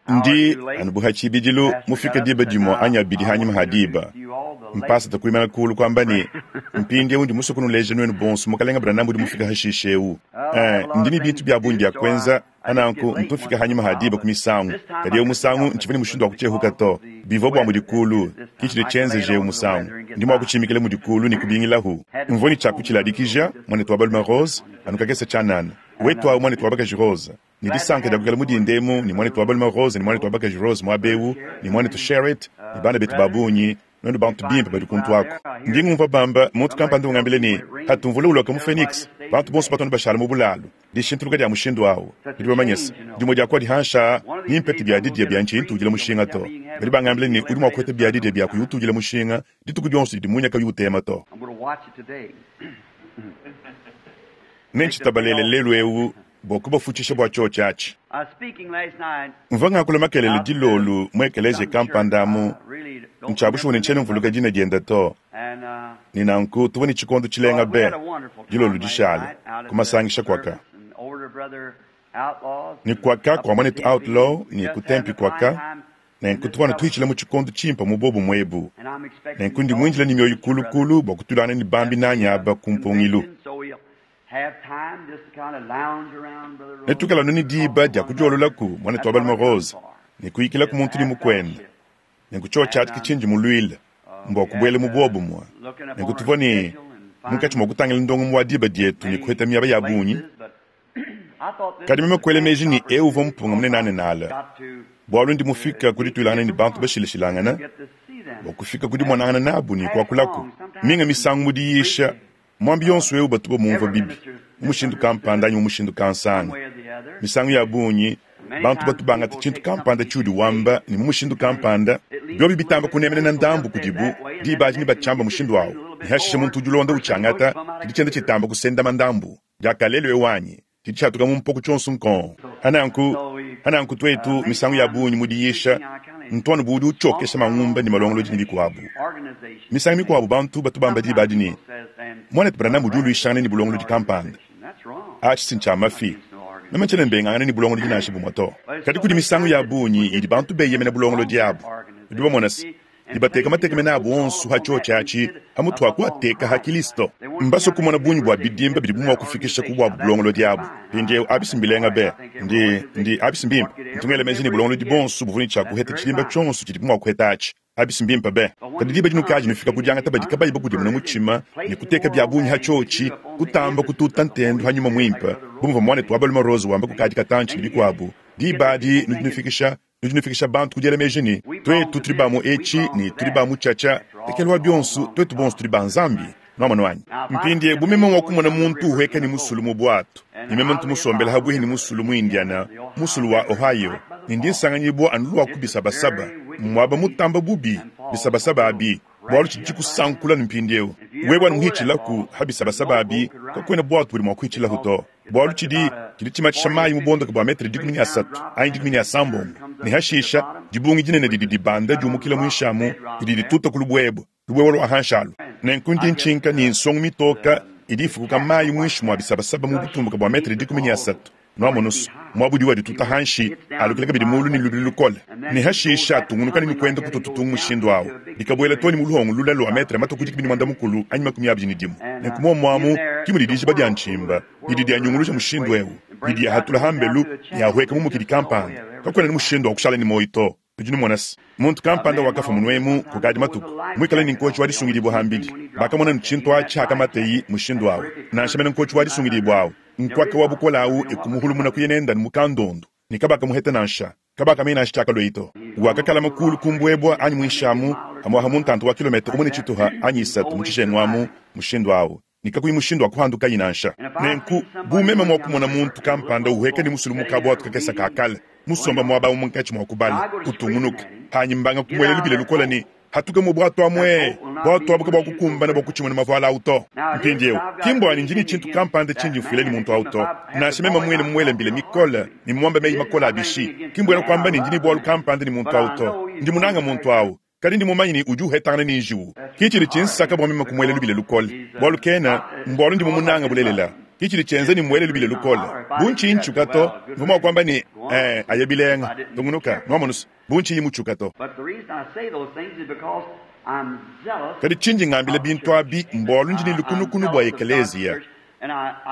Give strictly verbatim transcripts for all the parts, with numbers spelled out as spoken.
Ndi anu bu ha tshibidilu mufike diba dimue anyi abidi hanyima ha diba. Mpasata kuimana kulu kuamba ne, mpindieu ndi musue kunuleja nuenu bonso mukalenga Branham udi mufike hashishe eu. Eh, ndi ne bintu bia bungi bia kuenza, pananku ntu mfika hanyima ha diba ku misangu. Kadi eu musangu ntshivua ne mushindu wa kutshiehuka to. Bivua bua mudi kulu, ke tshidi tshienzeje eu musangu. Ndi mua kutshimikila mudi kulu ne kubingilahu. Mvua ne tshia kutshiladikija, muanetu wa balume Rose, anu kakese tshianana. Wetu awu muanetu wa bakaji Rose. Ne disanka dia kuikala mu dinda emu ne muanetu wa balume Rose ne muanetu wa bakaji Rose muaba eu, ne muanetu Sherrit, ne bana betu ba bungi, nuenu bantu bimpe badi kuntu aku. Ndi ngumvua bamba, muntu kampanda ungambila ne, Patu mvula uloka mu Phoenix, bantu bonso batu anu bashala mu bulalu. Dishintuluka dia mushindu au, nudi bamanye se, dimue dia ku adi hanshi aa, nempete biadidia bia ntshiyi ntudila mushinga to. Badi bangambila ne, udi mua kupeta biadidia bia kuyi utudila mushinga dituku dionso didi munya kauyi utema to. Nentshitabalele lelu eu bua kubafutshisha bua tshiotshi atshi. Mvua ngakula makelela dilolu mu ekeleziya kampanda amu, ntshia bushuwa ne ntshiena mvuluka dina diende to. Ne nanku tuvua ne tshikondo tshilenga be dilolu dishale ku masangisha kuaka. Ne kuaka kua muanetu Outlaw ne ku Tempe kuaka, nenku tuvua anu tuhitshila mu tshikondo tshimpe mu bobumue ebu. Nenku ndi muindile ne mioyo kulukulu bua kutuilangana ne bambi nanyi aba ku mpungilu. Netuikale anu ne diba dia kudiololaku muanetu wa balume Rose ne kuyikilaku muntu ne mukuende. Nenku tshiotshi atshi ke tshindi muluile, mbua kubuela mu buobumue. Nenku tuvua ne munkatshi mua kutangila ndongamu wa diba dietu ne kuheta miaba ya bungi. Kadi meme kuela meji ne, eu uvua mpunga munenanenala, bualu ndi mufike ku dituilangana ne bantu bashilashilangana, bua kufika ku dimonangana nabu ne kuakulaku. Minga misangu mu diyisha, muambi yonso eu batu bamumvua bibi mu mushindu kampanda anyi mu mushindu kansanga. Misangu ya bungi bantu batu bangata tshintu kampanda tshiudi wamba ne mu mushindu kampanda, biobi bitamba kunemenena ndambu kudibu, diba adi nebatshiamba mushindu au, ne hashishe muntu udi ulonda utshiangata, tshidi tshienda tshitamba kusendama ndambu. Diakalelu eu anyi tshidi tshiatuka mu mpoku tshionso nkong. Hananku, hananku tuetu misangu ya bungi mu diyisha ntu anu bu udi utshiokesha mangumba ne malongolodi ne bikuabu. Misangu mikuabu bantu batu bamba diba adi ne, Muanetu Branham udi uluishangana ne bulongolodi kampanda. Atshi si ntshia mafi. Meme ntshiena mbengangana ne bulongolodi nansha bumue to. Kadi kudi misangu ya bungi idi bantu beyemena bulongolodi abu. Nudi bamona se, ne bateka matekemena abu onso ha tshiotshi atshi pamutu ha kuateka ha Kilisto. Mbasue kumona bungi bua bidimba bidibu mua kufikisha ku buabu bulongolodi abu. Mpindieu abi si mbilenga be? Ndi, ndi, abi si mbimpe? Ntu ngela meji ne bulongolodi buonso buvua ne tshia kuheta tshidimba tshionso tshidibu mua kuheta atshi. Abi si mbimpe be? Kadi diba dinukadi nufika ku diangata badi kabayi bakudimuna mutshima ne kuteka bia bungi ha tshiotshi, kutamba kututa ntendu ha Nyuma Muimpe, bu muvua muanetu wa balume Rose wamba kukadi katantshi ne bikuabu, diba adi nudi nufikisha nudi nufikisha bantu ku diela meji ne, tuetu tudi ba mu etshi ne tudi ba mu tshiatshia. Ndekelu wa bionso, tuetu bonso tudi ba Nzambi. Nuamonu anyi? Mpindieu bu meme mua kumona muntu uhueka ne musulu mu buatu, ne meme ntu musombele habuihi ne musulu mu Indiana, musulu wa Ohio, ne ndi nsanganyibua anu lua ku bisabasaba, muaba mutamba bubi, bisabasaba abi, bualu tshidi tshikusankula ne mpindieu wewe anu muhitshilaku ha bisabasaba abi, kakuena buatu budi mua kuhitshilahu to, bualu tshidi tshidi tshimatshisha mayi mu buondoke bua metre dikumi ne asatu anyi dikumi ne asambombo, ne hashisha dibungi dinene didi dibanda diumukila muinshi amu didi dituta ku lubuebue, lubuebue lua hanshi alu. Nenku ndi ntshinka ne nsongu mitoka idi ifukuka mayi muinshi mua bisabasaba mu butumbuka bua metre dikumi ne asatu. Nuamonusu, muaba udi wadituta hanshi, alukila kabidi mulu ne lubilu lukole, ne hashisha atungunuka ne kuenda kutututu mushindu au, dikabuela to ne mu luhongo lule lua metre matue ku dikumi ne muanda mukulu anyi makumi abidi ne dimue. Nenku muomu amu ki mudi dijiba dia ntshimba didi dianyunguluja mushindu eu, didi diahatula hambelu ne ahueka mu mukidi kampanda. Kakuena ne mushindu wa kushala ne muoyo to. Nudi numona se, muntu kampanda wakafua munuemu kukadi matuku, muikale ne nkotshi wa disungidibua hambidi. Bakamona ne tshintu atshi hakamateyi mushindu au. Nansha mene nkotshi wa disungidibua au, nkuaka wa bukole au ekumuhulumuna kuya nenda mu kandondu, ne kabakamuheta nansha, kabakamanya nansha tshiakalueyi to. Wakakalama kulu ku mbuebua anyi muinshi amu, hamuaha mu ntanta wa kilometa umue ne tshituha anyi isatu mu tshijengu amu mushindu au, ne kakuyi mushindu wa kuhandukayi nansha. Nenku, bu meme mua kumona muntu kampanda uhueka ne musulu mu kabuatu kakese ka kale, musomba muaba au munkatshi mua kubala, utungunuka, hanyi mbanga kumuela lubila lukole ne, Hatuka mu buatu amue! Buatu abu kabuakukumbana bua kutshimuna mavuala au to. Mpindieu, ki mbua ne ndi ne tshintu kampanda tshindi mfuila ne muntu au to. Nansha meme muine mumuele mbila mikole ne mmuambe meyi makole a bishi, ki mbuena kuamba ne ndi ne bualu kampanda ne muntu au to. Ndi munange muntu au, kadi ndi mumanye ne udi uhetangana ne njiwu. Ke tshidi tshinsaka bua meme kumuela lubila lukole, bualu kena mbualu ndi mumunange bulelela. Ki tshidi tshienza ne muele lubila lukole. Bu ntshiyi ntshiuka to, mvua mua kuamba ne, Ee, aya bilenga. Tungunuka, nwamonu-se, bu ntshiyi mutshiuka to. Kadi tshindi ngambila bintu abi mbualu ndi ne lukunukunu bua ekeleziya.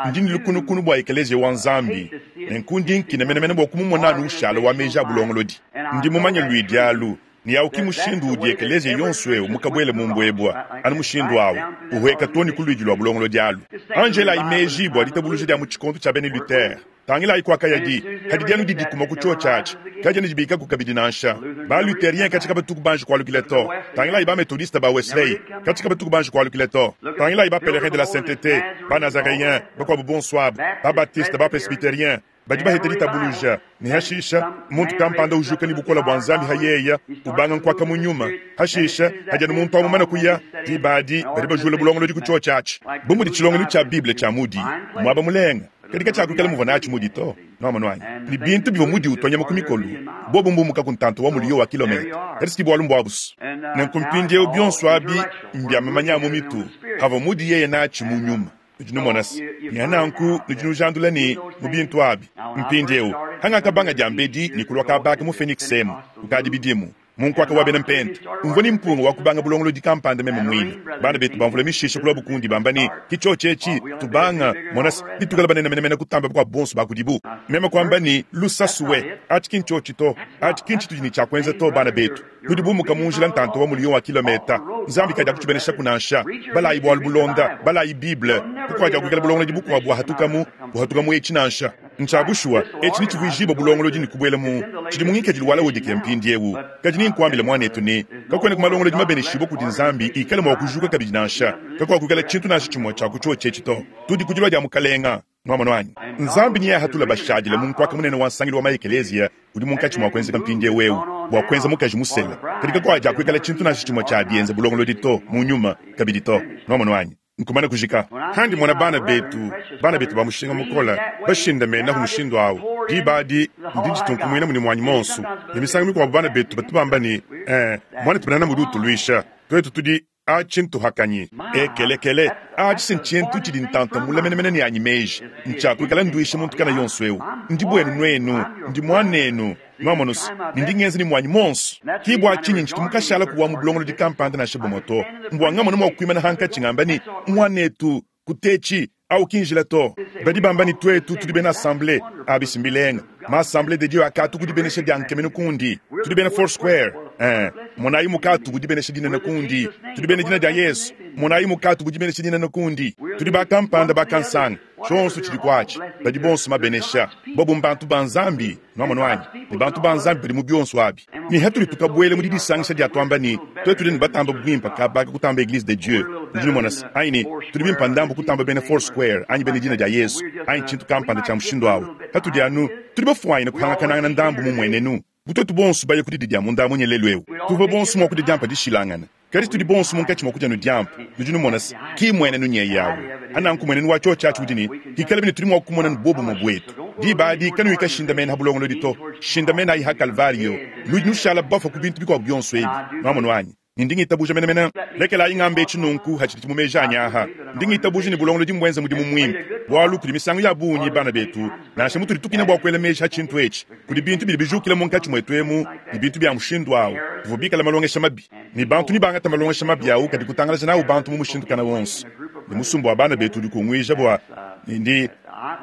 Ndi ne lukunukunu bua ekeleziya wa Nzambi, nenku ndi nkina menemene bua kumumona anu ushala wa meji a bulongolodi. Ndi mumanye luidi alu, ne awu ki mushindu udi ekeleziya yonso eu mukabuele mu mbuebua, anu mushindu awu, uhueka too ne ku luidi lua bulongolodi alu. Anji elayi meji bua ditabuluja dia mu tshikondo tshia bena Luther. Tangilayi kuakayadi, kadi anu didikuma ku tshiotshi atshi, kadiena dibikaku kabidi nansha. Ba-Lutherien katshi kabatuku banji kualukila to. Tangilayi ba-Methodiste ba Wesley, katshi kabatuku banji kualukila to. Tangilayi ba-Pèlerins de la Sainteté, ba-Nazaréens, bakuabu bonso abu, ba-Baptiste, ba-Presbytérien, badi baheta ditabuluja, ne hashisha, muntu kampanda ujuka ne bukole bua Nzambi hayeya, ubanga nkuaka mu nyuma. Hashisha, hadi anu muntu amumana kuya, diba adi, badi bajula bulongolodi ku tshiotshi atshi. Bu mudi tshilongelu tshia Bible tshia Moody, muaba mulenga, kadi katshiakuikala muvua natshi Moody to. Nwamonu anyi? Ne bintu bivua Moody utua nyama ku mikolu, bobu mbumuka ku ntanta wa muliyo wa kilometa. Kadi si bualu mbuabusu. Nenku mpindieu bionso abi mbia mamanya a mu mitu, avua Moody yeye natshi mu nyuma. Nudi numona se, ne nanku nudi nujandula ne mu bintu abi. Mpindieu, hangakabanga diambedi ne kulua kabaka mu Phoenix emu, kukadi bidimu, mu nkuaka wa bena mpenta, mvua ne mpunga wa kubanga bulongolodi kampanda meme muine. Bana betu bamvula mishisha kulua bukundi bamba ne, ki tshiotshi etshi, tubanga, mona se, bitukala banene menemene kutamba bakuabu bonso ba kudibu. Meme kuamba ne, lusasuwe, atshi ki ntshiotshi to, atshi ki ntshitudi ne tshia kuenza to, bana betu. Nudi bumuka mu njila ntanta wa muliyo wa kilometa. Nzambi kadiakutshibeneshaku nansha. Balayi bualu bulonda, balayi Bible, kukuadiakuikala bulongolodi bukuabu buhatukamu, buhatukamu etshi nansha. Ntshia bushuwa, etshi netshivuijibue bulongolodi ne kubuela mu tshidi mu ngikadilu wa Laodikea mpindieu. Kadi ninkuambile muanetu ne, kakuena ku malongolodi mabeneshibue kudi Nzambi ikale mua kujuka kabidi nansha. Kakuakuikala tshintu nansha tshimue tshia ku tshiotshi etshi to. Tudi ku dilua dia Mukalenga. Nwamonu anyi? Nzambi neahatule bashadile mu nkuaka munene wa nsangilu wa maekeleziya udi munkatshi mua kuenzeka mpindieu eu bua kuenza mukaji musela. Kadi kakuadiakuikala tshintu nansha tshimue tshia bienza bulongolodi to, mu nyuma kabidi to. Nwamonu anyi? Nkumana kujika. Handi mona bana betu, bana betu ba mushinga mukola, bashindamenahu mushindu awu. Diba adi, ndi nditunkumwina muni muanyi monso. Ne misangu mikuabu bana betu batu bamba ne, eh, muanetu Branham udi utuluisha. Tuetu tudi atshi ntuhakanyi. Ekelekele, atshi si ntshintu tshidi ntanta mule menemene ne anyi meji. Ntshiakuikala nduisha muntu kana yonso eu. Ndi buenu nuenu, ndi muanenu. Nwamonu se, ne ndi ngenza ne muanyi monso. Ki bua tshinyi ntshitu mukashala kuwa mu bulongolodi kampanda nansha bumue to. Mbua ngamona mua kuimana hankatshi ngamba ne, muanetu, kutetshi, awu ki njila to. Badi bamba ne tuetu tudi bena assemblée, abi si mbilenga. Ma assemblée de Dieu akatu kudibenesha dia nkemenu kundi. Tudi bena Four Square. Eh, monayi mukatu kudibenesha dinene kundi. Tudi bena dina dia Yesu. Monayi mukatu kudibenesha dinene kundi. Tudi ba kampanda ba kansanga. Tshionso tshidi kuatshi. Badi bonso mabenesha. Bobu mbantu ba Nzambi, nwamonu anyi? Ne bantu ba Nzambi badi mu bionso abi. Ne hatudi tukabuela mu didisangisha dia tuamba ne, tuetu tudi ne batamba bimpe kabaka kutamba Eglise de Dieu. Nudi numona se, anyi ne, tudi bimpe ndambu kutamba bena Four Square, anyi bena dina dia Yesu, anyi tshintu kampanda tshia mushindu awu. Hatudi anu, tudi bafuanyine kuhangakanangana ndambu mu muenenu. Bu tuetu bonso baye ku didi dia munda munye lelu eu. Tuvua bonso mua kudia diampa dishilangana. Kadi tudi bonso munkatshi mua kudia nu diampa. Nudi numona se, ki muenenu nyeyi awu. Ananku muenenu wa tshiotshi atshi udi ne, kikale bine tudi mua kumona nu bobumue buetu. Diba adi kanuyi shindamena ha bulongolodi to. Shindamena ayi ha Kalvario. Nudi nushala bafua ku bintu bikuabu bionso ebi. Nwamonu anyi? Ne ndi ngitabuja menemene. Lekelayi ngambe etshi nunku hatshidi mu meji anyi aha. Ndi ngitabuja ne bulongolodi mbuenza mudimu muimpe. Bualu kudi misangu ya bungi bana betu, nansha mutudi tukina bua kuela meji ha tshintu etshi, kudi bintu bidi bijukila munkatshi muetu emu ne bintu bia mushindu awu, bivua bikala malongesha mabi. Ne bantu nibangata malongesha mabi awu kadi kutangalaja nawu bantu mu mushindu kana wonso. Ne musumba wa bana betu udi kunguija bua ne ndi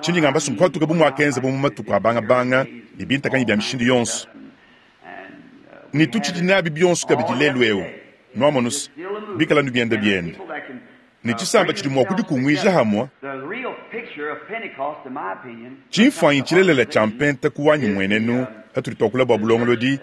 tshindi ngamba sunkuatuka bu muakenza bu mu matuku a bangabanga ne bintakanyi bia mishindu yonso. Ne tutshidi nabi bionso kabidi lelu eu. Nwamonu se, bikala nu bienda bienda. Ne tshisamba tshidi mua kudikunguija hamwe, tshimfuanyi tshilelela tshia mpenta ku wanyi muenenu, hatudi tuakula bua bulongolodi,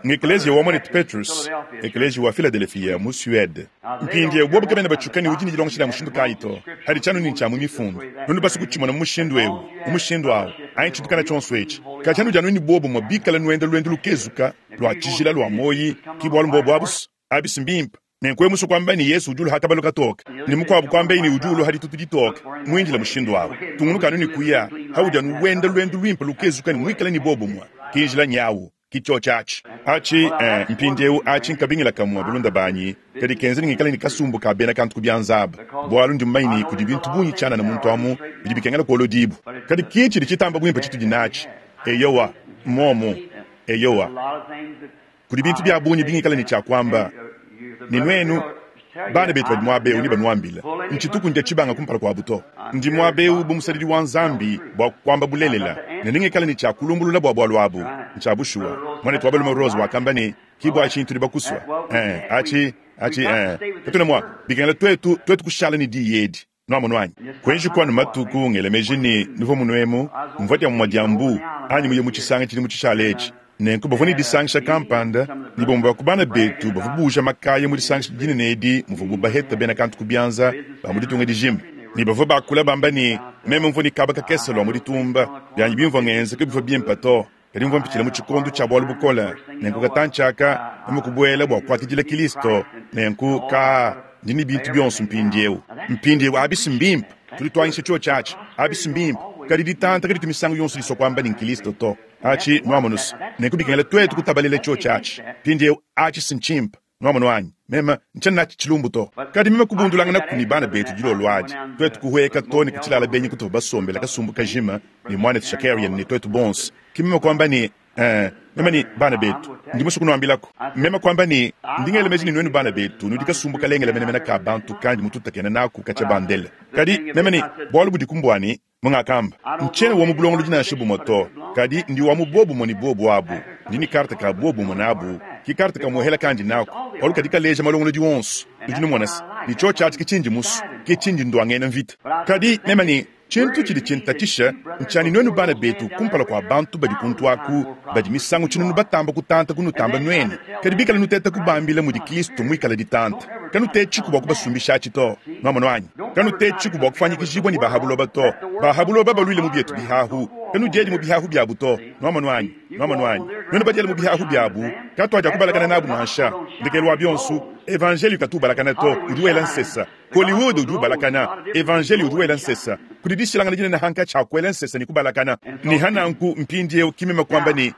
ngekeleziya wa muanetu Petrus, ekeleziya wa Philadelphia mu Suede. Mpindieu bobu kabena batshuka ne udi ne dilongesha dia mushindu kayi to, hadi tshianu ne tshia mu mifundu. Nunu basu kutshimona mu mushindu eu, mu mushindu awu, anyi tshintu kana tshionso etshi. Kadi anu dianu ne bobumue bikala nuenda luendu lukezuka, lua tshijila lua moyi, ki bualu mbobu abusu, abisi mbimpe. Nenku emusu kuamba ne Yesu udi uluha kabalu katoke, ne mukuabu kuamba ne udi uluha ditutu ditoke. Muindila mushindu awu, tungunuka anu ne kuya, haudi anu wenda luendu luimpe lukezuka ne muikale ne bobumue. Ki njila nyawu, Ki cyoci aci. Aci, ee, mpindyewu aci nkabingila kamwe, balunda baanyi, kadi kenza ne ngikale ne kasumbu kaa beena kantu ku byanza aba, bwalu ndi mumanye ne kudi bintu bungi cyanana muntu amu bidi bikengela kwolodiibwa. Kadi ki cidi citamba bwimpe citudi naaci. Eyowa, mmwomo. Eyowa. Kudi bintu bya bungi bingikala ne cya kwamba. Ne nwenu, bana beetu badi mwaba ewu nebanwambile, ncituku ndya cibanga kumpala kwabo to. Ndi mwaba ewu bu musadidi wa Nzambi bwa kwamba bulelela, ne nengikale ne cya kulumbulula bwa bwalu abu. Ncya bushuwa. Mwaneetu wa balume Rose wakamba ne, Ki bwa cinyi tudi bakuswa. Ee, aci, aci, ee, katwena mwa, bikengela twetu, twetu kushala ne diyi edi. Nwamonu anyi? Kwenji kwanu matuku, ngela meji ne nuvwa munwemu, mvwa dyamumwa dya mbu, anyi muye mu cisanga cidimu cishala eci. Nenku bavwa ne disangisha kampanda, ne bamwe ba ku bana beetu bavwa buuja makaya mu disangisha dinene edi muvwabu baheta beena kantu ku byanza ba mu ditunga dijima. Ne bavwa bakula bamba ne, Meme mvwa ne kaba kakese lwa mu ditumba, byanyi bimvwa ngenza kabivwa bimpe to, kadi mvwa mpicila mu cikondo cya bwalu bukole. Nenku katanci aka, meme kubwela bwa kwakidila Kilisto. Nenku, kaa, ndi ne bintu byonso mpindyewu. Mpindyewu, abi's mbimpe. Tudi twanyisha cyoci aci. Abi's mbimpe. Kadi ditanta kaditu misangu yonso diswa kwamba ne n'Kilisto to. Aci, nwamonu's. Nenku bikengela twetu kutabalela cyoci aci. Mpindyewu, aci's ncimpe. Nwamonu anyi? Meme ncyena naci cilumbu to. Kadi meme kubundulanganaku ne bana beetu dilolo adi, twetu kuhweka too ne ku cilala benyi kutuvwa basombela kasumbu kajima ne mwanetu Shakarian ne twetu bonso. Ki meme kwamba ne, Ee, meme ne, bana beetu, ndi muswe kunwambilaku. Meme kwamba ne, Ndi ngela meji ne nwenu bana beetu nudi kasumbu kalengele menemene ka bantu kandi mututakena naaku kacya bandele. Kadi, meme ne, bwalu budiku mbwa ne, mungakamba, ncyena wa mu bulongolodi nansha bumwe to, kadi ndi wa mu bwobumwe ne bwobo abu. Ndi ne karte ka bwobumwe naabu. Ki karte kamwehela kandi naaku, bwalu kadi kaleeja malongolodi wonso. Nudi numona se, ne cyoci aci ke cindi muswe, ke cindi ndwangena mvita. Kadi, meme ne, Tshintu tshidi tshintatshisha ntshia ne nuenu bana betu kumpala kua bantu badi kuntu aku, badi misangu tshinunu batamba kutanta kunutamba nuenu, kadi bikala nuteta kubambila mudi Kristo muikale ditanta, kanutetshiku bua kubasumbishatshi to. Nuamonu anyi? Kanutetshiku bua kufuanyikijibua ne ba ha buloba to. Ba ha buloba baluile mu bietu bihahu, kanudiedi mu bihahu biabu to. Nuamonu anyi? Nuamonu anyi? Nuenu badiele mu bihahu biabu, katuadiakubalakana nabu nansha. Ndekelu wa bionso, evanjeliyo katu ubalakana to, udi wela nsesa. Hollywood udi ubalakana, Evanjeliyo udi wela nsesa. Kudi dishilangana dinene hankatshi ha kuela nsesa ne kubalakana. Ne ha nanku mpindieu ki meme kuamba ne,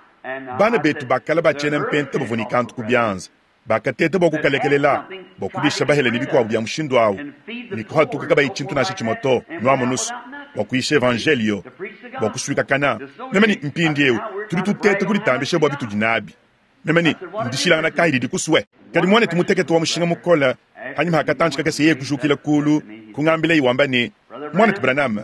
Bana betu ba kale ba tshiena mpenta bavua ne kantu ku bianza, bakateta bua kukalekelela, bua kudisha bahele ne bikuabu bia mushindu au, ne kuhatuka kabayi tshintu nansha tshimue to, nuamonu's, bua kuyisha Evanjeliyo, bua kusuikakana. Meme ne, Mpindieu tudi tuteta kuditambisha bua bitudi nabi. Meme ne, Ndishilangana kayi didi kusue? Kadi muanetu mutekete wa mushinga mukole, hanyima ha katantshi kakese yeye kujukila kulu, kungambilaye wamba ne, Muanetu Branham,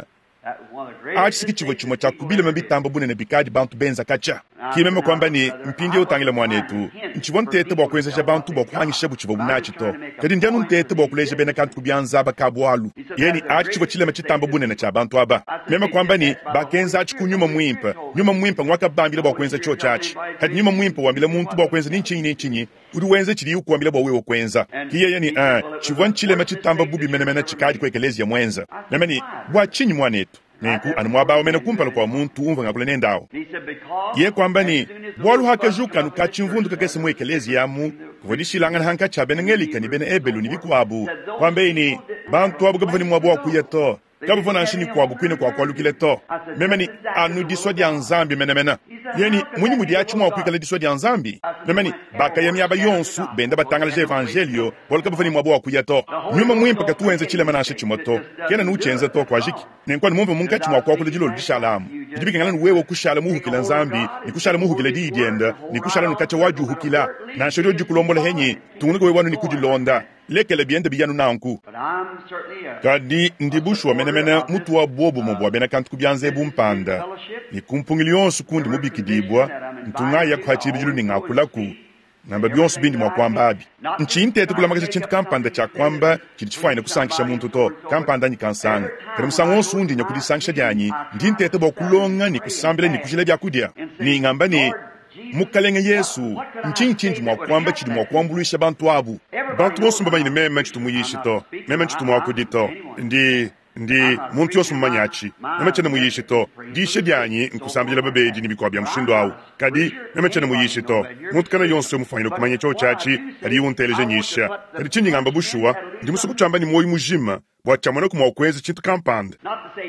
atshi ki tshivua tshimue tshia ku bilema bitamba bunene bikadi bantu benza katshia. Ki meme kuamba ne, Mpindieu tangila muanetu, ntshivua nteta bua kuenzeja bantu bua kuhangishabu tshivuabu natshi to, kadi ndi anu nteta bua kuleja bena kantu ku bianza aba ka bualu. Yeye ne, Atshi tshivua tshilema tshitamba bunene tshia bantu aba. Meme kuamba ne, Bakenza atshi ku Nyuma Muimpe. Nyuma Muimpe nguakabambila bua kuenza tshiotshi atshi. Kadi Nyuma Muimpe wambila muntu bua kuenza ni ntshinyi ni ntshinyi, udi wenza tshidiye ukuambila bua wewe kuenza. Ki yeye ne, Ee, tshivua ntshilema tshitamba bubi menemene tshikadi ku ekeleziya muenza. Meme ne, Bua tshinyi, muanetu? Nenku anu muaba awu mene kumpala kua muntu umvua ngakula nende awu. Yeye kuamba ne, Bualu hakajuka anu ka-tshimvundu kakese mu ekeleziya amu, kuvua dishilangana hankatshi ha bena Ngelika ne bena Ebelu ne bikuabu. Kuambeye ne, Bantu abu kabavua ne muaba wa kuya to. Kabavua nansha ne kuabu kuine kua kualukila to. Meme ne, Anu disua dia Nzambi menemene. Yeye ne, Munyi mudi atshi mua kuikala disua dia Nzambi? Meme ne, Bakaya miaba yonso benda batangalaja evanjeliyo, bualu kabavua ne muaba wa kuya to. Nyuma Muimpe katu wenza tshilema nansha tshimue to. Kena anu utshienza to. Kuajiki. Nenku anu mumvua munkatshi mua kuakula dilolo dishala amu, bidi bikengela anu wewe kushala muuhukila Nzambi, ne kushala muuhukila Diyi diende, ne kushala anu katshia wadiuhukila. Nansha diodi dikulombola henyi, tungunuka wewe anu ne kudilonda. Lekela biende biya anu nanku. Kadi ndi bushuwa menemene mutu wa buobumue bua bena kantu ku bianza ebu mpanda, ne ku mpungilu yonso kundi mubikidibua, ntu ngayaku ha tshibidilu ne ngakulaku, ngamba bionso bindi mua kuamba abi. Ntshiyi nteta kulamakaja tshintu kampanda tshia kuamba tshidi tshifuanyine kusankisha muntu to, kampanda anyi kansanga. Kadi musangu wonso undi nya ku disankisha dianyi, ndi nteta bua kulonga ne kusambila ne kujila biakudia, ne ngamba ne, Mukalenge Yesu, ntshinyi tshindi mua kuamba tshidi mua kuambuluisha bantu abu? Bantu bonso mbamanye ne meme ntshitu muyishi to, meme ntshitu muakudi to. Ndi, ndi, muntu yonso mmumanye atshi. Meme tshiena muyishi to. Diyisha dianyi nkusambidila babedi ne bikuabu bia mushindu au. Kadi, meme tshiena muyishi to. Muntu kena yonso mufwanyine kumanya tshiotshi atshi padiye unteleja nyisha. Kadi tshindi ngamba bushuwa, ndi musue kutshiamba ne muoyo mujima, bua tshiamonaku mua kuenza tshintu kampanda.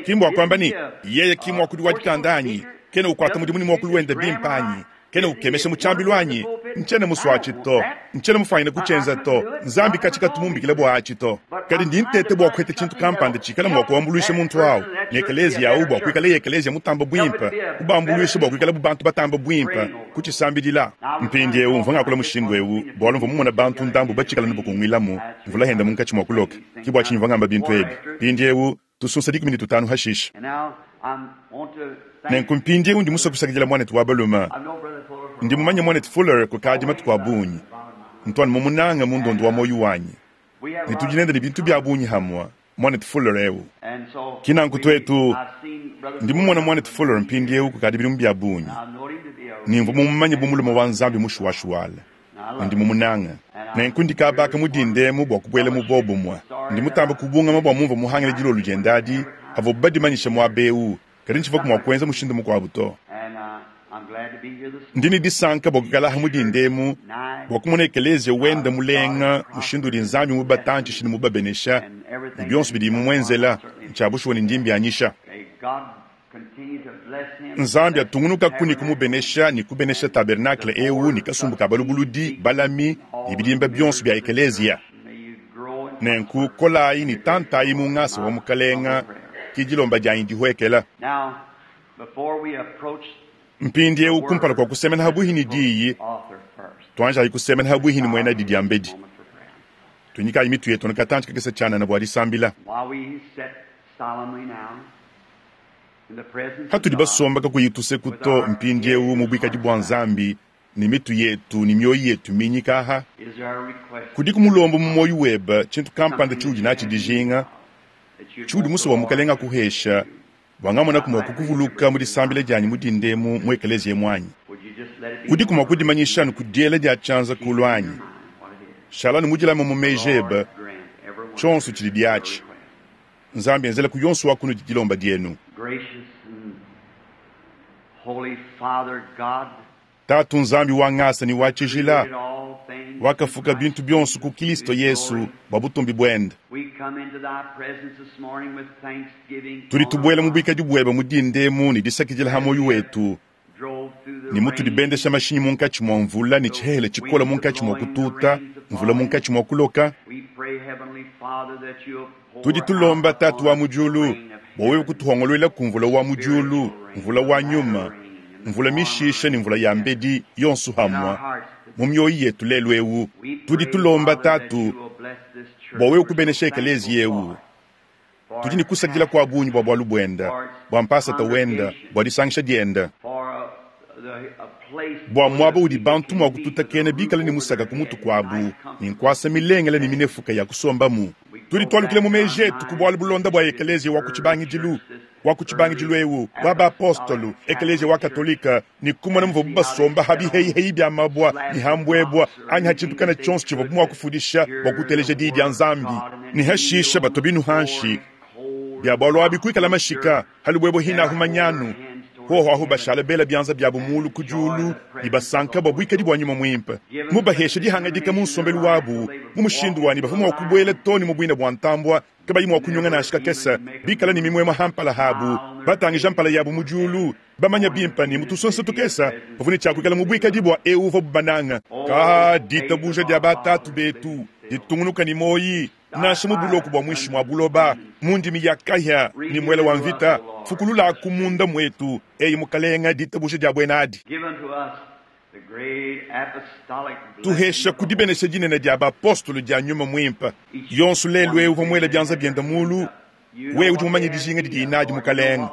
Ki mbua kuamba ne, yeye ki muakudi wa dikanda anyi, kena ukuata mudimu ne muakulu wende bimpe anyi, Kena ukemesha mu tshiambilu anyi? Ntshiena musue atshi to. Ntshiena mufuanyine kutshienza to. Nzambi katshi katu mumbikile bua atshi to. Kadi ndi nteta bua kuheta tshintu kampanda tshikala mua kuambuluisha muntu awu ne ekeleziya awu bua kuikalaye ekeleziya mutamba buimpe, kubambuluisha bua kuikala bu bantu batamba buimpe, kutshisambidila. Mpindieu mvua ngakula mushindu eu bualu mvua mumona bantu ndambu batshikala ne bukunguilamu, mvula henda munkatshi mua kuloka. Ke bua tshinyi mvua ngamba bintu ebi. Mpindieu tusunsa dikumi ne tutanu hashishe. Nenku mpindieu ndi musue kusakidila muanetu wa balume. Ndi mumanye muanetu Fuller kukadi matuku a bungi. Ntu anu mumunange mu ndondo wa muoyo wanyi. Ne tudi nende ne bintu bia bungi hamue, muanetu Fuller eu. Ki nanku tuetu, ndi mumona muanetu Fuller mpindieu kukadi bidimu bia bungi. Ne mvua mumumanye bu mulume wa Nzambi mushuwashuwala. Ne ndi mumunange. Nenku ndi kabaka mu dindemu bua kubuela mu bobumue. Ndi mutamba kubungama bua mumvua muhangile dilolo diende adi, havuabu badimanyisha muaba eu, kadi ntshivuaku mua kuenza mushindu mukuabu to. Ndi ne disanka bua kuikala mu dindemu bua kumona ekeleziya wenda mulenga mushindu udi Nzambi mubatantshishe ne mubabenesha ne bionso bidi mumuenzela ntshia bushuwa ne ndi mbianyisha. Nzambi atungunukaku ne kumubenesha ne kubenesha tabernacle eu ne kasumbu ka balubuludi, balami ne bidimba bionso bia ekeleziya. Nenku kolayi ne tantayi mu ngasa wa Mukalenga, ke dilomba dianyi dihuekela. Mpindieu kumpala kua kusemena habuhi ne diyi, tuanjayi kusemena habuhi ne muena di diambedi. Tunyikayi mitu yetu ne katantshi kakese tshianana bua disambila. Hatudi basomba kakuyi tuseku to mpindieu mu buikadi bua Nzambi ne mitu yetu ne mioyo yetu minyika aha. Kudiku mulombo mu muoyo webe tshintu kampanda tshiudi natshi dijinga, tshiudi musue bua Mukalenga akuhesha, bua ngamonaku mua kukuvuluka mu disambila dianyi mu dindemu mu ekeleziya muanyi. Udiku mua kudimanyisha anu ku diela dia tshianza kulu anyi? Shala anu mudilame mu meji ebe, tshionso tshidi diatshi. Nzambi enzela ku yonso wa kunudi dilomba dienu. Tatu Nzambi wa ngasa ne wa tshijila, wakafuka bintu bionso ku Kristo Yesu bua butumbi buende. Tudi tubuela mu buikadi buebe mu dindemu ne disakidila ha muoyo wetu, ne mutudi bendesha mashinyi munkatshi mua mvula ne tshihehele tshikola munkatshi mua kututa, mvula munkatshi mua kuloka. Tudi tulomba Tatu wa mu diulu bua wewe kutuhongoluela ku mvula wa mu diulu, mvula wa nyuma, mvula mishisha ne mvula ya mbedi yonso hamue mu mioyo yetu lelu eu. Tudi tulomba Tatu bua wewe kubenesha ekeleziya eu. Tudi ne kusakidila kua bungi bua bualu buenda, bua mpasata wenda, bua disangisha dienda, bua muaba udi bantu mua kututakena bikale ne musaka ku mutu kuabu ne nkuasa milengele ne minefuka ya kusombamu. Tudi tualukile mu meji etu ku bualu bulonda bua ekeleziya wa ku tshibangidilu, wa ku tshibangidilu eu wa baapostolu, ekeleziya wa katolika, ne kumona muvuabu basomba ha biheyiheyi bia mabua ne ha mbuebua anyi ha tshintu kana tshionso tshivuabu mua kufundisha bua kuteleja diyi dia Nzambi, ne hashisha batua binu hanshi bia bualu abi kuikala mashika halubuebua hinahu manyanu hoho aho bashala bela bianza biabu mulu ku diulu ne basanka bua buikadi bua nyuma muimpe. Mubahesha dihangadika mu nsombelu wabu mu mushindu wani bavua mua kubuela to ne mu buina bua ntambua kabayi mua kunyonga nansha kakese, bikala ne mimuemue hampala habu, batangija mpala yabu mu diulu, bamanya bimpe ne mutusonsa tukese bavua ne tshia kuikala mu buikadi bua eu uvuabu bananga. Ka ditabuja dia batatu betu ditungunuka ne moyi nansha mu buloko bua muinshi mua buloba, mu ndimi ya kahia ne muele wa mvita, fukulula ku munda mwetu eyi Mukalenga ditabuja dia buena adi. Tuhesha ku dibenesha dinene dia bapostolo dia nyuma muimpe. Yonso lelu eu uvua muele bianza biende mulu, wewe udi mumanye dijinga didi nadi Mukalenga.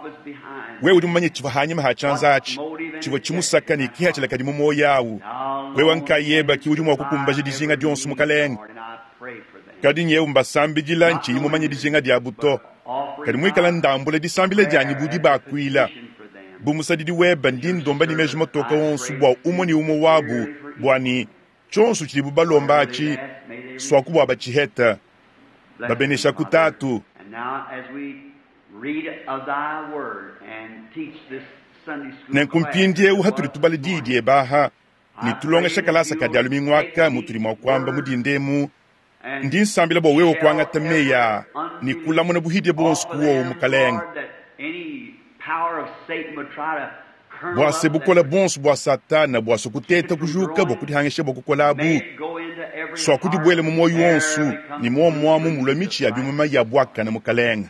Wewe udi mumanye tshivua hanyima ha tshianza atshi, tshivua tshimusaka ne kihatshila kadi mu muoyo awu. Wewe nkayeba ki udi mua kukumbaja dijinga dionso Mukalenga. Kadi nyewu mbasambidila ntshiyi mumanye dijinga diabu to. Kadi muikala ndambula disambila dianyi budi bakuila. Bu musadidi webe ndi ndomba ne meji matoka onso bua umue ne umue wabu bua ne tshionso tshidibu balomba atshi swaku bua batshiheta babenesha ku Tatu. Nenku mpindieu hatudi tubala diyi diebe aha ne tulongesha kalasa ka dia lumingu aka mutudi mua kuamba mu dindemu, ndi nsambila bua wewe kuangata meyi aa ne kulamuna buhidie buonso ku wowo Mukalenga. Bua se bukola bonso bua Satana bua sokuteta kujuka bua kudihangisha bua kukolabu swa kudibuela mu moyo wonso ni muomuamu mulwa michi ya bimuma ya bwakana mukalenga.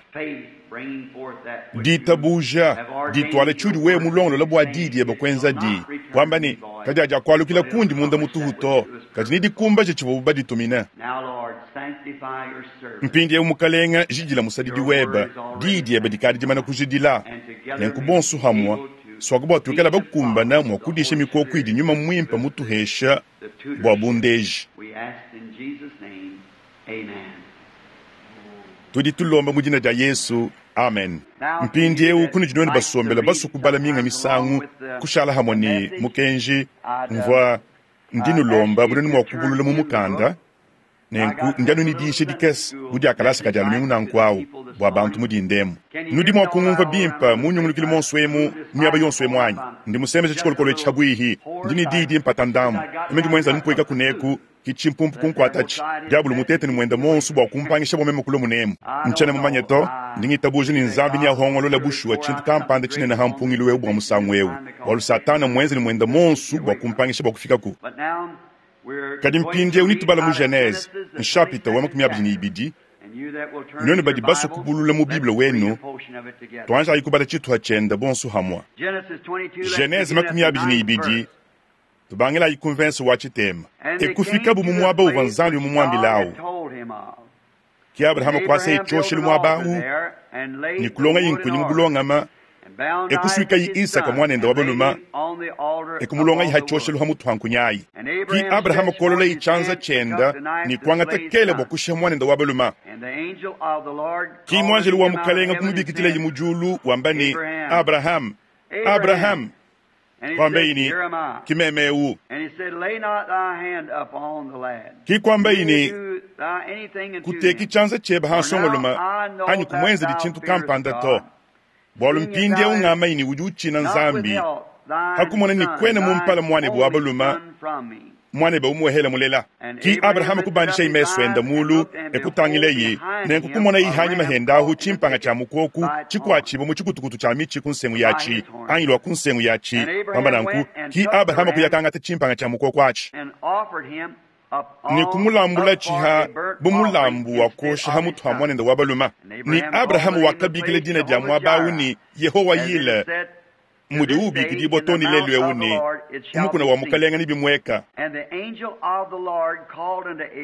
Ditabuja ditwala chudi wewe mulongolola bua didi ya bakwenza di kwamba ni kadi aja kwalukila kundi munda mutuhuto kadi ni dikumbaje chivo baditumina. Mpindi eu mukalenga jidila musadidi weba didi eba dikadi dimana kujidila nenku bonso hamwa swaka bua tuikala bakumbana mua kudisha mikoko idi nyuma mwimpa mutuhesha bua bundeji. Tudi tulomba mu dina dia Yesu, amen. Mpindi eu kunu dinoni basombela basukubala minga misangu kushala hamwe ni mukenji mvua ndinulomba bunoni mua kubulula mu mukanda nenku ndianu ni diisha dikese budi akalasa kadi alumingu nanku bua bantu mudindemu. Nudi mua kungumva bimpa munyungulukile monso emu miaba yonso emu anyi. Ndi musemesha tshikolokolo tshabwihi ndi ni didi mpata ndamu. Eme ndi mwenza numpweka kuneku kichimpumpu kunkwatachi diabulu mutete ni mwenda monso bua kumpangisha bua meme kulo munemu. Nchana mumanye to ndi ngitabuja ni nzambi ni ahongolola bushuwa tshintu kampanda tshinene hampungilo wewu bua musangu ewu. Bualu Satana mwenza ni mwenda monso bua kumpangisha bua kufikaku. Kadi mpindi eu nitubala mu Genese, nshapita wa makumi abidi ni ibidi, none badi basukubulula mu Bible wenu, tuanja ayikubala tshituha tshienda bonso hamwa. Genese makumi abidi ni ibidi, tubangela ayikumvensa wa tshitema. Ekufika bu mu mwaba uvua Nzambi mu mwambilawu. Ki Abrahama kwasa itshoshe mwaba awu, ni kulonga yinkunyi mu bulongama, ekusuika yi Isaka mwanenda wa baluma, ekumulonga yi hachoshelu ha mutu hankunyayi. Ki Abrahama kolola ichanza chenda ni kwangata kele bwa kusha mwanenda wa baluma. Ki mwanjelu wa mukalenga kumubikitila yi mujulu wamba ni Abraham, Abraham. Kwamba ini kimeme u. Ki kwamba ini kuteki chanza cheba hansongoluma anyi kumwenza dichintu kampanda to. Bwalu mpindi eu ngama ini udi uchina nzambi hakumona ni kwene mumpala mwane bwa baluma mwane ba umuhela mulela. Ki Abraham kubandisha imeso enda mulu ekutangile yi nenku kumona ihanyi mahenda ahu chimpanga cha mukoku chikwachibo mu chikutukutu cha michi kunsengu yachi angilwa kunsengu yachi pamba nanku ki Abraham kuyakangata chimpanga cha mukoku achi ni kumulambula chiha bumulambu wa kosha hamutu hamwanenda wa baluma. Ni Abrahamu wakabikile dina dia mwabawu ni Yehowa yile mudi ubikidi botoni lelu euni kumukuna wa mukalenga ni bimweka.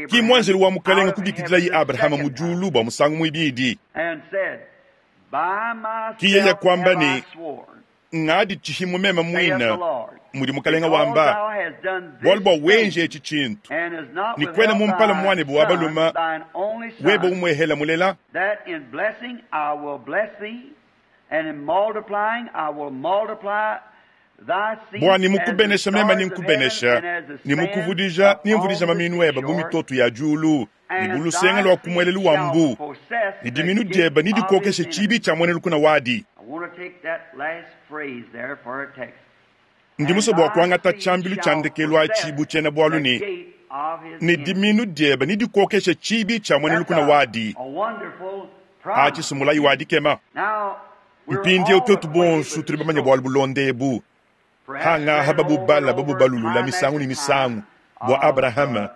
Ki mwanjelu wa mukalenga kubikidila yi Abrahamu mujulu bwa musangu mwibidi. Ki yeya kwamba ni ngadi chihimu mema mwina mudi mukalenga wamba bwalu bwa wenje echi chintu ni kwena mumpala mwane bwa baluma weba umwehela mulela. Bwa ni mukubenesha mema ni nkubenesha ni mukuvudija ni mvudija maminu eba bumitoto ya julu ni bulusenga lwa kumwelelu wa mbu ni diminu dieba ni dikokeshe chibi cha mwenelu kuna wadi. Ndi muso bwa kwangata chambilu chandekelwa chibu chena bwalu ni ni diminu dieba ni dikokeshe chibi cha mwenelu kuna wadi. Achi sumulai wadi kema. Mpindi eu tetu bonsu tuli bamanya bwalu bulondebu. Hanga hababu bala babu balulula misangu ni misangu bwa Abrahama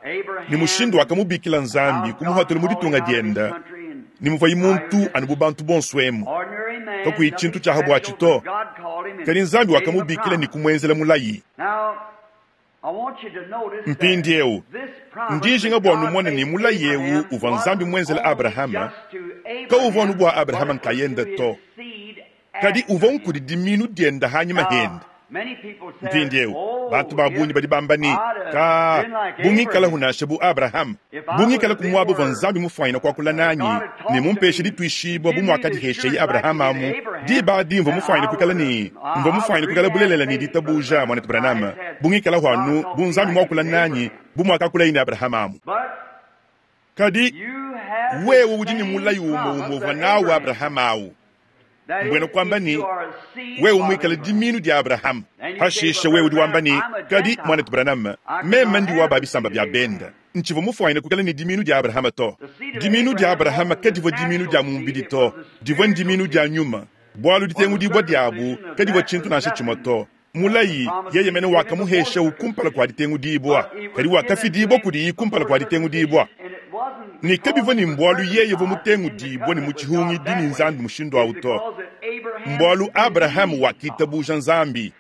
ni mushindu wakamubikila nzambi kumuhatula muditunga dienda ni muvayi muntu anu bantu bonsu emu kakuyi chintu cha habwa chito kali nzambi wakamubikila ni kumwenzela mulayi. Mpindi eu ndijinga bwa numone ni mulayi eu uva nzambi mwenzela Abrahama ka uva nu bwa Abrahama nkayenda to kadi uva nkudi diminu dienda hanyuma henda. Mpindi eu bantu babunyi badi bamba ni ka bungikala hunashe bu Abraham bungikala kumwabo va nzambi mufwanyina kwakula nanyi ni mumpeshe ditwishibwa bumwakadi heshe yi Abraham amu diba dimva mufwanyina kwikala ni mva mufwanyina kwikala bulelela ni ditabuja mwana Abraham bungikala hwanu bunzambi mwakula nanyi bumwakakula ine Abraham amu. Kadi wewe udi ni mulayi umo umova nawe Abraham awu mbwena kwamba ni wewe umwikala diminu dia Abraham hashisha wewe udi wamba ni kadi mwana Abraham mema ndi wa babisamba bya benda nchivo mufwanyina kukala ni diminu dia Abraham to. Diminu dia Abraham kadivo diminu dia mumbidi to divo ndiminu dia nyuma bwalu ditengu dibwa diabu kadivo chintu nasha chimo to Mulayi yeye mene wakamuhesha kumpala kwa ditengudibwa, kadi wakafidibwa kudiyi kumpala kwa ditengudibwa. Ne kabivua ni mbwalu yeye uvua mutengudibwa ne mu tshihungidi ni Nzambi mushindu awu to. Mbwalu Abrahamu wakitabuja Nzambi.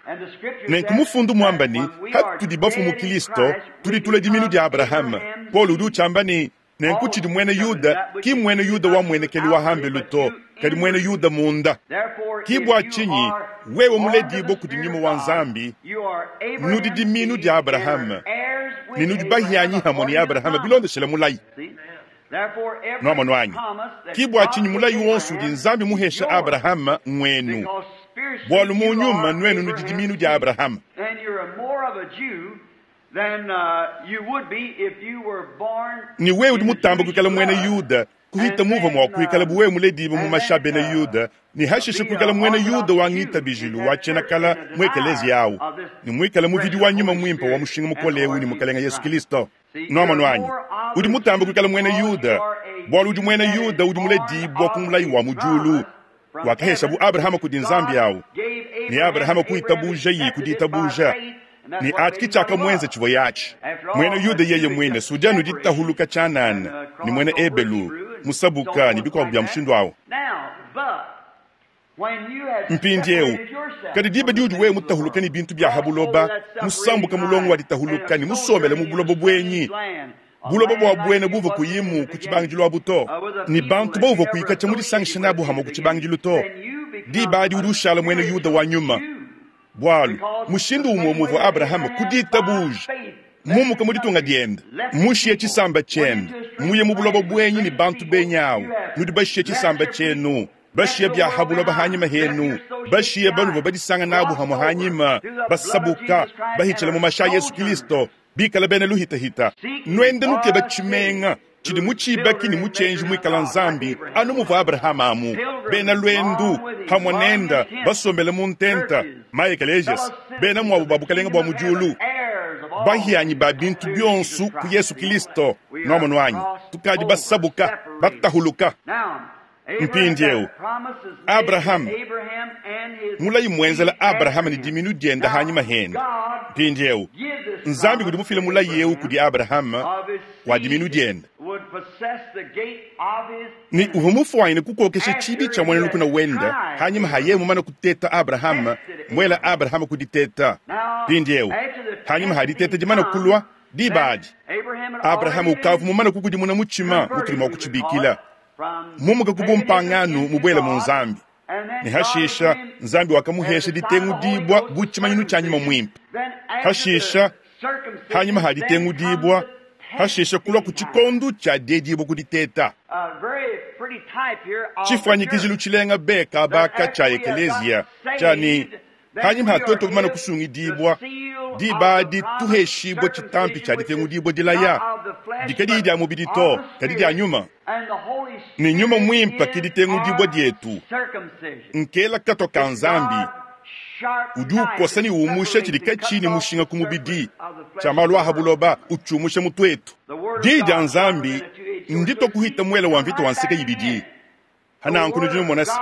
Nenku mufundu mwamba ni hatudi bafu mu Kristo tudi tula diminu dia Abrahamu. Paul udi uchamba ni nenku tshidi mwene Yuda ki mwene Yuda wa mwenekeli wa hambelu to, kadi mwene Yuda munda. Ki bwa chinyi wewe muledibwa kudi nyuma wa Nzambi nudi diminu dia Abrahamu ne nudi bahianyi hamwe ni Abrahamu bilondeshela mulayi. Nwamonu anyi ki bwa chinyi mulayi wonso udi Nzambi muhesha Abrahamu ngwenu, bwalu mu nyuma nwenu nudi diminu dia Abrahamu. Ni wewe udi mutamba kuikala mwene Yuda kuhita muva mwa kuikala buwe muledibu mu masha bena Yuda ni hashishe kuikala mwene Yuda wa ngita bijilu wa chenakala mwekelezi yawo ni mwikala muvidi wa nyuma mwimpa wa mushinga mukolewu ni mukalenga Yesu Kristo. Nwamonu anyi udi mutamba kuikala mwene Yuda bwalu udi mwene Yuda udi muledibwa ku mulayi wa mujulu wakahesha bu Abrahamu kudi Nzambi yawo ni Abrahamu kuitabuja yi kuditabuja ni ati kichaka mwenze chivo yachi mwene Yuda yeye mwene sujanu ditahuluka chanana ni mwene Ebelu musabuka ni bikwabu bya mushindu awo. Mpindi eu kadi diba diudi wewe mutahuluka ni bintu bya habuloba musambuka mulongo wa ditahuluka ni musomele mu bulobo bwenyi bulobo bwa bwene buva kuyimu ku tshibangidilo abu to ni bantu bauva kuyikacha mu disangisha nabu hamwe ku tshibangidilo to diba adi udi ushala mwene Yuda wa nyuma. Bwalu mushindu umwe muvua Abrahamu kuditabuja mumuka mu ditunga dienda mushiye tshisamba tshiende muye mu bulobo bwenyi ni bantu benyawu nudi bashiye tshisamba tshienu bashiye bya habuloba hanyima henu bashiye banuva badisanga nabu hamwe hanyima basabuka bahichela mu masha Yesu Kristo bikala bene luhitahita nwende nukeba tshimenga tshidi muchibaki ni muchenji mwikala Nzambi anu muvua Abrahamu amu bena lwendu hamwe nenda basombele mu ntenta maekelezias bena mwabu ba bukalenga bwa mujulu bahianyi ba bintu byonso ku Yesu Kristo. Nwamonu anyi tukadi basabuka batahuluka. Mpindi eu Abrahamu mulayi mwenzela Abrahamu ni diminu dienda hanyima henda. Mpindi eu Nzambi kudi mufile mulayi eu kudi Abrahamu wa diminu dienda ni uvua mufuanyine kukokesha tshibi tshia mwene lukuna wenda hanyima haye mumana kuteta Abrahamu mwela Abrahamu kuditeta. Mpindi eu hanyima haditeta dimana kulwa dibadi Abrahamu ukavu mumana kukudimuna muchima mutulima kutshibikila mumuka kubumpanganu mubwela mu Nzambi ni hashisha Nzambi wakamuhesha ditengudibwa buchimanyinu tshia nyuma mwimpe. Hashisha hanyima haditengudibwa hashisha kulwa ku tshikondu tshia diedibwa kuditeta. Tshifuanyikijilu tshilenga beka baka tshia ekeleziya tshani hanyima hatoto bumana kusungidibwa diba dituheshibwa tshitampi tshia ditengudibwa dilaya dikadi dia mubidi to kadi dia nyuma ni nyuma mwimpa kiditengudibwa dietu nkela kato ka Nzambi udi ukosa ni umusha tshidi katshi ni mushinga ku mubidi tshia malu aha buloba utshumusha mutu etu. Diyi dia Nzambi ndito kuhita mwela wa mvita wa nseka yibidi hananku nudi numonasi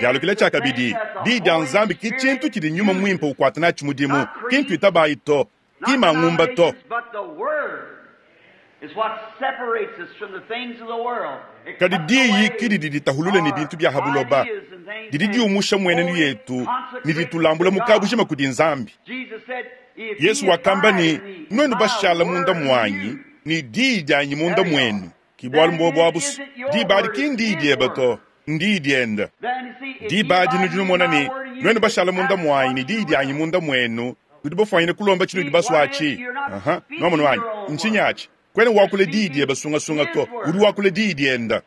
dialukila tshia kabidi diyi dia Nzambi ki tshintu tshidi nyuma mwimpa ukwata natshi mudimu kintu itabayi to ki mangumba to. Kadi diyi kididi ditahulule ni bintu bya habuloba didi diumusha mwenenu yetu ni ditulambula mukabujima kudi Nzambi. Yesu wakamba ni nwenu bashala munda mwanyi ni diyi dyanyi munda mwenu kibwalu mbobo abusu diba adi ki ndiyi dyeba to ndiyi dyenda. Diba adi nudi numona ni nwenu bashala munda mwanyi ni diyi dyanyi munda mwenu nudi bafuanyine kulomba tshinudi baswatshi. Aha, nwamonu wanyi ntshinyi kwene wakule diyi dyeba sungasunga to udi wakule diyi dyenda.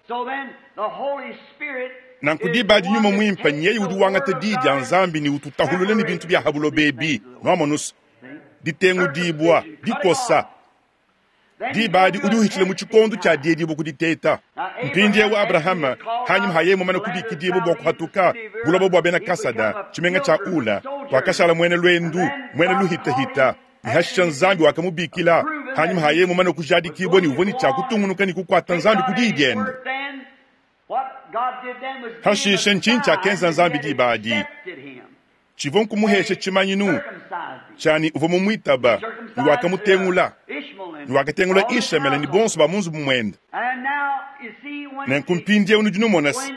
Nanku diba adi nyuma mwimpa nyeye udi wangata diyi dia Nzambi ni ututahulule ni bintu bya habuloba ebi nwamonusa ditengudibwa dikosa diba adi udi uhichila mu tshikondu tshia diedibwa kuditeta. Mpindi eu Abrahama hanyima haye mumana kubikidibwa bwa kuhatuka buloba bwa bena Kasada tshimenga tshia Ula wakashala mwene lwendu mwene luhitahita ni hashisha Nzambi wakamubikila hanyuma haye mumana kujadikibwa ni uvua ni tshia kutungunuka ni kukwata Nzambi ku diyi diende. Hashisha ntshinyi tshiakenza Nzambi diba adi Tshivua nkumuhesha tshimanyinu tshiani uvua mumuitaba ne wakamutengula ne wakatengula Ishemele ne bonso ba mu nzubu muende. Nenku mpindieu nudi numona se,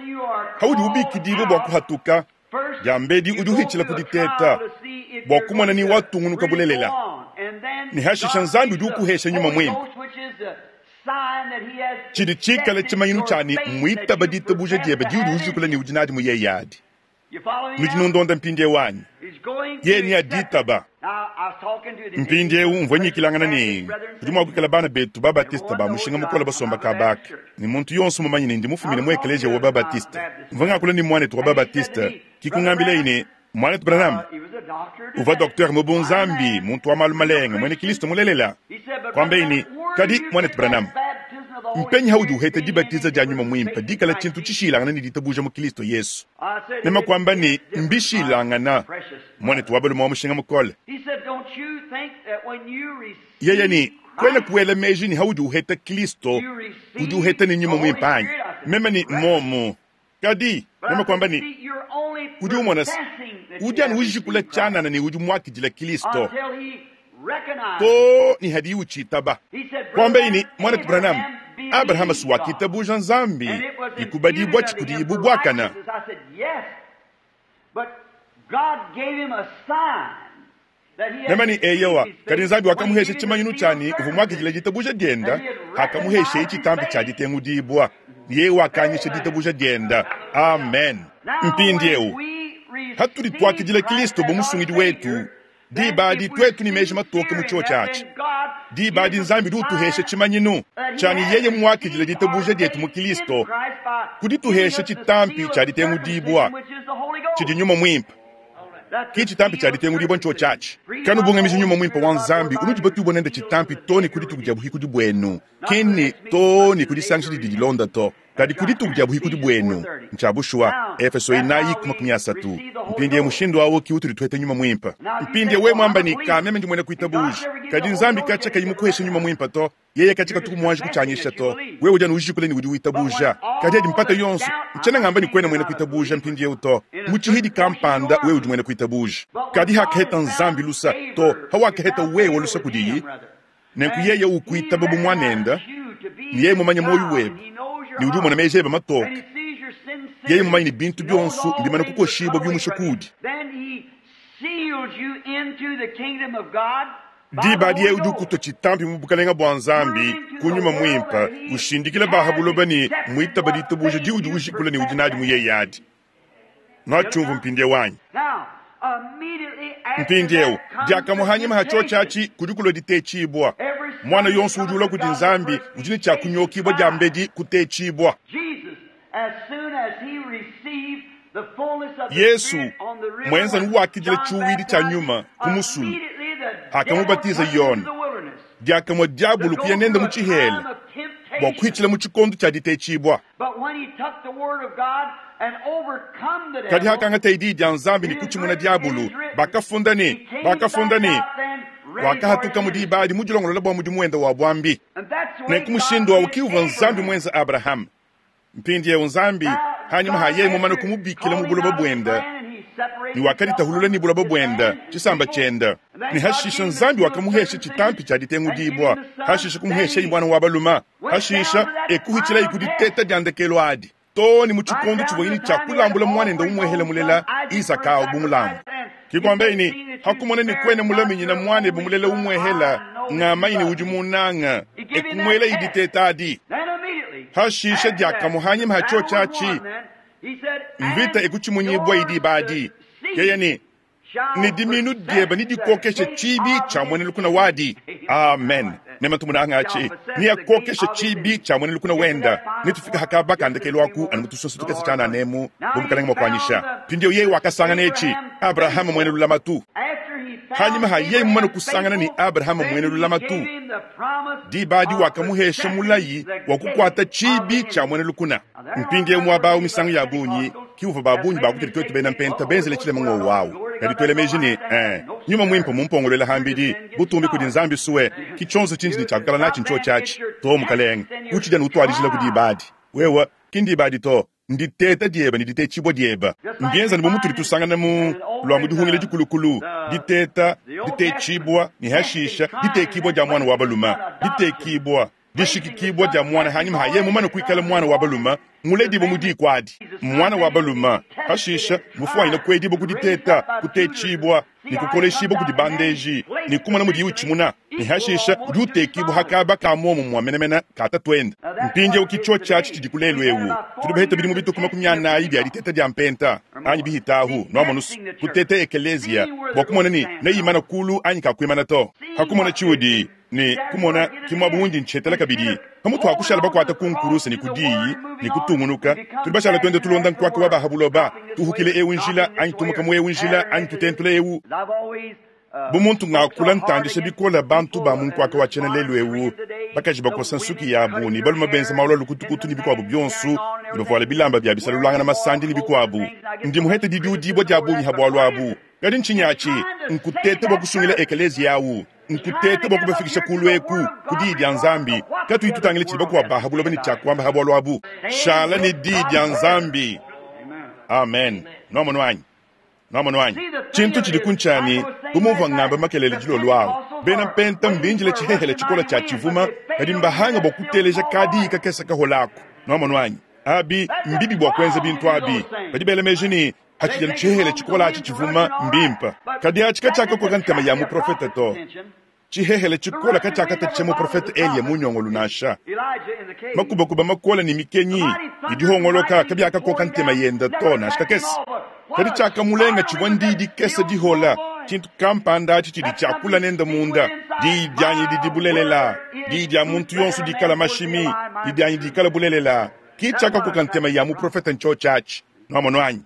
haudi ubikidibue bua kuhatuka, diambedi udi uhitshila ku diteta bua kumona ni watungunuka bulelela, ne hashisha Nzambi udi ukuhesha nyuma muimpe tshidi tshikale tshimanyinu tshiani muitaba ditabuja diebe diudi ujikula ne udi nadi mu yeye adi. Nudi nundonda mpindieu anyi? Yeye ni aditaba. Mpindieu mvua nyikilangana ne kudi mua kuikala bana betu babatista ba mushinga mukole basomba kabaka, ne muntu yonso mumanye ne ndi mufumine mu ekeleziya wa babatista. Mvua ngakula ne muanetu wa babatista, kikungambileyi ne muanetu Branham uvua docteur mu bunzambi, muntu wa malu malenga, mwene Kristo mulelela. Kwambeyi ne kadi muanetu Branham, mpenyi haudi uheta dibatiza dia nyuma muimpe dikala tshintu tshishilangana ne ditabuja mu Kristo Yesu. Mema kwamba ne mbishilangana, muanetu wa balume wa mushinga mukole. Yeye ni kwena kuela meji ni haudi uheta Kristo, udi uheta ne nyuma muimpe anyi? Mema ni momo. Kadi mema kwamba ni udi umona se udi anu ujikula tshianana ne udi muakidila Kristo to ni hadi uchitaba. Kwamba ini mwanetu Branham, Abraham si wakitabuja Nzambi ikubadibwa tshikudi bwakana. Mema ni eyowa, kadi Nzambi wakamuhesha tshimanyinu tshiani uvua muakidila ditabuja dienda, akamuhesha tshitampi tshia ditengudibwa. Yeye wakanyisha ditabuja dienda. Amen. Mpindieu hatudi twakidila Kristo bu musungidi wetu, diba twetu ni meji matoke mu chio tshiatshi. Diba adi Nzambi udi utuhesha tshimanyinu tshiani yeye muakidila ditabuja dietu mu Kristo, kudituhesha tshitampi tshia ditengudibwa tshidi nyuma muimpe. Ki tshitampi tshia ditengudibwa ncho tshiatshi. Kanubungamiji nyuma muimpe wa Nzambi unudi batubwa nende tshitampi to ne kudituku dia buhikudi bwenu, kene to ne kudisangisha didi dilonda to, kadi kudituku dia buhikudi bwenu. Ncha bushuwa Efeso inayi kuma makumi asatu. Mpindiye mushindu awo ki utudi tuhete nyuma muimpe. Mpindiye we mwamba ni kameme ndi mwene kuitabuja, kadi Nzambi kacha kayi mukuhesha nyuma muimpe to, yeye kacha katuku mwanji kuchanyisha to. We udi anu ujikule ni udi witabuja, kadi adi mpata yonso nchena ngamba ni kwena mwene kuitabuja mpindiye uto muchihidi kampanda we udi mwene kuitabuja. Kadi hakaheta Nzambi lusa to, hawakaheta wewe lusa kudiyi, nenku yeye ukuitaba bu mwanenda, ni yeye mumanye moyo webe, ni udi umona meji ebe matoke. Yeye mumanye ni bintu byonso mbimana kukoshibwa byumusha kudi. Diba adi yeye udi ukuta tshitampi mu bukalenga bua Nzambi kunyuma muimpe, ushindikila bahabuloba ni muitaba ditabuja di udi ujikula ni udi nadi mu yeye adi. Nwachumvu mpindieu wanyi. Mpindieu diakamuhanyima hacho tshiatshi kudi kulua ditetshibwa. Mwana yonso udi ulua kudi Nzambi udi ne tshia kunyokibwa diambedi kutetshibwa. Yesu mwenza nuwakidila tshiuwidi tshia nyuma ku musulu, akamubatiza Yona. Diakamua diabulu kuya nende mu tshihela bua kuhitshila mu tshikondo tshia ditetshibwa. Kadi hakangata idi dia Nzambi ne kutshimuna diabulu, bakafunda ne bakafunda ne wakahatuka mu diba adi mudilongolola bua mudimu wenda wa bwambi. Nenku mushindu awu kiuvua Nzambi mwenza Abraham. Mpindieu Nzambi hanyuma ha yeye mumane kumubikila mu buloba bwenda, ni wakaditahulula ni buloba bwenda tshisamba tshienda, ni hashisha Nzambi wakamuhesha tshitampi tshia ditengudibwa, hashisha kumuhesha mwana wa baluma, hashisha ekuhitshila ikuditeta dia ndekelo adi to ni mu tshikondo tshivua tshia kulambula mwanenda umwehele mulela Isaka awu bumulambu. Kikwambeini hakumona ni kwene mulaminyina mwane bumulela umwehela ng'amaine udi munanga ekumwela iditeta adi. Hashisha diakamuhanyima hacho tshiatshi mvita ekutshimunyibwa idi badi. Yeye ni ni diminu dieba ni dikokesha tshibi tshia mwene lukuna wadi. Amen. Mema tumunanga atshi ni akokesha tshibi tshia mwene lukuna wenda nitufika hakaba kandekelo aku anu mutusoso tukese tshana nemu bumukalenga mwakwanyisha. Pindiyo yeye wakasangana echi Abraham mwene lulamatu. Hanyuma ha yeye mumane kusangana ni Abraham mwene lulamatu, diba adi wakamuhesha mulayi wa kukwata tshibi tshia mwene lukuna. Mpindieu mwaba misangu ya bunyi kiuva babunyi bakuteli twetu bena mpenta benzele tshile mungo wawu. Kadi twele meji ni eh nyuma mwimpe mumpongolele hambidi butumbi kudi Nzambi suwe kichonzo chinji ni chakukala nachi ncho chachi to mukalenga uchija nutwalijila kudi ibadi wewe kindi ibadi to Nditeta diebe ne ditetshibua diebe. Mbienza ne bu mutudi tusangana mu lua mu dihungila dikulukulu, diteta, ditetshibua ne hashisha ditekibua dia mwana wa balume, ditekibua, dishikikibua dia mwana hanyima haye mumane kuikala mwana wa balume muledibue mu diku adi. Mwana wa balume hashisha mufuanyine kuedibua ku diteta, kutetshibua ne kukoleshibua kudi bandeji ne kumona mudiye utshimuna, ne hashisha udi utekibua hakaba ka muomumue menemene ka tatuende. Mpindieu ki tshiatshi tshidi ku lelu ewu tudi baheta bidimu bituku makumi anayi bia diteta dia mpenta anyi bihitahu nuamonusu kuteta ekeleziya bua kumona ne neyimana kulu anyi kakuimana to. Hakumona tshiudi ne kumona kimwa bundi nchetela kabidi pamutu akushala bakwata kunkurusa ne kudiyi ne kutungunuka tudi bashala twende tulonda nkwaka wa bahabuloba tuhukile ewu njila anyi tumuka mu ewu njila anyi tutentula ewu. Bu muntu ngakula ntandisha bikola bantu ba mu nkwaka wa tshiena lelu ewu bakaji bakosa nsuki yabu ne balume benza malu a lukutukutu ne bikuabu bionsu ne bavuala bilamba bia bisalulangana masandi ne bikuabu. Ndi muhete didiudibua dia bungi ha bualu abu. Kadi ntshinyi nkutete bua kusungila ekeleziya awu, nkutete bua kubafikisha kulu eku ku diyi dia Nzambi. Katuyi tutangile tshidi bakuabu bahabuloba ne tshiakuamba ha bualu abu. Shala ne diyi dia Nzambi. Amen. Nuamono anyi? Nuamono anyi? Tshintu tshidi kuntshani bu muvua ngamba makelele dilolo awu. Bena mpenta mbinjile tshihehele tshikola tshia tshivuma kadi mbahanga bua kuteleja kadiyi kakesa kaholako. Nuamono anyi? Abi mbibi bua kuenza bintu abi. Badi bela meji ne hatshidi tshihehele tshikola atshi tshivuma mbimpa. Kadi atshi katshiakakoka ntema ya muprofete to. Tshihehele tshikola katshiakatatshisha muprofete Eliya munyongolu nansha. Makubakuba makola ne mikenyi idihongoloka kabiakakoka ntema yenda to nansha kakese. Kadi tshiakamulenga tshivua ndidi kesa dihola tshintu kampanda atshi tshidi tshiakula nenda munda. Diyi dianyi didi bulelela, diyi dia muntu yonso dikala mashimi, diyi dianyi dikala bulelela. Ki tshiakakoka ntema ya muprofete ntsho tshiatshi. Nuamono anyi?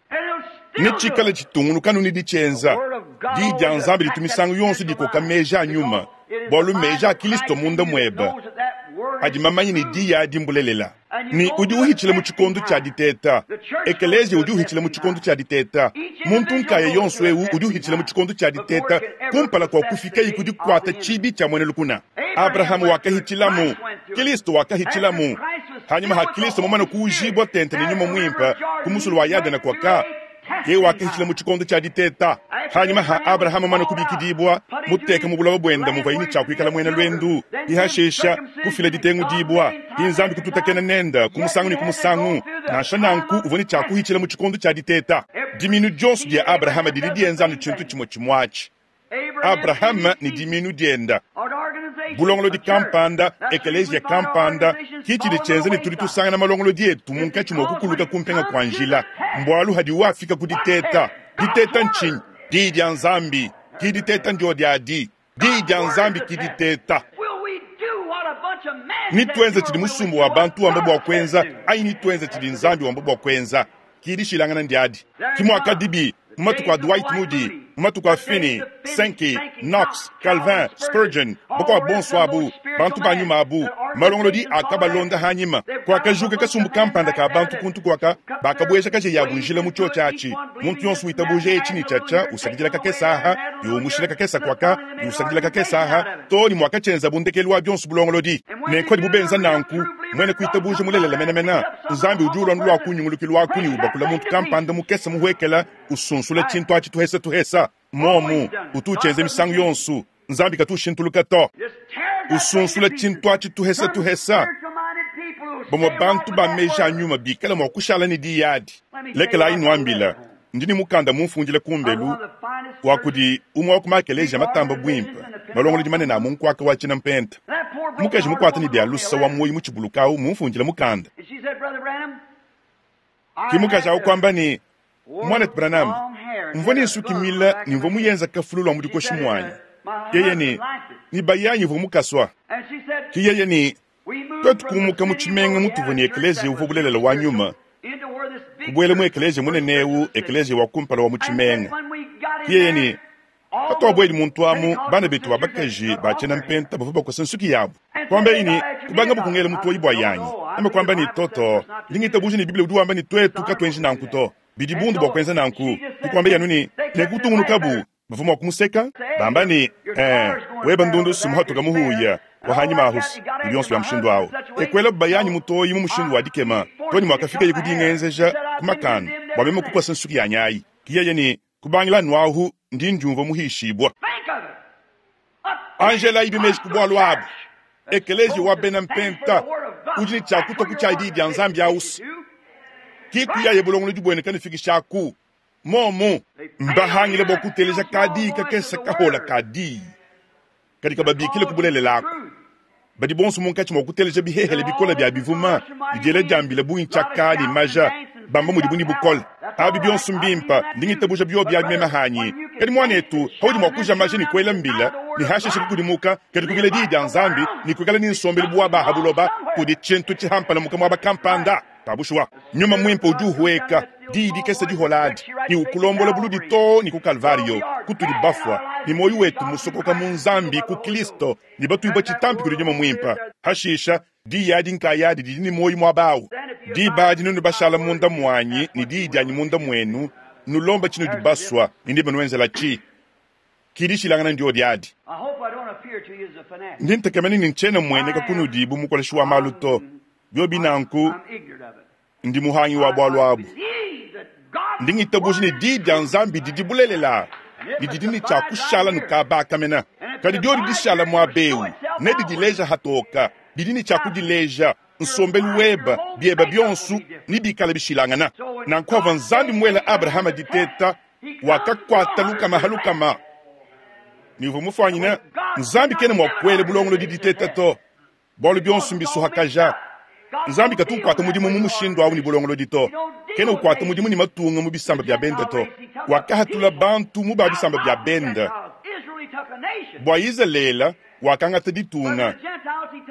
Ne tshikala tshitungunuka ne ditshienza. Diyi dia Nzambi ditu misangu yonso dikoka meji a nyuma, bualu meji a Kristo munda muebe adi mamanye ne diyi adi mbulelela. Ne udi uhitshila mu tshikondo tshia diteta. Ekeleziya udi uhitshila mu tshikondo tshia diteta. Muntu nkaya yonso ewu udi uhitshila mu tshikondo tshia diteta kumpala kua kufikayi ku dikuata tshibi tshia muena lukuna. Abrahamu wakahitshilamu, Kristo wakahitshilamu. Hanyuma ha Kristo mumane kuujibua tente ne nyuma muimpe ku musulu wa Yadene kwaka ye wakahitshila mu tshikondo tshia diteta. Hanyuma ha Abrahamu mumane kubikidibua muteka mu buloba buenda muvua yini tshia kuikala muena lwendu ihashisha kufila ditengu dibua Nzambi kututakena nenda ku musangu ne ku musangu nansha nanku uvua ne tshia kuhitshila mu tshikondo tshia diteta. Diminu dionso dia Abrahama didi dienza anu tshintu tshimue tshimuatshi. Abrahama ne diminu dienda bulongolodi kampanda, ekeleziya kampanda, ki tshidi tshienza ne tudi tusangana malongolodi etu munkatshi mua kukuluka kumpenga kua njila. Mbualu hadi wafika ku diteta. Diteta ntshinyi? Diyi dia Nzambi. Ki diteta ndio diadi. Diyi dia Nzambi ki diteta. Nituenza tshidi musumbu wa bantu wamba bua kuenza anyi nituenza tshidi Nzambi wamba bua kuenza. Ki dishilangana ndiadi. Ki muakadibi mu matuku a Dwight Moody, mu matuku a Finney, Sankey, Knox, Calvin, Spurgeon, bakuabu bonso abu, bantu ba nyuma abu, malongolodi akabalonda hanyima. Kwakajuka kasumbu kampanda ka bantu kuntu kwaka bakabueja kaje ya bunjila mu tshotsha atshi. Muntu yonso witabuja etshi ne tshatsha usakidila kakesa aha, yumushila kakesa kwaka, usakidila kakesa aha, to ni mwakachenza bundekelu wa bionso bulongolodi. Nenko bubenza nanku, mwene kuitabuja mulelela menemena. Nzambi udi ulwa lwa kunyungulukilwa lwaku ni ubakula muntu kampanda mukesa muhwekela usunsula tshintu atshi tuhesa tuhesa. Momu utuchenze misangu yonso. Nzambi katushintuluka to. Usunsula tshintu atshi tuhesa tuhesa. Bamwe bantu ba meji a nyuma bikala mua kushala ne diyi adi. Lekelayi nuambila, ndi ne mukanda mumfundile kumbelu wa kudi umwe wa ku makelezia matamba bwimpe, malongolodi manene a mu nkwaka wa tshiena mpenta. Mukaji mukwata ne bia lusa wa muoyo mu tshibuluka awu mumfundile mukanda. Ki mukaji awu kwamba ne Mwanetu Branham, mvua ne nsuki mila ne mvua muyenza kafulu lwa mudikoshi mwanyi. Yeye ne ni bayanyi mvua mukaswa. Ki yeye ne twetu kumuka mu tshimenga mutuvua ne ekeleziya uvua bulelela wa nyuma. Kubuela mu ekeleziya munene ewu, ekeleziya wa kumpala wa mu tshimenga. Ki yeye ne patuabueli muntu amu bana betu ba bakaji ba tshiena mpenta bavua bakosa nsuki yabu. Kwamba eyi ne kubanga bukungela mutoyi bua yanyi. Ame kwamba ne toto, ndingitabuja ne Biblia udi wamba ne twetu katuenji nanku to. Bidi bundu bua kuenza nanku. Tukwamba yanu ne nekutungunukabu bavua mua kumuseka bamba ne eh weba ndundu sumuhatuka muhuya wahanyima ahusu bionso bya mushindu awo ekwela bayanyi mutoyi mu mushindu wa dikema. Too ne muakafikaye ku dingenzeja ku makanda bua meme kukosa nsuki yanyi ayi. Ke yeye ne, Kubangila anu ahu ndi ndiumvua muhishibua. Angela ibi meji ku bualu abu. Ekeleziya wa bena Mpenta udi ne tshia kutua ku tshia Diyi dia Nzambi ausu. Ki kuyaye bulongolodi buenu kanufikishaku. Momu mbahangile bua kuteleja kadiyi kakese kahola ka diyi kadi kababikile ku bulelela aku. Badi bonso munkatshi mua kuteleja bihehele bikole bia bivuma ne diela dia mbila bungi tshiaka ne maja, bamba mudibu ne bukole. Abi bionso mbimpe, ndi ngitabuja biobi abi meme hanyi. Kadi muanetu, paudi mua kuja maja ne kuela mbila, ne hashishe kukudimuka, kadi kubila diyi dia Nzambi ne kuikala ne nsombelu bu wa ba ha buloba, kudi tshintu tshihampalamuka muaba kampanda. Ka bushuwa, Nyuma Muimpe udi uhueka diyi dikese dihola adi ne ukulombola buludi too ne ku Kalvario, kutudi bafua, ne muoyo wetu musokoka mu Nzambi ku Kilisto, ne batuibua tshitampi kudi Nyuma Muimpe. Hashisha, diyi adi nkayadi didi ne muoyo muaba awu. Diba adi nunu bashala munda muanyi ne diyi dianyi munda muenu, nulomba tshinudi basua, ne nebanuenzelatshi. Ki dishilangana ndiodi adi. Ndi ntekemena ne ntshiena mmueneka kunudi bu mukoleshi wa malu to. Biobi nanku, ndi muhangi wa bualu abu. Ndi ngitabuja ne Diyi dia Nzambi didi bulelela ne didi ne tshia kushala nukabakamena. Kadi diodi dishala muaba eu, nedidileja hatoka. Didi ne tshia kudileja. Nsombelu weba, bieba bionso nebikale bishilangana. Nanku havua Nzambi muela Abrahama diteta, wakakuata lukama ha lukama. Ne uvua mufuanyine Nzambi kena mua kuela bulongolodi diteta to. Bualu bionso mbisuhakaja. Nzambi katu ukuata mudimu mu mushindu au ne bulongolodi to. Kena ukuata mudimu ne matunga mu bisamba bia bende to. Wakahatula bantu mu ba bisamba bia bende. Bua Izalele wakangata ditunga,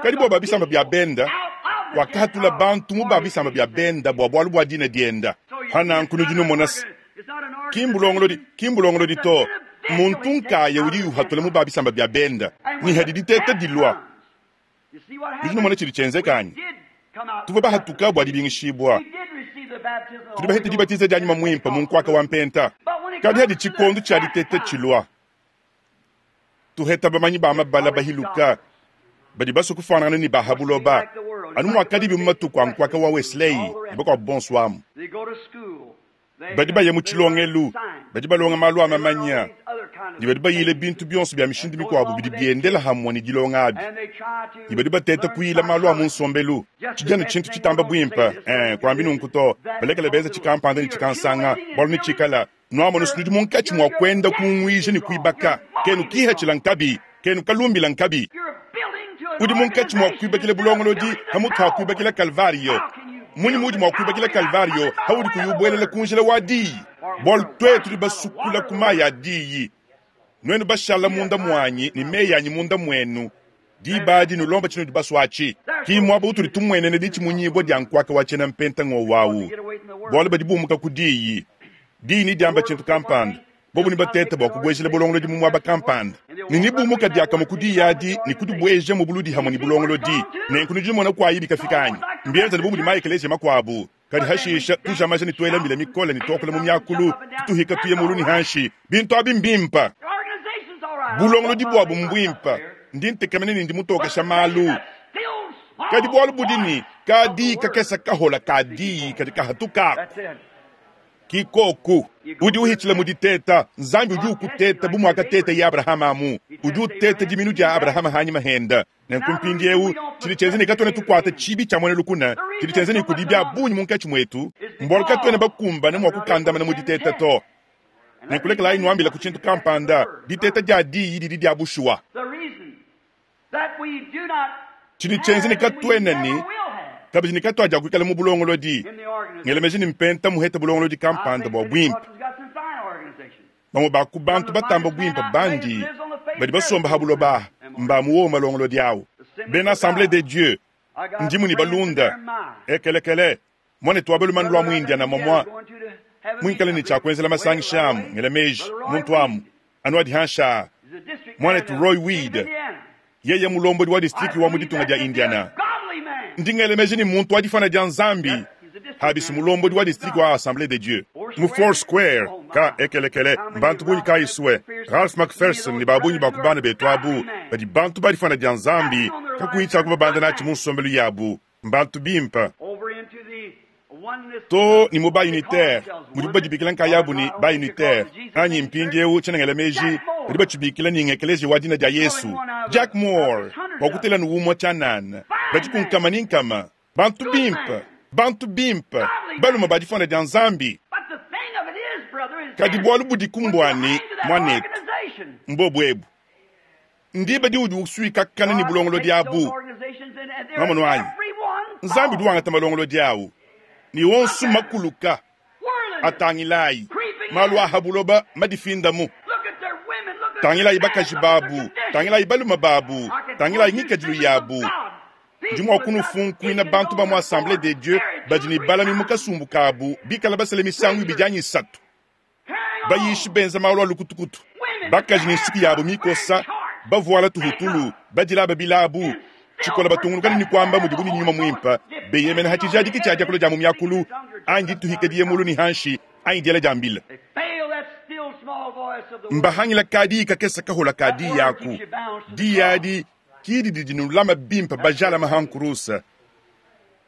kadi bua ba bisamba bia bende wakahatula bantu mu ba bisamba bia bende bua bualu bua dina diende. Pa nanku nudi numona se, ki mbulongolodi, ki mbulongolodi to, muntu nkaya udi uhatula mu ba bisamba bia bende. Ne hadi diteta dilua, nudi numona tshidi tshienzeka anyi? Tuvua bahatuka bua dibingishibua. Tudi bahete dibatiza dia Nyuma Muimpe mu nkuaka wa mpenta. Kadi hadi tshikondo tshia diteta tshilua, tuheta bamanyi ba mabala bahiluka badi basue kufuanangana ne ba ha buloba, anu muakadibi mu matuku a nkuaka wa Wesley ne bakuabu bonso amu. Badi baya mu tshilongelu, badi balonga malu a mamanya, ne badi bayila bintu bionso bia mishindu mikuabu bidi biendela hamue ne dilonga abi, ne badi bateta kuyila malu a mu nsombelu. Tshidi anu tshintu tshitamba buimpe, eh, kuambi nunku to, balekele benza tshikampanda ne tshikansanga, bualu netshikala nuamona nudi munkatshi mua kuenda kunguija ne kuibaka, kenu kihatshila nkabi, kenu kalumbila nkabi. Udi munkatshi mua kuibakila bulongolodi pamutu ha kuibakila Kalvario. Munyi muudi mua kuibakila Kalvario haudi kuyi ubuelela ku njila wa diyi? Bualu tuetu tudi basukula ku mayi a diyi, nuenu bashala munda muanyi ne meyi anyi munda muenu, diba adi nulomba tshinudi basue atshi. Ki muaba utudi tumuenena ditshimunyibua dia nkuaka wa tshiena mpenta ngowu awu, bualu badi bumuka ku diyi. Diyi nediamba tshintu kampanda, bobu nebatete bua kubuejela bulongolodi mu muaba kampanda, ne nebumuka diakamue ku diyi adi ne kudibueja mu buludi hamue ne bulongolodi. Nenku nudi numona kuayi bikafika anyi? Mbienzane bu mudi maekeleziya makuabu. Kadi hashisha tuja maja ne tuela mbila mikole ne tuakula mu miakulu, tutuhika tuye mulu ne hanshi. Bintu abi mbimpe. Bulongolodi buabu mbuimpe. Ndi ntekemena ne ndi mutokesha malu. Kadi bualu budi ne, ka diyi kakese kahola ka diyi kadi kahatukaku. Ki koku udi uhitshila mu diteta. Nzambi udi ukuteta bu muakateteye Abrahama amu. Udi uteta diminu dia Abrahama hanyima henda. Nenku mpindieu tshidi tshienza ne katuena tukuata tshibi tshia muena lukuna, tshidi tshienza ne kudi bia bungi munkatshi muetu, mbualu katuena bakumbane mua kukandamana mu diteta to. Nenku lekelayi nuambila ku tshintu kampanda, diteta dia diyi didi dia bushuwa. Tshidi tshienza ne katuena ne kabidi ne katuadiakuikala mu bulongolodi. Ngela meji ne mpenta muheta bulongolodi kampanda bua buimpe. Bamue ba ku bantu batamba buimpe bandi badi basomba ha buloba aha mba mu wowo malongolodi awu. Bena Assemblee de Dieu, ndimu ne balunda ekelekele muanetu wa balume lua mu Indiana momua muikale ne tshia kuenzela masangisha amu ngela meji muntu amu anu adi hanshi aa muanetu Roy Weed yeye mulombodi wa distrike wa mu ditunga dia Indiana. Ndi ngela meji ne muntu wa difana dia Nzambi habisi mulombodi wa distrike wa Assemblee de Dieu mu Four Square ka ekelekele mbantu bungi kayi sue Ralph McPherson ne ba bungi ba ku bana betu abu badi bantu ba difana dia Nzambi kakuyi tshia kubabanda natshi mu nsombelu yabu mbantu bimpe. Too ne mu ba-unitaire, mudibu badibikila nkayabu ne ba-unitaire, anyi mpindieu tshiena ngela meji, badi batshibikila ne ng'Ekeleziya wa Dina dia Yesu. Jack Moore, bua kutela anu umue tshianana, badi ku nkama ne nkama. Bantu bimpe, bantu bimpe, balume ba difunda dia Nzambi. Kadi bualu budiku mbua ne, muanetu, mbobu ebu. Ndiba diudi usuikakana ne bulongolodi abu. Nwamonu anyi? Nzambi udi wangata malongolodi awu, ne onso makuluka. Atangilayi, malu a ha buloba madifindamu. Tangilayi bakaji babu, tangilayi balume babu, tangilayi ngikadilu yabu. Ndi mua kunufunkuina bantu ba mu Assemblee des Dieux badi ne balami mu kasumbu kabu bikala basele misangu ibidi anyi isatu, bayishi benza malu a lukutukutu, bakaji ne nsuki yabu mikosa, bavuala tuhutulu, badilaba bilabu, tshikola batungunuka ne kuamba mudibu ne nyuma muimpe, beyemena ha tshijadiki tshia diakula dia mu miakulu anyi dituhika diye mulu ne hanshi anyi diela dia mbila. Mbahangila ka diyi kakese kahola ka diyi aku. Diyi adi ki didi dinulama bimpe bajalama ha nkurusa,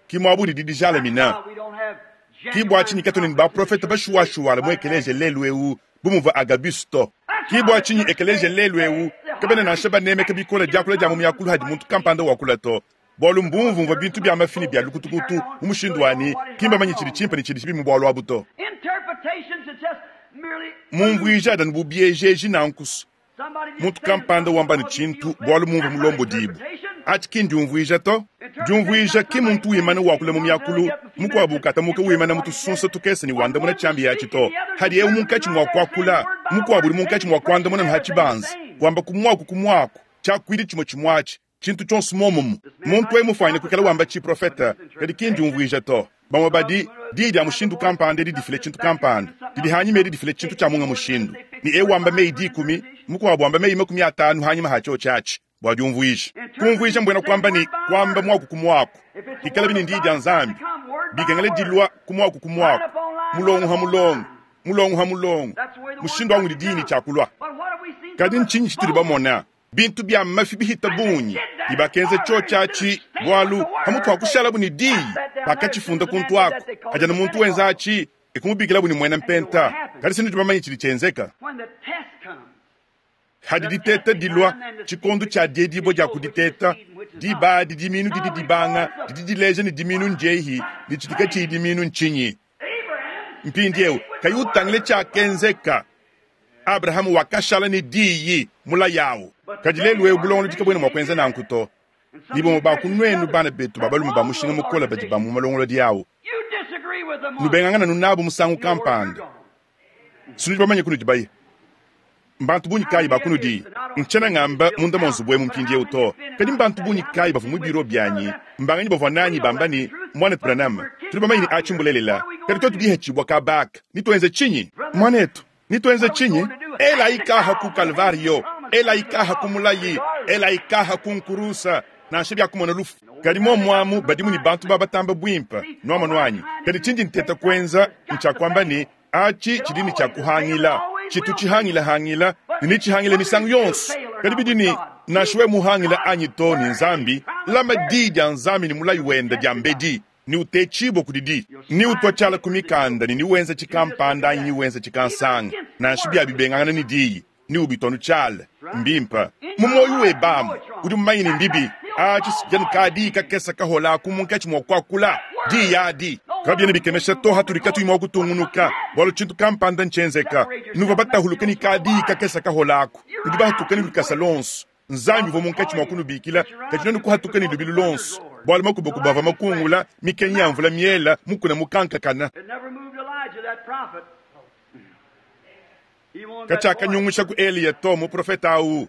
ki muabu didi dijalamina. Ki bua tshinyi katuena ne baprofete bashuwashuwala mu ekeleziya lelu eu bu muvua Agabus to. Ki bua tshinyi ekeleziya lelu eu kabena nansha banemeka bikole diakula dia mu miakulu hadi muntu kampanda wakula to, bualu mbumvumvua bintu bia mafi ne bia lukutukutu mu mushindu wa ne, ki mbamanye tshidi tshimpe ne tshidi tshibi mu bualu abu to. Mumvuija adi anu bu biejeji nanku. Muntu kampanda wamba ne tshintu bualu mumvua mulombodibue. Atshi ki ndiumvuija to. Diumvuija ki muntu wimana wakula mu miakulu, mukuabu ukatamuka wimana mu tusunsa tukese ne wandamuna tshiambi atshi to. Hadi eu munkatshi mua kuakula, mukuabu udi munkatshi mua kuandamuna ha tshibanza, wamba ku muaku ku muaku, tshiakuidi tshimue tshimue atshi, tshintu tshionso muomumu. Muntu eu mufuanyine kuikala wamba tshiprofete, kadi ki ndiumvuija to. Bamue badi diyi dia mushindu kampanda edi difile tshintu kampanda, didi hanyima edi difile tshintu tshia munga mushindu, ne eu wamba meyi dikumi, mukuabu wamba meyi makumi atanu hanyima ha tshiotshi atshi bua diumvuija. Kumvuija mbuena kuamba ne kuamba muaku ku muaku, ikalabi ne ndiyi dia Nzambi, bikengela dilua ku muaku ku muaku, mulongo ha mulongo, mulongo ha mulongo, mushindu wa ngudi diyi ne tshiakulua. Kadi ntshinyi tshitudi bamona? Bintu bia mafi bihita bungi, ne bakenza tshiotshi atshi bualu pamutu pa kushalabu ne diyi bakatshifunda kuntu aku. Hadi anu muntu wenza atshi ekumubikilabu ne muena mpenta. Kadi se nudi bamanye tshidi tshienzeka. Hadi diteta dilua, tshikondo tshia diedibua dia kuditeta, diba adi diminu didi dibanga, didi dileja ne diminu ndiehi ne tshidi katshiyi diminu ntshinyi. Mpindieu kayi utangile tshiakenzeka, Abrahama wakashala ne diyi mulayi awu. Kadi lelu eu bulongolodi kabuena mua kuenza nanku to. Ne bamue ba ku nuenu bana betu ba balume ba mushinga mukole badi ba mu malongolodi awu, nubengangana nu nabu musangu kampanda, sinudi bamanye kunudi baye. Mbantu bungi kayi ba kunudi, ntshiena ngamba munda mua nzubu emu mpindieu to, kadi mbantu bungi kayi bavua mu biro bianyi, mbanganyi bavua nanyi bamba ne, Muanetu Branham, tudi bamanye ne atshi mbulelela, kadi tuetu bihetshibua kabaka, nituenze tshinyi? Muanetu, nituenze tshinyi? Elayi kaha ku Kalvario, elayi kaha ku mulayi, elayi kaha ku nkurusa, nansha biakumona lufu. Kadi muomuamu badimu ne bantu ba batamba buimpe, nuamonu anyi. Kadi tshindi nteta kuenza ntshia kuamba ne, atshi tshidi ne tshia kuhangila, tshitu tshihangilahangila ne netshihangile misangu yonso. Kadi bidi ne, nansha wewe muhangila anyi to ne Nzambi, lama diyi dia Nzambi ne mulayi wende diambedi, ne utetshibue kudidi, ne utua tshiala ku mikanda ne niwenza tshikampanda anyi niwenza tshikansanga, nansha biabibengangana ne diyi, ne ubituanu tshiala. Mbimpe mu muoyo webe amu udi mumanye ne mbibi. Atshi sijanu ka diyi kakese kahola aku munkatshi mua kuakula diyi adi. Kabiena bikemesha to hatudi katuyi mua kutungunuka, bualu tshintu kampanda ntshienzeka. Nuvua batahuluke ne ka diyi kakese kahola aku, nudi bahatuke ne lukasa lonso. Nzambi uvua munkatshi mua kunubikila, kadi nuenu kuhatuka ne lubilu lonso, bualu makubakuba avua makungula, mikenyi ya mvula miela, mukuna mukankakana. Katshiakanyungusha ku Eliya to, muprofete au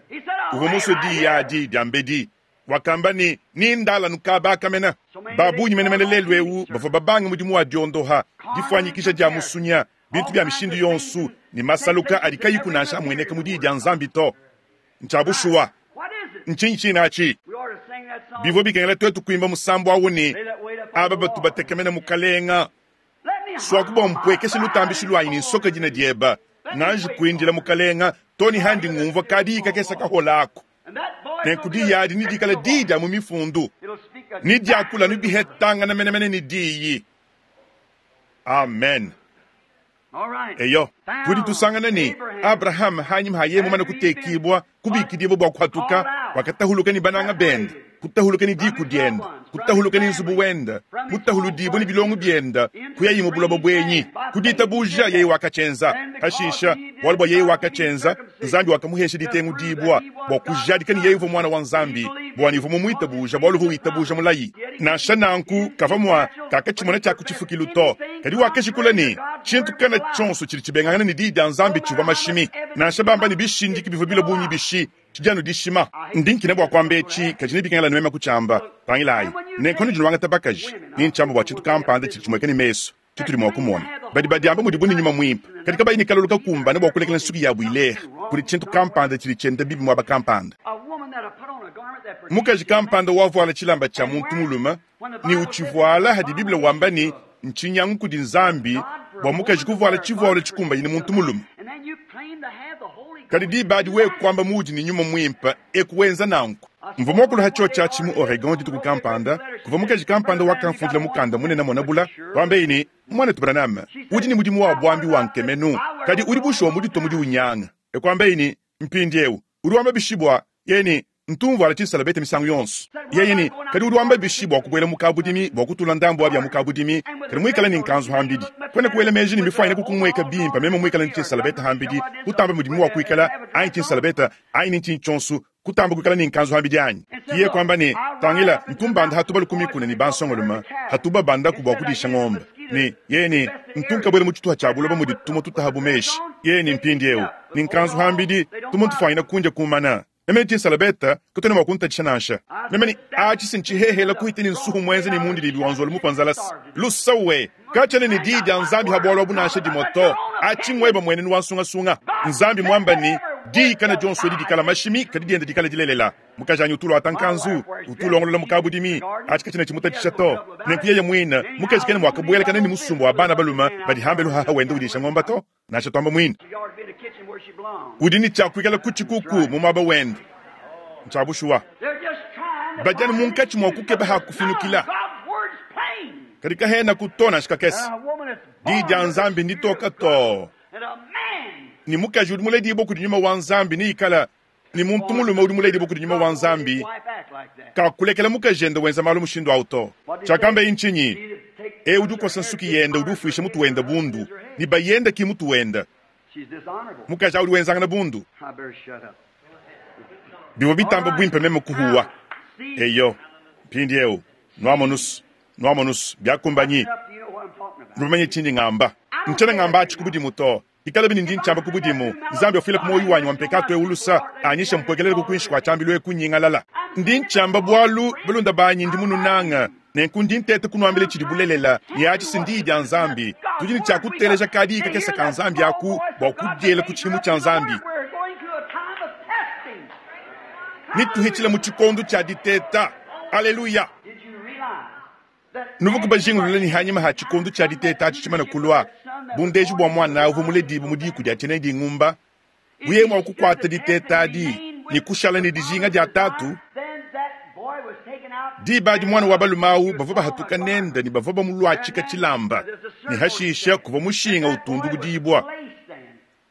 uvua musue diyi adi diambedi. Wakamba ne, Nindala nukabakamena. Ba bungi menemene lelu eu bavua babange mudimu wa diondoha, difuanyikija dia musunya, bintu bia mishindu yonso ne masaluka adi kayiku nansha amueneka mu diyi dia Nzambi to. Ntshia bushuwa. Ntshinyi tshine atshi? Bivua bikengela tuetu kuimba musambu awu ne, Aba batu batekemena Mukalenga, suaku bua mpuekeshe lutambishi luanyi ne nsoka dina dieba, nganji kuindila Mukalenga to ne handi ngumvua kadiyi kakese kahola aku. Nenku diyi adi nedikale diyi dia mu mifundu, ne diakula anu bihetangana menemene ne diyi. Amen. Eyo, tudi tusangana ne Abrahama hanyima ha yeye mumane kutekibua kubikidibua bua kuhatuka, wakatahuluka ne bananga bende, kutahuluka ne diku diende, kutahuluka ne nzubu wende, mutahuludibua ne bilongo biende, kuyayi mu buloba buenyi. Ku ditabuja yeye wakatshienza. Hashisha, bualu bua yeye wakatshienza, Nzambi wakamuhesha ditengudibua bua kujadika ne yeye uvua mwana wa Nzambi, bua ne uvua mumuitabuja bualu uvua witabuja mulayi. Nansha nanku kavua mua kakatshimona tshia ku tshifukilu to, kadi wakajikula ne tshintu kana tshionso tshidi tshibengangana ne diyi dia Nzambi tshivua mashimi. Nansha bamba ne bishindiki bivua bilua bungi bishi, tshidi anu dishima. Ndi nkina bua kuamba etshi, kadi nebikengela nueme kutshiamba. Tangilayi, nenku nudi nuangata bakaji, ni ntshiamba bua tshintu kampanda tshidi tshimueka ne mesu tshitudi mua kumona. Badi badiamba mudibu ne nyuma muimpe, kadi kabayi ne kalolo kakumbane bua kulekela nsuki yabu ileha. Kudi tshintu kampanda tshidi tshienda bibi muaba kampanda. Mukaji kampanda wavuala tshilamba tshia muntu mulume ne utshivuala hadi Bible wamba ne ntshinyangu kudi Nzambi bua mukaji kuvuala tshivualo tshikumbanyine muntu mulume. Kadi diba adi wewe kuamba muudi ne nyuma muimpe ekuwenza nanku. Mvua muakulu ha tshiotshi atshi mu Oregon dituku kampanda, kuvua mukaji kampanda wakamfundila mukanda munene monabula, wambaye ne, Mwanetu Branham, udi ne mudimu wa buambi wa nkemenu, kadi udi bushuwa muditue mudi unyanga. Ekuambaye ne, mpindiewu udi wamba bishi bua yeye ne ntumvuala tshisalabete misangu yonso. Yeye ne, kadi udi wamba bishi bua kubuela mu kabudimi bua kutula ndambu wa bia mu kabudimi, kadi muikale ne nkanzu hambidi. Kwena kuela meji ne mifuanyine kukumueka bimpe meme muikale ne tshisalabete hambidi, kutamba mudimu wa kuikala anyi tshisalabete anyi ne ntshinyi tshionso, kutamba kuikala ne nkanzu hambidi anyi. Kiye kuamba ne, tangila ntumbanda hatubalu ku mikuna ne bansongolume, hatuba bandaku bua kudisha ngombe. Ne yeye ne, ntunkabuela mu tshituha tshia buloba mudi tumue tutaha bu meshi. Yeye ne mpindiewu ne nkanzu hambidi, tumue tufuanyine kundia kumana. Meme tshisalabete kutena mua kuntatshisha nansha. Meme ne atshi sinchihehela kuhita ne nsuhu mwenze ne mundidimbi wa nzolo mupanzalasi. Lusawe kachana ne diyi dia Nzambi ha bualu abu nansha dimue to. Atshi ngweba muenenu wa nsungasunga. Nzambi mwamba ne diyi kana dionso edi dikala mashimi kadi dienda dikala dilelela. Mukajanyi utulwa atankanzu utulongolola mukabudimi atshi kachina tshimutatshisha to. Nenku yeye muine mukaji kena mwakabuelakana ne musumba wa bana balume badi hambelu haha wenda udisha ngomba to. Nansha twamba muine udi ne tshia kuikala ku tshikuku mu muaba wende. Ntshia bushuwa badianu munkatshi mua kukeba ha kufinukila, kadi kahena kuto nansha kakese. Diyi dia Nzambi nditoka to ne mukaji udi muledibue kudi nyuma wa Nzambi ne ikala ne muntu mulume udi muledibue kudi nyuma wa Nzambi kakulekela mukaji ende wenza malu mushindu awu to. Tshiakamba ntshinyi? E udi ukosa nsuki yende udi ufuisha mutu wende bundu ne bayende ki mutu wende. Mukaji udi wenzangana bundu. Bivua bitamba buimpe meme kuhuwa. Eyo, mpindiewu nuamonusu nuamonusu byakumbanyi nubamanye tshindi ngamba. Ntshiena ngamba atshi ku budimu to. Ikala bini ndi ntshiamba ku budimu. Nzambi wafila ku moyo wanyi wa mpekato eulusa anyisha mpuekelele ku kuinshi kua tshiambilu eku nyingalala. Ndi ntshiamba bualu balunda banyi ndi mununanga. Nenku ndi ntete kunuambila tshidi bulelela ne atshi si ndiyi dia Nzambi. Tudi ne tshia kuteleja kadi kakese ka Nzambi aku bua kudiela ku tshimu tshia Nzambi. Nituhitshila mu tshikondo tshia diteta. Aleluya. Nuvu kubajingulula ne hanyima ha tshikondo tshia diteta atshi tshimane kulua, bundeji bua mwana uvua muledibu mu diku dia tshiena dingumba, buye mua kukuata diteta adi ne kushala ne dijinga dia tatu. Diba adi mwana wa balume awu bavua bahatuka nende ne bavua bamuluatshika tshilamba ne hashisha kuvua mushinga utundu budibua.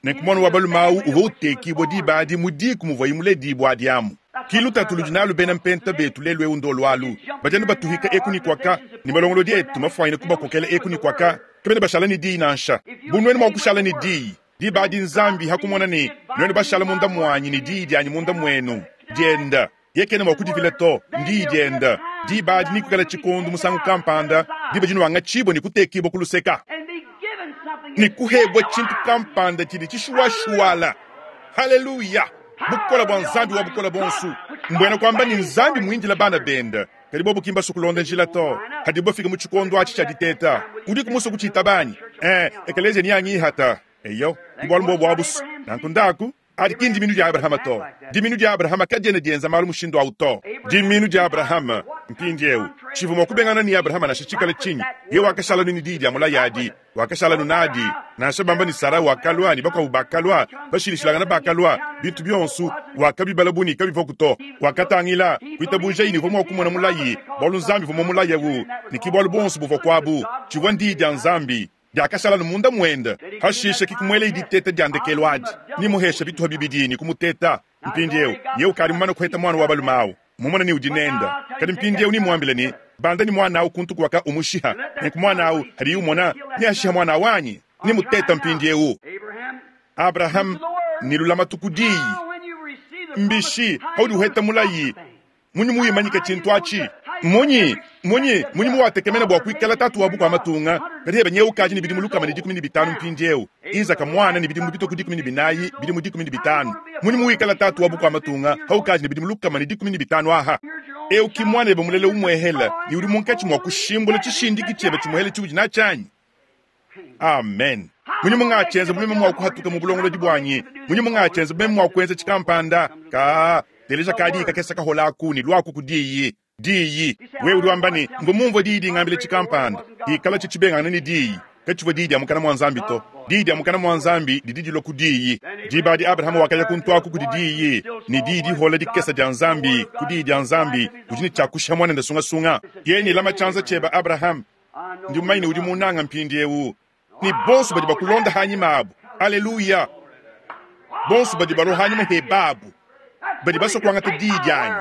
Nenku mwana wa balume awu uvua utekibua diba adi mu diku muvuaye muledibua adi amu. Ki lutatu ludi nalu bena mpenta betu lelu ewu ndolu alu. Badianu batuhika eku ni kwaka ne malongolodi etu mafuanyine kubakokela eku ni kwaka kabena bashala ne diyi nansha. Bu nuenu mua kushala ne diyi diba adi Nzambi hakumona ne nuenu bashala munda muanyi ne diyi dianyi munda muenu dienda yekena mua kudivila to ndiyi dienda diba adi nikukala tshikondo musangu kampanda diba dinuanga tshibua ne kutekibua ku luseka ne kuhebua tshintu kampanda tshidi tshishuwashuwala. Haleluya! Bukola bua Nzambi wa bukola bonsu mbwena kwamba ni Nzambi muindila bana bende kadi bobu kimba sukulonda njila to hadi bafika mu tshikondo atshi tshia diteta udi kumusa kutshita banyi eh ekelezia ni angihata eyo bualu mbobu abusu nanku ndaku adi ki ndiminu dia Abrahama to. Diminu dia Abrahama kadiena dienza malu mushindu awu to. Diminu dia Abrahama mpindiewu tshivua mua kubengana ni Abrahama nansha tshikala tshinyi. Ye wakashala ni diyi dia mulayi wakashala nunadi nansha bamba ni Sara wakalua ni bakuabu bakalua bashilishilangana bakalua bintu bionso wakabibala buni kabivua kuto. Wakatangila kuitabuja ini uvua mua kumona mulayi bualu Nzambi uvua mulayi awu ni ki bualu bonso buvua kuabu tshivua ndiyi dia Nzambi. Diakashala anu munda mwende. Hashishe kikumwela diteta dia ndekelu adi. Nimuhesha bituha bibidi ne kumuteta. Mpindieu yewe ukadi mumane kuheta mwana wa balume awu. Mumone ne udi nenda. Kadi mpindieu nimuambile ne, banda ni mwana awu kuntu kuwaka umushiha. Nenku mwana awu hadiye umona ne ashiha mwana wanyi. Nimuteta mpindieu. Abraham ni lulamatu ku diyi. Mbishi haudi uheta mulayi. Munyi muyimanyike tshintu atshi. Munyi, munyi, munyi muwatekemena bua kuikala tatu wa bukua matunga. Kadi hebe nyewe ukaji ni bidimu lukama ne dikumi ne bitanu mpindieu. Isaka mwana ni bidimu bitoku dikumi ne binayi, bidimu dikumi ne bitanu. Munyi muwikala tatu wa bukua matunga, haukaji ni bidimu lukama ne dikumi ne bitanu aha. Eu ki mwana ebe mulele umwehela, ni udi munkatshi mua kushimbula tshishindiki tshiebe tshimuhele tshiudi natshi. Amen. Munyi mungatshyenza bumeme mua kuhatuka mu bulongolodi bwanyi. Munyi mungatshyenza bumeme mua kuenza tshikampanda. Ka teleja kadi kakesa kaholaku ni lwaku ku diyi. Diyi. Wewe udi wamba ne mvu mumvua diyi dingambile tshikampanda. Ikala tshitshibengana ni diyi. Katshivua diyi dia mukana mua Nzambi to. Diyi dia mukana mua Nzambi didi dilua ku diyi. Diba adi Abrahama wakaya kuntuaku kudi diyi. Ni diyi dihola dikesa dia Nzambi ku diyi dia Nzambi udi ne tshiakusha mwana sungasunga. Yeye ni lama tshianza tshiebe Abraham. Ndi mumanye udi munanga mpindieu. Ni bonso badi bakulonda hanyima abu. Aleluya. Bonso badi balua hanyima hebabu. Badi basua kuangata diyi dianyi.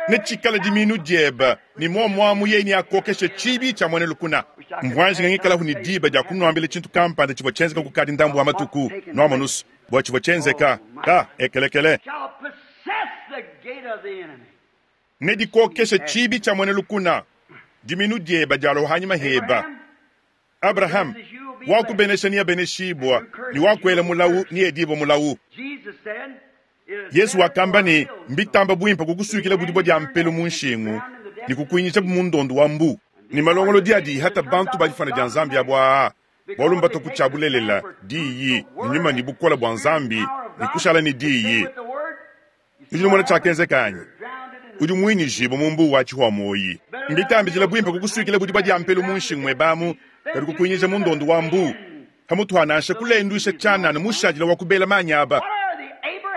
Ne tshikala diminu diebe ni muamuamu yeye ni akokeshe tshibi tshia mwene lukuna. Mvwanjinga ngikalahu ni diba dia kunuambila tshintu kampanda tshivua tshienzeka kukadi ndambu wa matuku nuamonusu bua tshivua tshienzeka ka ekelekele. Ne dikokeshe tshibi tshia mwene lukuna. Diminu diebe dialua hanyima heba. Abraham wakubenesha ni abeneshibwa ni wakuela mulawu ni edibo mulawu. Yesu wakamba ne mbitamba bwimpa kukusukila budibwa dia mpelu mu nshingu ni kukuinyisha mundondo wa mbu. Ni malongolo diadi hata bantu badifana dia Nzambi abwa bwalu mbato kutshabulelela diyi nyuma ni bukola bwa Nzambi ni kushala ni diyi. Udi mona tshiakenzeka udi mwinyijibwa mu mbu wa tshihwa moyi. Mbitambijila bwimpa kukusukila budibwa dia mpelu mu nshingu mwebamu kadi kukuinyisha mundondo wa mbu. Hamutu hanansha kulendwisha tshanana mushadila wa kubela manyaba.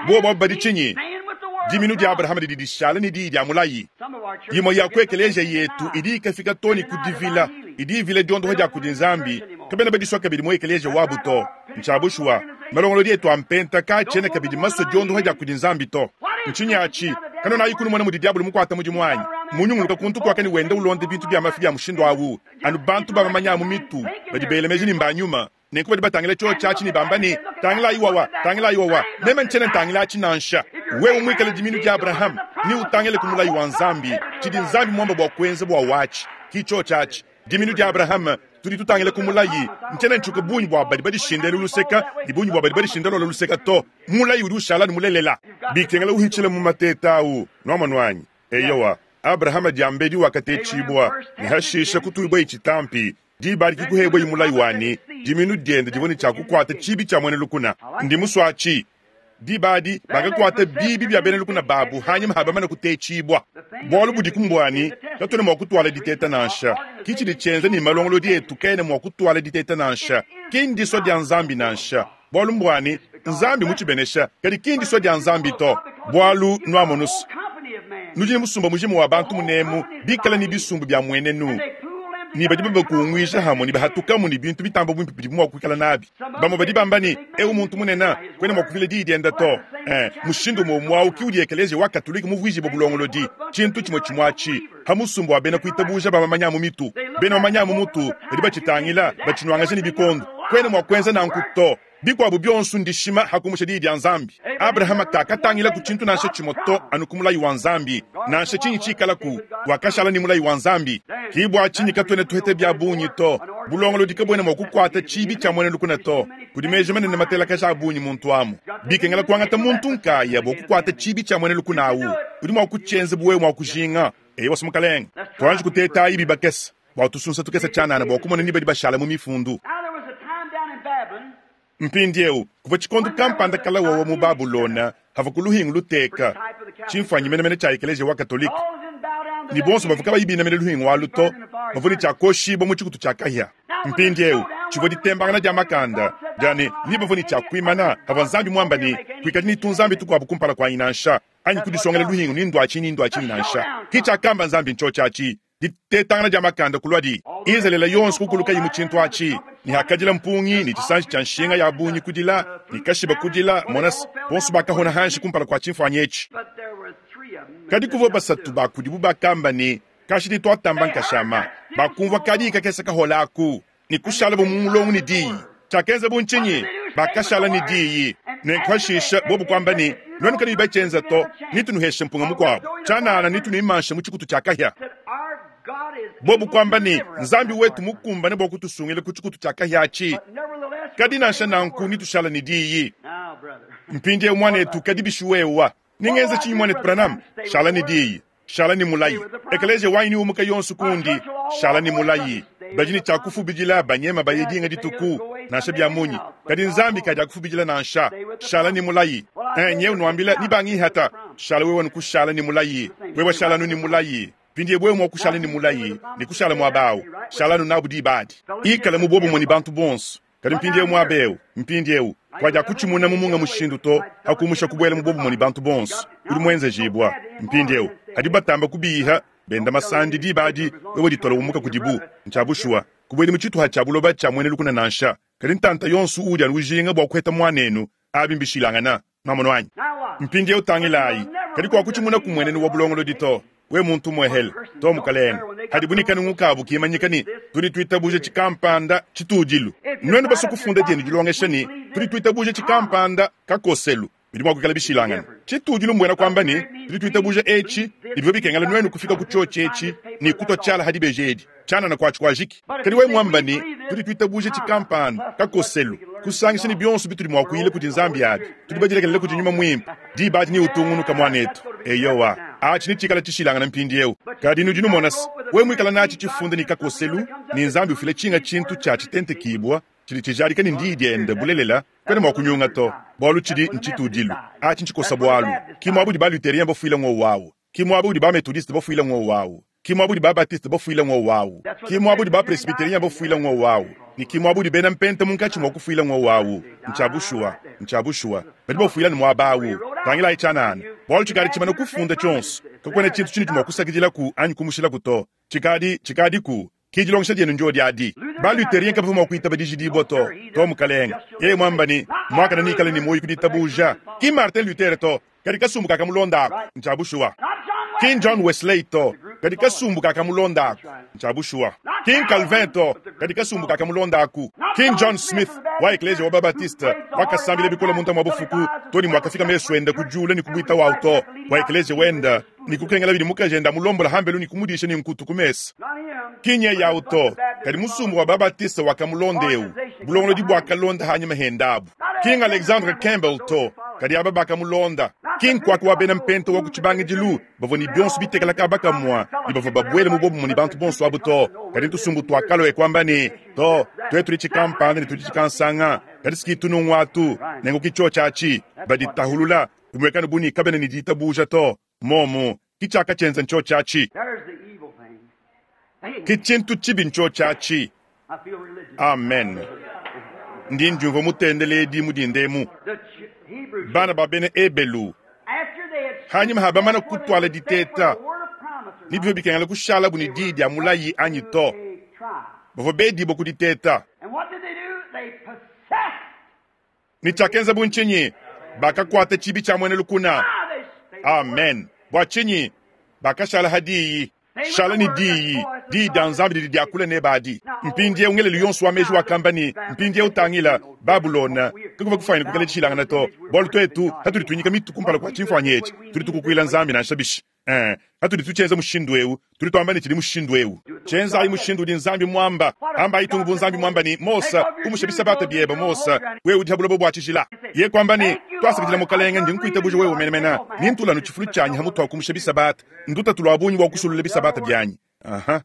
Bobo badi tshinyi diminu dia Abraham didi dishala ni diyi dia mulayi. Yimwe ya kuekeleja yetu idi ikafika toni kudivila idi ivila diondoha dia kudi Nzambi kabena badiswa kabidi mu ekeleja wabu to. Ntshabushwa malongolodi etu ampenta katshiena kabidi maswa diondoha dia kudi Nzambi to. Ntshinyi atshi kanona ayikunu mwana mudi diabulu mukuata mudimu wanyi munyunguluka kuntu kwakani wenda ulonde bintu bia mafi bia mushindu awu anu bantu bamamanya mu mitu badi belemeji ni mbanyuma. Nenku badi batangila tshiwo tshiatshi ne bamba ne tangila iwawa tangila iwawa meme ntshiena ntangila atshi nansha. Wewe muikale diminu dia Abraham ni utangile ku mulayi wa Nzambi tshidi Nzambi muamba bua kuenza bua watshi ki tshiwo tshiatshi diminu dia Abraham tudi tutangile ku mulayi ntshiena ntshuka bungi bua badi badishindela luseka ni bungi bua badi badishindela luseka to. Mulayi udi ushala ni mulelela bikengela uhitshila mu mateta awu nuamanwanyi. Eyowa Abraham diambedi wakatetshibwa ni hashisha kutuibwa ichitampi diba dikikuhebwa imulayi wani diminu diende divua ne tshiakukuata tshibi tshia mwene lukuna. Ndi muswatshi dibadi bakakuata bibi bia bena lukuna babu hanyima habamana kutetshibwa. Bualu budi kumbwani katwena mua kutwala diteta nansha. Kitshidi tshienza ni malongolodi etu kena mua kutwala diteta nansha. Ki ndiswa dia Nzambi nansha. Bualu mbwani Nzambi mutshibenesha kadi ki ndiswa dia Nzambi to. Bualu nuamonusu nudi ne musumba mujimu wa bantu munemu bikala ni bisumbu bia mwenenu. Ni badi babakungwisha hamwe ni bahatukamu ni bintu bitamba bwimpi bidi mua kuikala nabi. Bamwe badi bamba ni eu muntu munene kwena mua kuvila diyi dienda to. Eh, mushindu muomwau ki udi ekeleziya wa katolika muvwijibwa bulongolodi tshintu tshimwe tshimwatshi hamusumbu wa bena kuitabuja bamamanya mu mitu bena bamanya mu mutu badi batshitangila batshinuangaja ni bikondo kwena mua kuenza nanku to. Bikuabu bionso ndishima hakumusha diyi dia Nzambi. Abrahama kakatangila ku tshintu nansha tshimwe to anu ku mulayi wa Nzambi nansha tshinyi tshikalaku wakashala ni mulayi wa Nzambi. Kibwa tshinyi katwene tuhete bia bungi to bulongolodi kabwena mua kukuata tshibi tshia mwene lukuna to. Kudi meji manene matelakaja a bungi muntu amu bikengela kuangata muntu nkaya bua kukuata tshibi tshia mwene lukuna awu udi mua kutshienza buwe mua kujinga. Eyo wasumukalenga tuanji kuteta ibi bakesa bua tusunsa tukesa tshianana bua kumona ni badi bashala mu mifundu. Mpindieu kuvua tshikondo kampanda kala wawa mu Babulona hava ku luhingu luteka tshimfuanyi menemene tshia ekeleziya wa katolika ni bonso bavua kabayi binamene luhingu alu to bavua ne tshiakoshibwa mu tshikutu tshia kahia. Mpindieu tshivua ditembangana dia makanda diane ni bavua ne tshiakuimana havua Nzambi muamba ne kuikadi ni tunzambi tukuabu kumpala kuanyi nansha anyi kudisongela luhingu ni nduatshi ni nduatshi nansha. Ki tshiakamba Nzambi ntsho tshiatshi Ditetangana dia makanda kuluadi. Izalele yonso kukulukayi mu tshintu atshi, ne hakadila mpungi ne tshisanji tshia nshinga ya bungi kudila, ne kashiba kudila, mona se, bonso bakahona hanshi kumpala kua tshimfuanyi etshi. Kadi kuvua basatu ba kudibu bakamba ne, Kashidi twatamba nkashama. Bakumvua kadiyi kakese kahola aku, ne kushala bu mu mulongo ne diyi. Tshiakenza bu ntshinyi? Bakashala ne diyi. Nenku hashisha bobu kuamba ne, Nuenu kanuyi batshienza to, nitunuheshe mpunga mukuabu. Tshianana nitunuimanshe mu tshikutu tshia kahia. Bobu kuamba ne, Nzambi wetu mukumbane bua kutusungila ku tshikutu tshia kahia atshi. Kadi nansha nanku nitushala ne diyi. Mpindieu muanetu, kadi bishi wewa? Ningenza tshinyi muanetu Branham? Shala ne diyi. Shala ne mulayi. Ekeleziya wanyi niumuka yonso kundi. Shala ne mulayi. Badi ne tshia kufubidila banyema baye dinga dituku, nansha bia munyi. Kadi Nzambi kadiakufubidila nansha. Shala ne mulayi. Eh, nyewe nuambila ni bangihata. Shala wewe nukushala ne mulayi. Wewe shala nu ne mulayi. Mpindieu wewe mua kushala ne mulayi ne kushala muaba awu. Shala nu nabu diba adi. Ikala mu buobumue ne bantu bonso. Kadi mpindieu muaba eu, mpindieu, kuadiakutshimuna mu munga mushindu to, hakumusha kubuela mu buobumue ne bantu bonso. Udi muenzejibua. Mpindieu, hadi batamba kubiha, benda masandi diba adi, wewe ditola umuka kudibu. Ntshia bushuwa, kubuedi mu tshituha tshia buloba tshia muena lukuna nansha. Kadi ntanta yonso uudi anu ujinga bua kuheta muanenu, abi mbishilangana. Nwamonu anyi? Mpindieu tangilayi, kadi kuakutshimuna ku muenenu wa bulongolodi to. We muntu muehele to mukalenge, hadibu ne kanungu kabu kimanyika ne tudi tuitabuja tshikampanda tshitudilu. Nuenu basue kufunda dienu dilongesha ne tudi tuitabuja tshikampanda kakoselu, bidi mua kuikala bishilangana. Tshitudilu mbuena kuamba ne tudi tuitabuja etshi, ne bivua bikengela nuenu kufika ku tshiotshi etshi ne kutua tshiala ha dibeji edi tshianana kuatshi kuajiki. Kadi we muamba ne tudi tuitabuja tshikampanda kakoselu, kusangisha ne bionso bitudi mua kuyila kudi Nzambi abi, tudi badilekelele kudi Nyuma Muimpe, diba adi neutungunuka muanetu. Eyowa, atshi netshikala tshishilangana mpindieu. Kadi nudi numona se, we muikala natshi tshifunda ne kakoselu, ne Nzambi ufila tshinga tshintu tshia tshitentekibua tshidi tshijadika ne ndiyi diende bulelela, kwena mua kunyunga to, bualu tshidi ntshitudilu. Atshi ntshikosa bualu. Ki muaba udi ba-Luthérien bafuila ngowu awu. Ki muaba udi ba-Methodiste bafuila ngowu awu. Ki muaba udi ba-Baptiste bafuila ngowu awu. Ki muaba udi ba-Presbytérien bafuila ngowu awu. Ne ki muaba udi bena Mpenta munkatshi mua kufuila ngowu awu. Ntshia bushuwa. Ntshia bushuwa. Badi bafuila ne muaba awu. Tangilayi tshianana. Bualu tshikadi tshimana kufunda tshionso. Kakuena tshintu tshinudi mua kusakidilaku anyi kumushilaku to. Tshikadi, tshikadiku. Ki dilongesha dienu ndio adi. Ba-Luthérien kabavua mua kuitaba dijidibua to. To mukalenge. Yeye muamba ne, muakane neikale ne muoyo ku ditabuja. Ki Martin Luther to, kadi kasumbu kakamulonda aku. Ntshia bushuwa. Ki John Wesley to, kadi kasumbu kakamulonda aku. Ntshia bushuwa. Ki Calvin to, kadi kasumbu kakamulonda aku. Ki John Smith wa ekleziya wa Babatiste wakasambila bikole munda mua bufuku to ne muakafika mesu ende ku diula ne kubuita wawu to wa ekleziya wenda ne kukengela bidi mukaji enda amulombola hambelu ne kumudisha ne nkutu ku mesa. Ki nye yawu to, kadi musumbu wa Babatiste wakamulonda eu. Bulongolodi buakalonda hanyima hendabu. Ki Alexandre Campbell to, kadi aba bakamulonda. Ki nkuaka wa bena Mpenta wa ku tshibangidilu bavua ne bionso bitekela kaba kamua ne bavua babuele mu buobumue ne bantu bonso abu to. Kadi ntusumbu tuakalua e kuamba ne, to, tuetu tudi tshikampanda ne tudi tshikansanga, kadi siki tunungu atu, nenku ki tshiotshi atshi, baditahulula, bimuekane bu ne kabena ne ditabuja to. Momu, ki tshiakatshienza ntshiotshi atshi. Ki tshintu tshibi ntshiotshi atshi. Amen. Ndi ndiumvua mutendeledi mu dinda emu. Bana ba bena Ebelu, hanyima ha bamana kutuala diteta, ne bivua bikengela kushalabu ne diyi dia mulayi anyi to, bavua bedibua ku diteta. Ne tshiakenza bu ntshinyi? Bakakuata tshibi tshia muena lukuna. Amen. Bua tshinyi? Bakashala ha diyi. Shala ne diyi. Diyi dia Nzambi didi diakula neba adi. Mpindieu ngelelu yonso wa meji wakamba ne, mpindieu tangila, Babulona, kakuvua kufuanyina kuikala dishilangana to, bualu tuetu hatudi tuinyika mitu kumpala kua tshimfuanyi etshi, tudi tukukuila Nzambi nansha bishi. Eh, hatudi tutshienza mushindu eu, tudi tuamba ne tshidi mushindu eu. Tshienzayi mushindu udi Nzambi muamba. Ambayi tungu bu Nzambi muamba ne, Mose, umusha bisabata biebe, Mose, wewe udi ha buloba bua tshijila. Ye kuamba ne, twasakidila mukalenge, ndi nkuitabuja wewe menemene, ne ntula anu tshifulu tshianyi ha mutu wa kumusha bisabata, ndutatu lua bungi bua kusulula bisabata bianyi. Aha,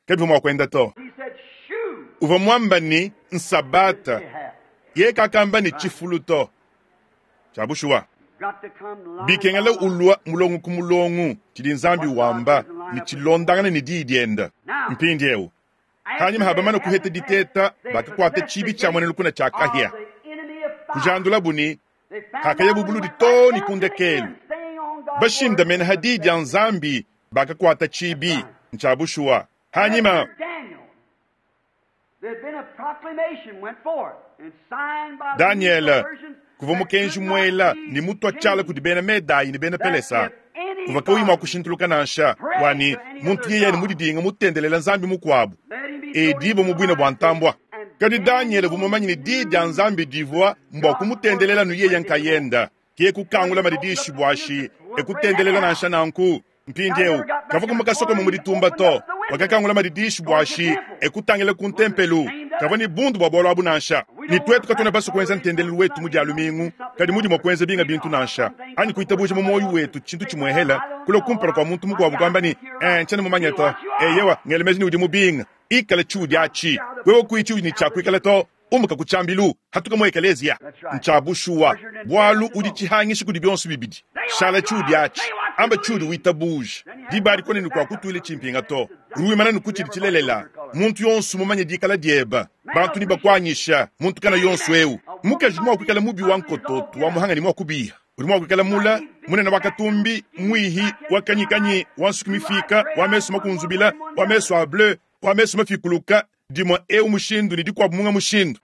kabivua mua kuenda to. Uvua muamba ne, nsabata. Ye kakamba ne tshifulu to. Tshia bushuwa. Bikengela ulua mulongo ku mulongo tshidi Nzambi wamba ne tshilondangana ne diyi diende. Mpindieu, hanyima ha bamana kuheta diteta, bakakuata tshibi tshia muena lukuna tshia kahia. Kujandulabu ne hakayabu buludi to ne ku ndekelu. Bashindamene ha diyi dia Nzambi bakakuata tshibi. Ntshia bushuwa. Hanyima Daniele kuvua mukenji muela ne mutua tshiala kudi bena Medayi ne bena Pelesa uvua kauyi mua kushintuluka nansha wani muntu yeye ne mudidinga mutendelela nzambi mukuabu edibo mu buina bua ntambua. Kadi Daniele uvua mumanye ne diyi dia nzambi divua mbua kumutendelela nu yeye nkayenda ke kukangula madidishi buashi ekutendelela nansha nanku. Mpindieu kavua kumukasoko mu ditumba to wakakangula madidishi buashi ekutangila ku ntempelu kavua ne bundu bua bualu abu nansha. Ni twetu katuna basu kuenza ntendelelu wetu mu dia lumingu kadi mudi mua kuenza binga bintu nansha anyi kuitabuja mu moyo wetu tshintu tshimwehela kula kumpala kwa muntu mukuabu kwamba ni eh nchana mumanye to eyewa ngelemeji ni udi mubinga ikala tshiudi atshi wewe kuichi ni tshiakuikala to umuka kutshambilu hatuka mu ekelezia ntshabushuwa bwalu udi tshihangishi kudi bionso bibidi shala tshiudi atshi amba tshiudi witabuja dibali kone ni kwa kutuile tshimpinga to ruwimana ni kuchidi tshilelela muntu yonso mumanye dikala dieba bantu ni bakwanyisha muntu kana yonso eu mukaji mwa kuikala mubi wa nkototo wa muhanga ni mwa kubiha uri mwa kuikala mula munene wa katumbi mwihi wa kanyikanyi wa nsukumifika wa meso makunzubila wa meso a bleu wa meso mafikuluka dimwa eu mushindu ni dikwabu munga mushindu.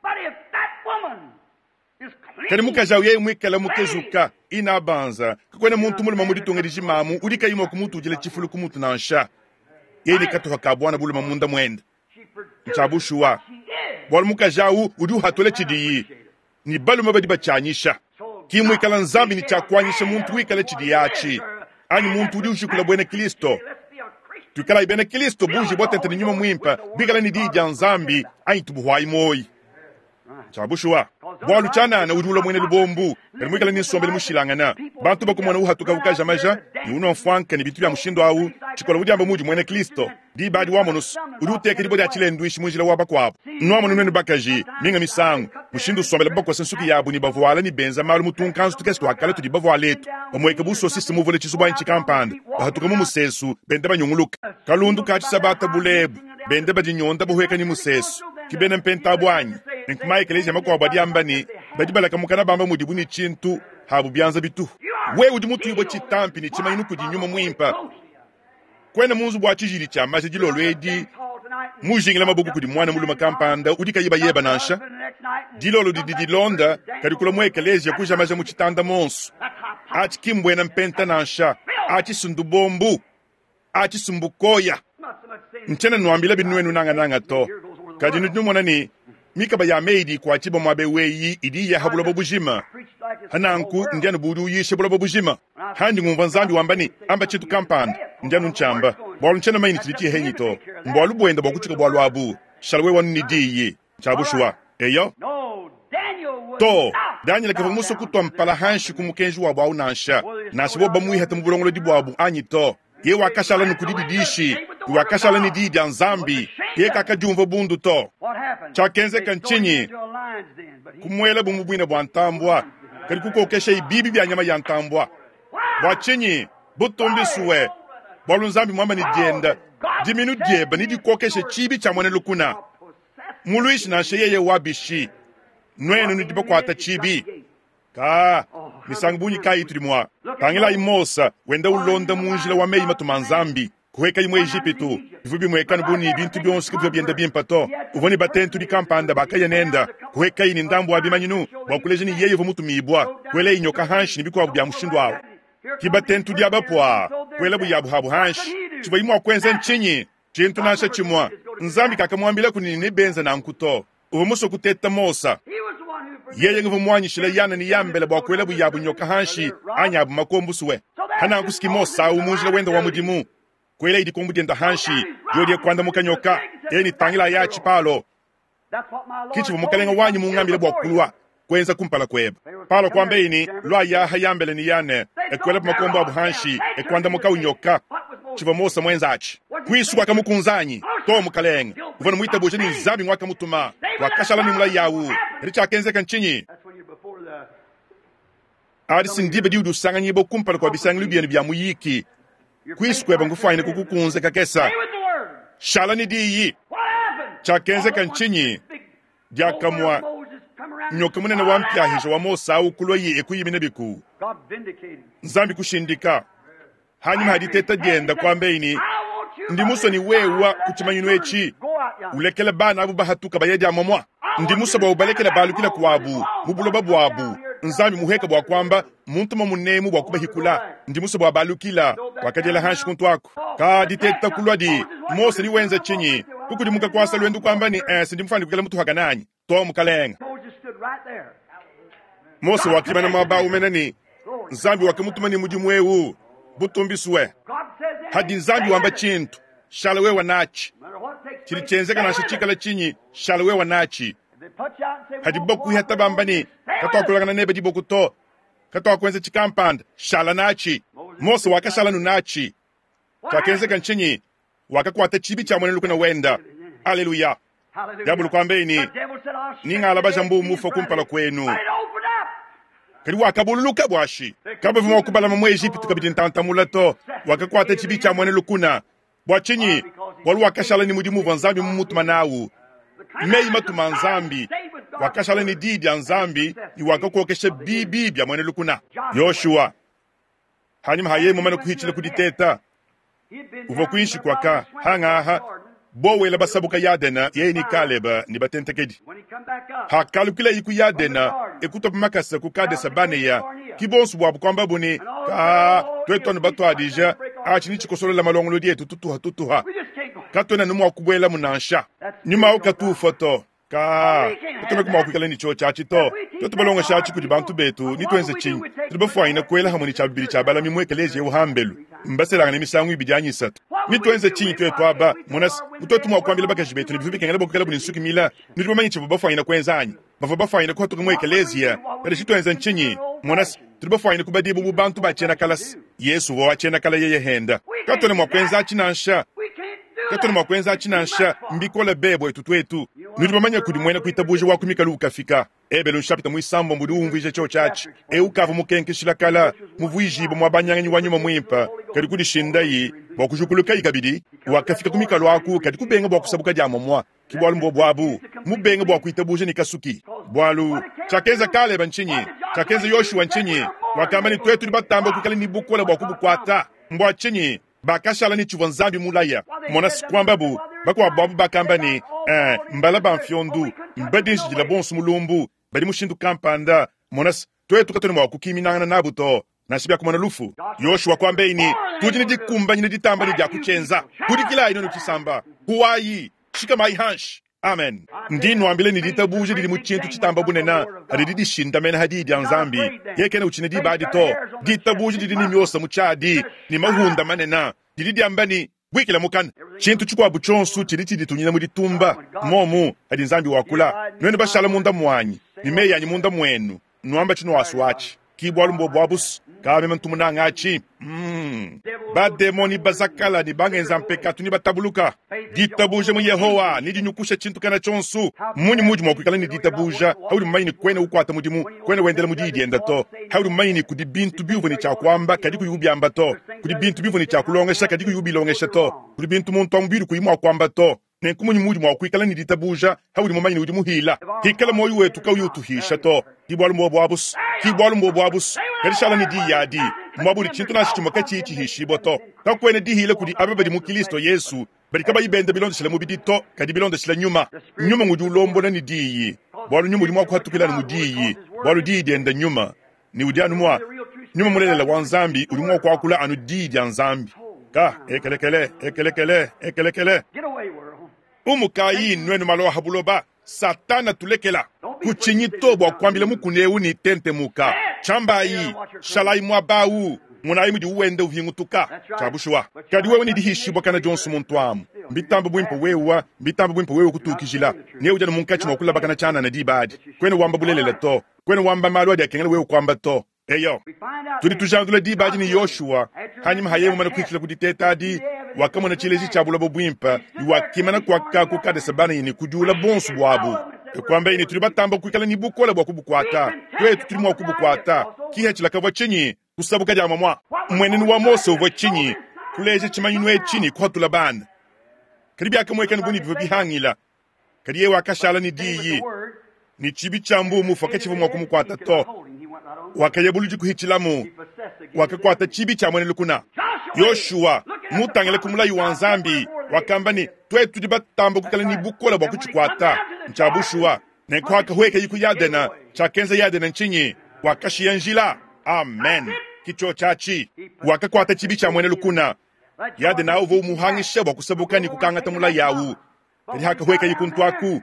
Kadi mukaji awu yeye mwikala mukezuka ina banza kakwena muntu muluma muditunga dijimamu udi kayi mwa kumutujila tshifulu kumutu nansha yeye ni katuha ka bwana buluma munda mwenda ntshabushuwa bwalu mukaji awu udi uhatula tshidiyi ni balume badi batshianyisha kimwikala nzambi ni tshiakuanyisha muntu wikala tshidiyi atshi anyi muntu udi ushikula bwena Kristo tuikala bena Kristo buji bwatente ni nyuma mwimpa bikala ni diyi dia nzambi anyi tubuhwayi moyi ntshabushuwa bwalu tshanana udi ula mwene lubombu kadi mwikala ni nsombele mushilangana bantu bakumona uhatuka ukaja maja ni unwa mfwanka ni bitu bya mushindu awu tshikola udi amba mudi mwene Kristo dibadi wa monusu udi uteka dibo dia tshilendwishi munjila wa bakuabu nwamonu nwenu bakaji minga misangu mushindu usombela bakosa nsuki yabu ni bavuala ni benza malu mutunkanzu tukesi twakala tudi bavuala etu bamweka busosisi muvule tshisubanyi tshikampanda bahatuka mu musesu benda banyunguluka kalundu ka tshisabata bulebu benda badinyonda buhweka ni musesu kibena mpenta bwanyi nkumaye ekelezia makuabu adi amba ni badi balakamukana bamba mudibu ni tshintu habu byanza bitu we udi mutuyibwa tshitampi ni tshimanyinu kudi nyuma mwimpa kwena munzu bwa tshijili tshia maja dilolo edi mujingila mabuku kudi mwana muluma kampanda udi kayiba yeba nansha dilolo didi dilonda kadi kula mu ekelezia kuja maja mu tshitanda monso atshi kimbwena mpenta nansha atshi sundubombu atshi sumbukoya ntshiena nwambila binuenu nangananga to kadi nudi numona ni mikaba ya meidi kwatshiba mwabe weyi idi yaha buloba bujima hananku ndianu budi uyisha buloba bujima handi ngumva nzambi wamba ni amba tshintu kampanda ndianu ntshamba bwalu ntshiena mayini tshidi tshihenyi to mbwalu bwenda bwa kutshika bwalu abu shala we wanu ni diyi tshabushuwa eyo to Daniel kavua muso kutwa mpala hanshi ku mukenji wabu awu nansha nansha bo bamwihata mu bulongolodi bwabu anyi to ye wakashala ni kudi didishi wakashala ni diyi dia nzambi ye kakadiumva bundu to tshiakenzeka ntshinyi kumwela bumu bwina bwa ntambwa kadi kukokesha ibibi bya nyama ya ntambwa bwa tshinyi butumbisuwe bwalu nzambi mwamba ni dienda diminu dieba ni dikokesha tshibi tshia mwene lukuna muluishi nansha yeye wabishi nwenu nudi bakuata tshibi ka misangu bunyi kayi tudi mwa tangilayi Mosa wenda ulonda munjila wa meyi matuma nzambi kuheka imwe Ejipitu bivu bimwekanu buni bintu byonso kibyo byenda bimpa to uvoni batentu dikampanda bakaya nenda kuheka ini ndambu wa bimanyinu bwa kuleja ni yeye mutumibwa kwele inyoka hanshi ni bikwabu bya mushindu awo kibatentu dia bapwa kwela buyabu habu hanshi tshivua imwa kwenza ntshinyi tshintu nansha tshimwa nzambi kakamwambila kunini ne benza nanku to uvua muso kuteta Mosa yeye nguvu mwanyishila yana ni yambela bwa kwela buyabu nyoka hanshi anyi abu makombusuwe hananku Mosa awu munjila wenda wa mudimu kwela idi kombu dienda hanshi yodie kwanda mukanyoka eni tangila ya tshipalo kichivu mukalenga wanyi mungambile bwa kulwa kwenza kumpala kweba palo kwamba ini lwa yaha yambele ni yane ekwela makombo abu hanshi ekwanda mukawunyoka chiva Mosa mwenzachi kwisu kwakamukunzanyi to mukalenga uvana muitabuje ni nzambi ngwakamutuma wakashala ni mula yawu eri tshiakenzeka ntshinyi adi sindibe diudi usanganyibo kumpala kwa bisangilu bienu bya muyiki kwisu kweba ngufaine kukukunze kakesa shala ni diyi tshiakenzeka ntshinyi diakamwa nyoka munene wa mpyahisha wa Mosa awu kulwa yi ekuyimina biku nzambi kushindika hanyuma haditeta dienda kwamba ini Ndi musue ne wewa ku tshimanyinu etshi ulekela bana abu bahatuka baya dia momwa. Ndi musue bua ubalekela balukila kuabu mu buloba buabu. Nzambi muheka bua kuamba muntu mamunemu bua kubahikula. Ndi musue bua balukila wakadiela hanshi kuntu aku. Ka diteta kulua di Mose ni wenza chinyi kukudimuka kwasa lwendu kwamba ni eh ndi mufani kukela mutu hakananyi to mukalenga. Mose wakimana mwaba umena ni Nzambi wakamutuma ni mudimu eu butumbiswe. Hadi Nzambi wamba chintu shala wewe nachi chili chenzeka nasha chikala chinyi shala wewe nachi. Hadi boku hata bamba ni katwakulangana nebe diboku to katwakwenza chikampanda shala nachi. Mose wakashala nunachi chakenzeka nchinyi wakakwata chibi cha mwenelu kuna wenda. Haleluya. Diabulu kwambeni ningala bajambu mufa kumpala kwenu. Kali wakabululuka bwashi kaba vumwa kubala mu Egypt kabidi ntantamula to wakakwata chibi cha mwenelu kuna bwachinyi walu wakashala ni mudimu wa Nzambi mumutuma nawu meyi matuma Nzambi wakashala ni didi ya Nzambi ni wakakokesha bibi bya mwenelu kuna. Yoshua hanyuma haye mumana kuhichila kuditeta uva kuishi kwaka hangaha bowela basabuka Yadena yeye ni Kaleba ni batentekedi hakalukila iku Yadena ekutopa makasa ku Kadesa Baneya kibonsu bwabu kwamba buni ka twetwanu batwadija achi ni chikosolola malongolo dietu tutuha tutuha katwena numwa kubwela munansha nyuma ukatufa to ka kutona kuma kuikala ni cho chachi to twetu balonga shachi kudi bantu betu ni twenze chinyi tulibafwaina kwela hamwe ni cha bibili cha balami mwekeleje uhambelu mbaselanga ni misangu ibidi anyisatu ni twenze chinyi twetu aba monas mutwetu mwa kwambila bakaji betu ni bivubikengela bokukela buni nsuki mila ni tubamanyi chibu bafwaina kwenzanyi bava bafwaina kuhatuka mwekeleziya kadi chitwenze nchinyi monas tulibafwaina kubadibu bu bantu bachena kalasi Yesu wo achena kala yeye henda katone mwa kwenza achinansha katone mwa kwenza achinansha mbikola bebo etu twetu nudi kudi mwena kuitabuja wa kumikalu ukafika ebelu nshapita mwisambo mbudi umvije cho chachi e ukava mukenkeshila kala muvuijibo mwa banyanganyi wa nyuma mwimpa kadi kudishindayi bwa kujukuluka ikabidi wakafika kumikalu aku kadi kubenga bwa kusabuka dia momwa kibwalu mbo bwabu mubenga bwa kuitabuja ni kasuki bwalu chakenza Kaleba nchinyi chakenza Yoshua nchinyi wakamba ni twetu ni batamba kukala ni bukola bwa kubukwata mbwa chinyi bakashala ni chivwa Nzambi mulaya mona sikwamba bu bakwa babu bakamba ni eh mbala bamfyondu mbadinjila bonsu mulumbu bali mushindu kampanda mona twetu katoni mwa kukiminangana nabuto nashibya kumana lufu. Yoshua kwambeini tudi ni dikumbanyine ditamba ni dyakuchenza kudikila ino nuchisamba huwayi shika mai hanshi. Amen. Ndi nwambile ni ditabuje lili muchintu chitamba bunena adidi dishinda mena hadidi ya Nzambi yekene uchine dibadi to ditabuje lili ni myosa muchadi ni mahunda manena dili diambani bwikila mukana chintu chikwabu chonsu chili chiditunyina muditumba momu hadi Nzambi wakula nwene bashala munda mwanyi ni meyanyi munda mwenu nwamba chino waswachi kibwalu mbo bwabus kame mtumunanga achi mm. Bademoni bazakala ni bangenza mpekatu ni batabuluka ditabuje mu Yehowa ni dinyukusha chintu kana chonsu munyi muji mwakwikala ni ditabuja hauli mmanyi kwene ukwata mudimu kwene wendela mudidi enda to hauli mmanyi kudi bintu bivu ni cha kwamba kadi kuyubyamba to kudi bintu bivu ni cha kulongesha kadi kuyubilongesha to kudi bintu muntu amubiri kuyimwa kwamba to nenkumunyi muji mwakwikala ni ditabuja hauli mmanyi udi muhila hikala moyo wetu kauyutuhisha to kibwalu mbo bwabus kibwalu mbo bwabus kadishala ni diyadi mwabuli chintu na chichuma kachi chihishibo to kakwene dihile kudi ababadi mu Kristo Yesu bali kaba ibenda bilondeshela mubidi to kadi bilondeshela nyuma nyuma ngudi ulombona ni diyi bwalu nyuma uli mwakuhatukila ni mudiyi bwalu diyi dienda nyuma ni udi anu mwa nyuma mulelela wa Nzambi uli mwakuakula anu diyi dia Nzambi ka ekelekele ekelekele ekelekele umukayi nwenu maloha buloba Satana tulekela kuchinyi to bwa kwambila mukuneu ni tentemuka chambayi shalai mwabau munayi mudi uwende uvingutuka chabushuwa kadi wewe ni dihishibwa kana Johnson muntu mbitambo bwimpo wewa mbitambo bwimpo wewe kutukijila ne ujana munkachi mwakula bakana chana na dibadi kwene wamba bulelela to kwene wamba malu adi akengela wewe kwamba to eyo tudi tujandula dibadi ni Yoshua hanyuma hayemu mana kuikila kuditeta adi wakamona chileji cha bulabo bwimpa ni wakimana kwaka kukadesa bana yini kujula bonsu bwabu ekwamba yini tuli batamba kuikala ni bukola bwa kubukwata twetu tuli mwa kubukwata kiha chilakavwa chinyi kusabuka jama mwa mwenenu wa Mose uvwa chinyi kuleje chimanyinu echini kuhatula bana kadi byakamwekani buni bivo bihangila kadi yewe akashala ni diyi ni chibi cha mbumu foke chivu mwa kumukwata to wakayebuluji kuhichilamu wakakwata chibi cha mwene lukuna Yoshua Mutangile ku mulayi wa Nzambi, wakamba ne, twetu tudi batamba kuikala ne bukole bua kutshikwata. Ntshia bushuwa. Nenku hakahuekayi ku Yadena, tshiakenza Yadena ntshinyi? Wakashiya njila. Amen. Ke tshiotshi atshi. Wakakuata tshibi tshia muena lukuna. Yadena uvua umuhangisha bua kusabuka ne kukangata mulayi awu. Kadi hakahuekayi kuntu aku,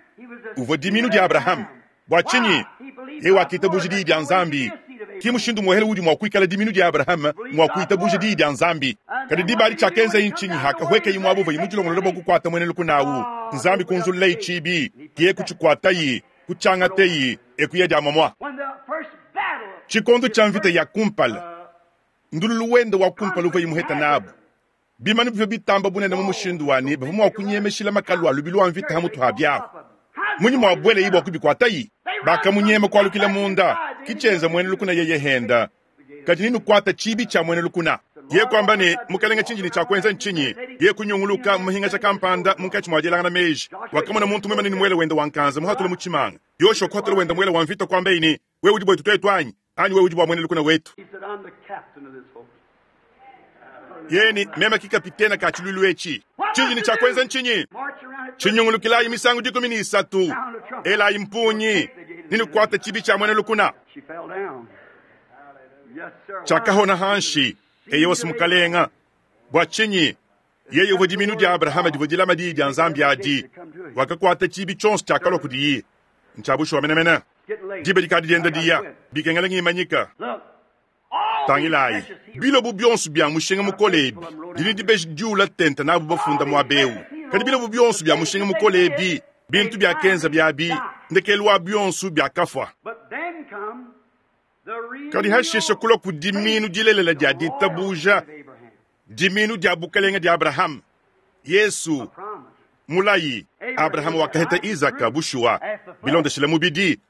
uvua diminu dia Abrahama. Bua tshinyi? Yeye wakitabuja diyi dia Nzambi. Ki mushindu muhele udi mua kuikala diminu dia Abrahama mua kuitabuja diyi dia Nzambi. Kadi diba adi tshiakenzaye ntshinyi? Hakahuekayi muaba uvuaye mudilongolole bua kukuata muena lukuna awu, Nzambi kunzululaye tshibi, yeye kutshikuataye, kutshiangateye, e kuya dia muamua. Tshikondo tshia mvita ya kumpala, ndululu wende wa kumpala uvuaye muheta nabu. Bimanu bivua bitamba bunene mu mushindu wa ne bavua mua kunyemeshila makalu a lubilu wa mvita ha mutu ha biahu. Munyi muabuelayi bua kubikuatayi? Bakamunyema kualukila munda, ke tshienza muena lukuna yeye henda. Kadi nenukuate tshibi tshia muena lukuna. Yeye kuamba ne, Mukalenge, tshindi ne tshia kuenza ntshinyi? Yeye kunyunguluka mu mahingaja kampanda munkatshi mua dielangana meji. Wakamona muntu muimane ne muele wende wa nkanza muhatula mu tshimanga. Yoshua kuhatula wende muele wa mvita, kuambaye ne, Wewe udi buetu tuetu anyi? Anyi wewe udi bua muena lukuna wetu? Yeye ne, Meme ki kapitene ka tshiluilu etshi. Tshindi ne tshia kuenza ntshinyi? Tshinyungulukilayi misangu dikumi ne isatu, elayi mpungi, nenukuate tshibi tshia muena lukuna. Tshiakahona hanshi. Eyowa, Mukalenga. Bua tshinyi? Yeye uvua diminu dia Abrahama divua dilama diyi dia Nzambi adi. Wakakuata tshibi tshionso tshiakalua kudiye. Ntshia bushuwa menemene. Diba dikadi dienda diya, bikengela ngimanyika. Tangilayi, bilobu bionso bia mushinga mukole ebi, ndi ne dibeji diula tente nabu bafunda muaba eu. Kadi bilobu bionso bia mushinga mukole ebi, bintu biakenza biabi, ndekelu wa bionso biakafua. Kadi hashishe kulua ku diminu dilelela dia ditabuja, diminu dia bukalenge dia Abrahama, Yesu, mulayi. Abrahama wakaheta Isaka bushuwa, bilondeshile mubidi.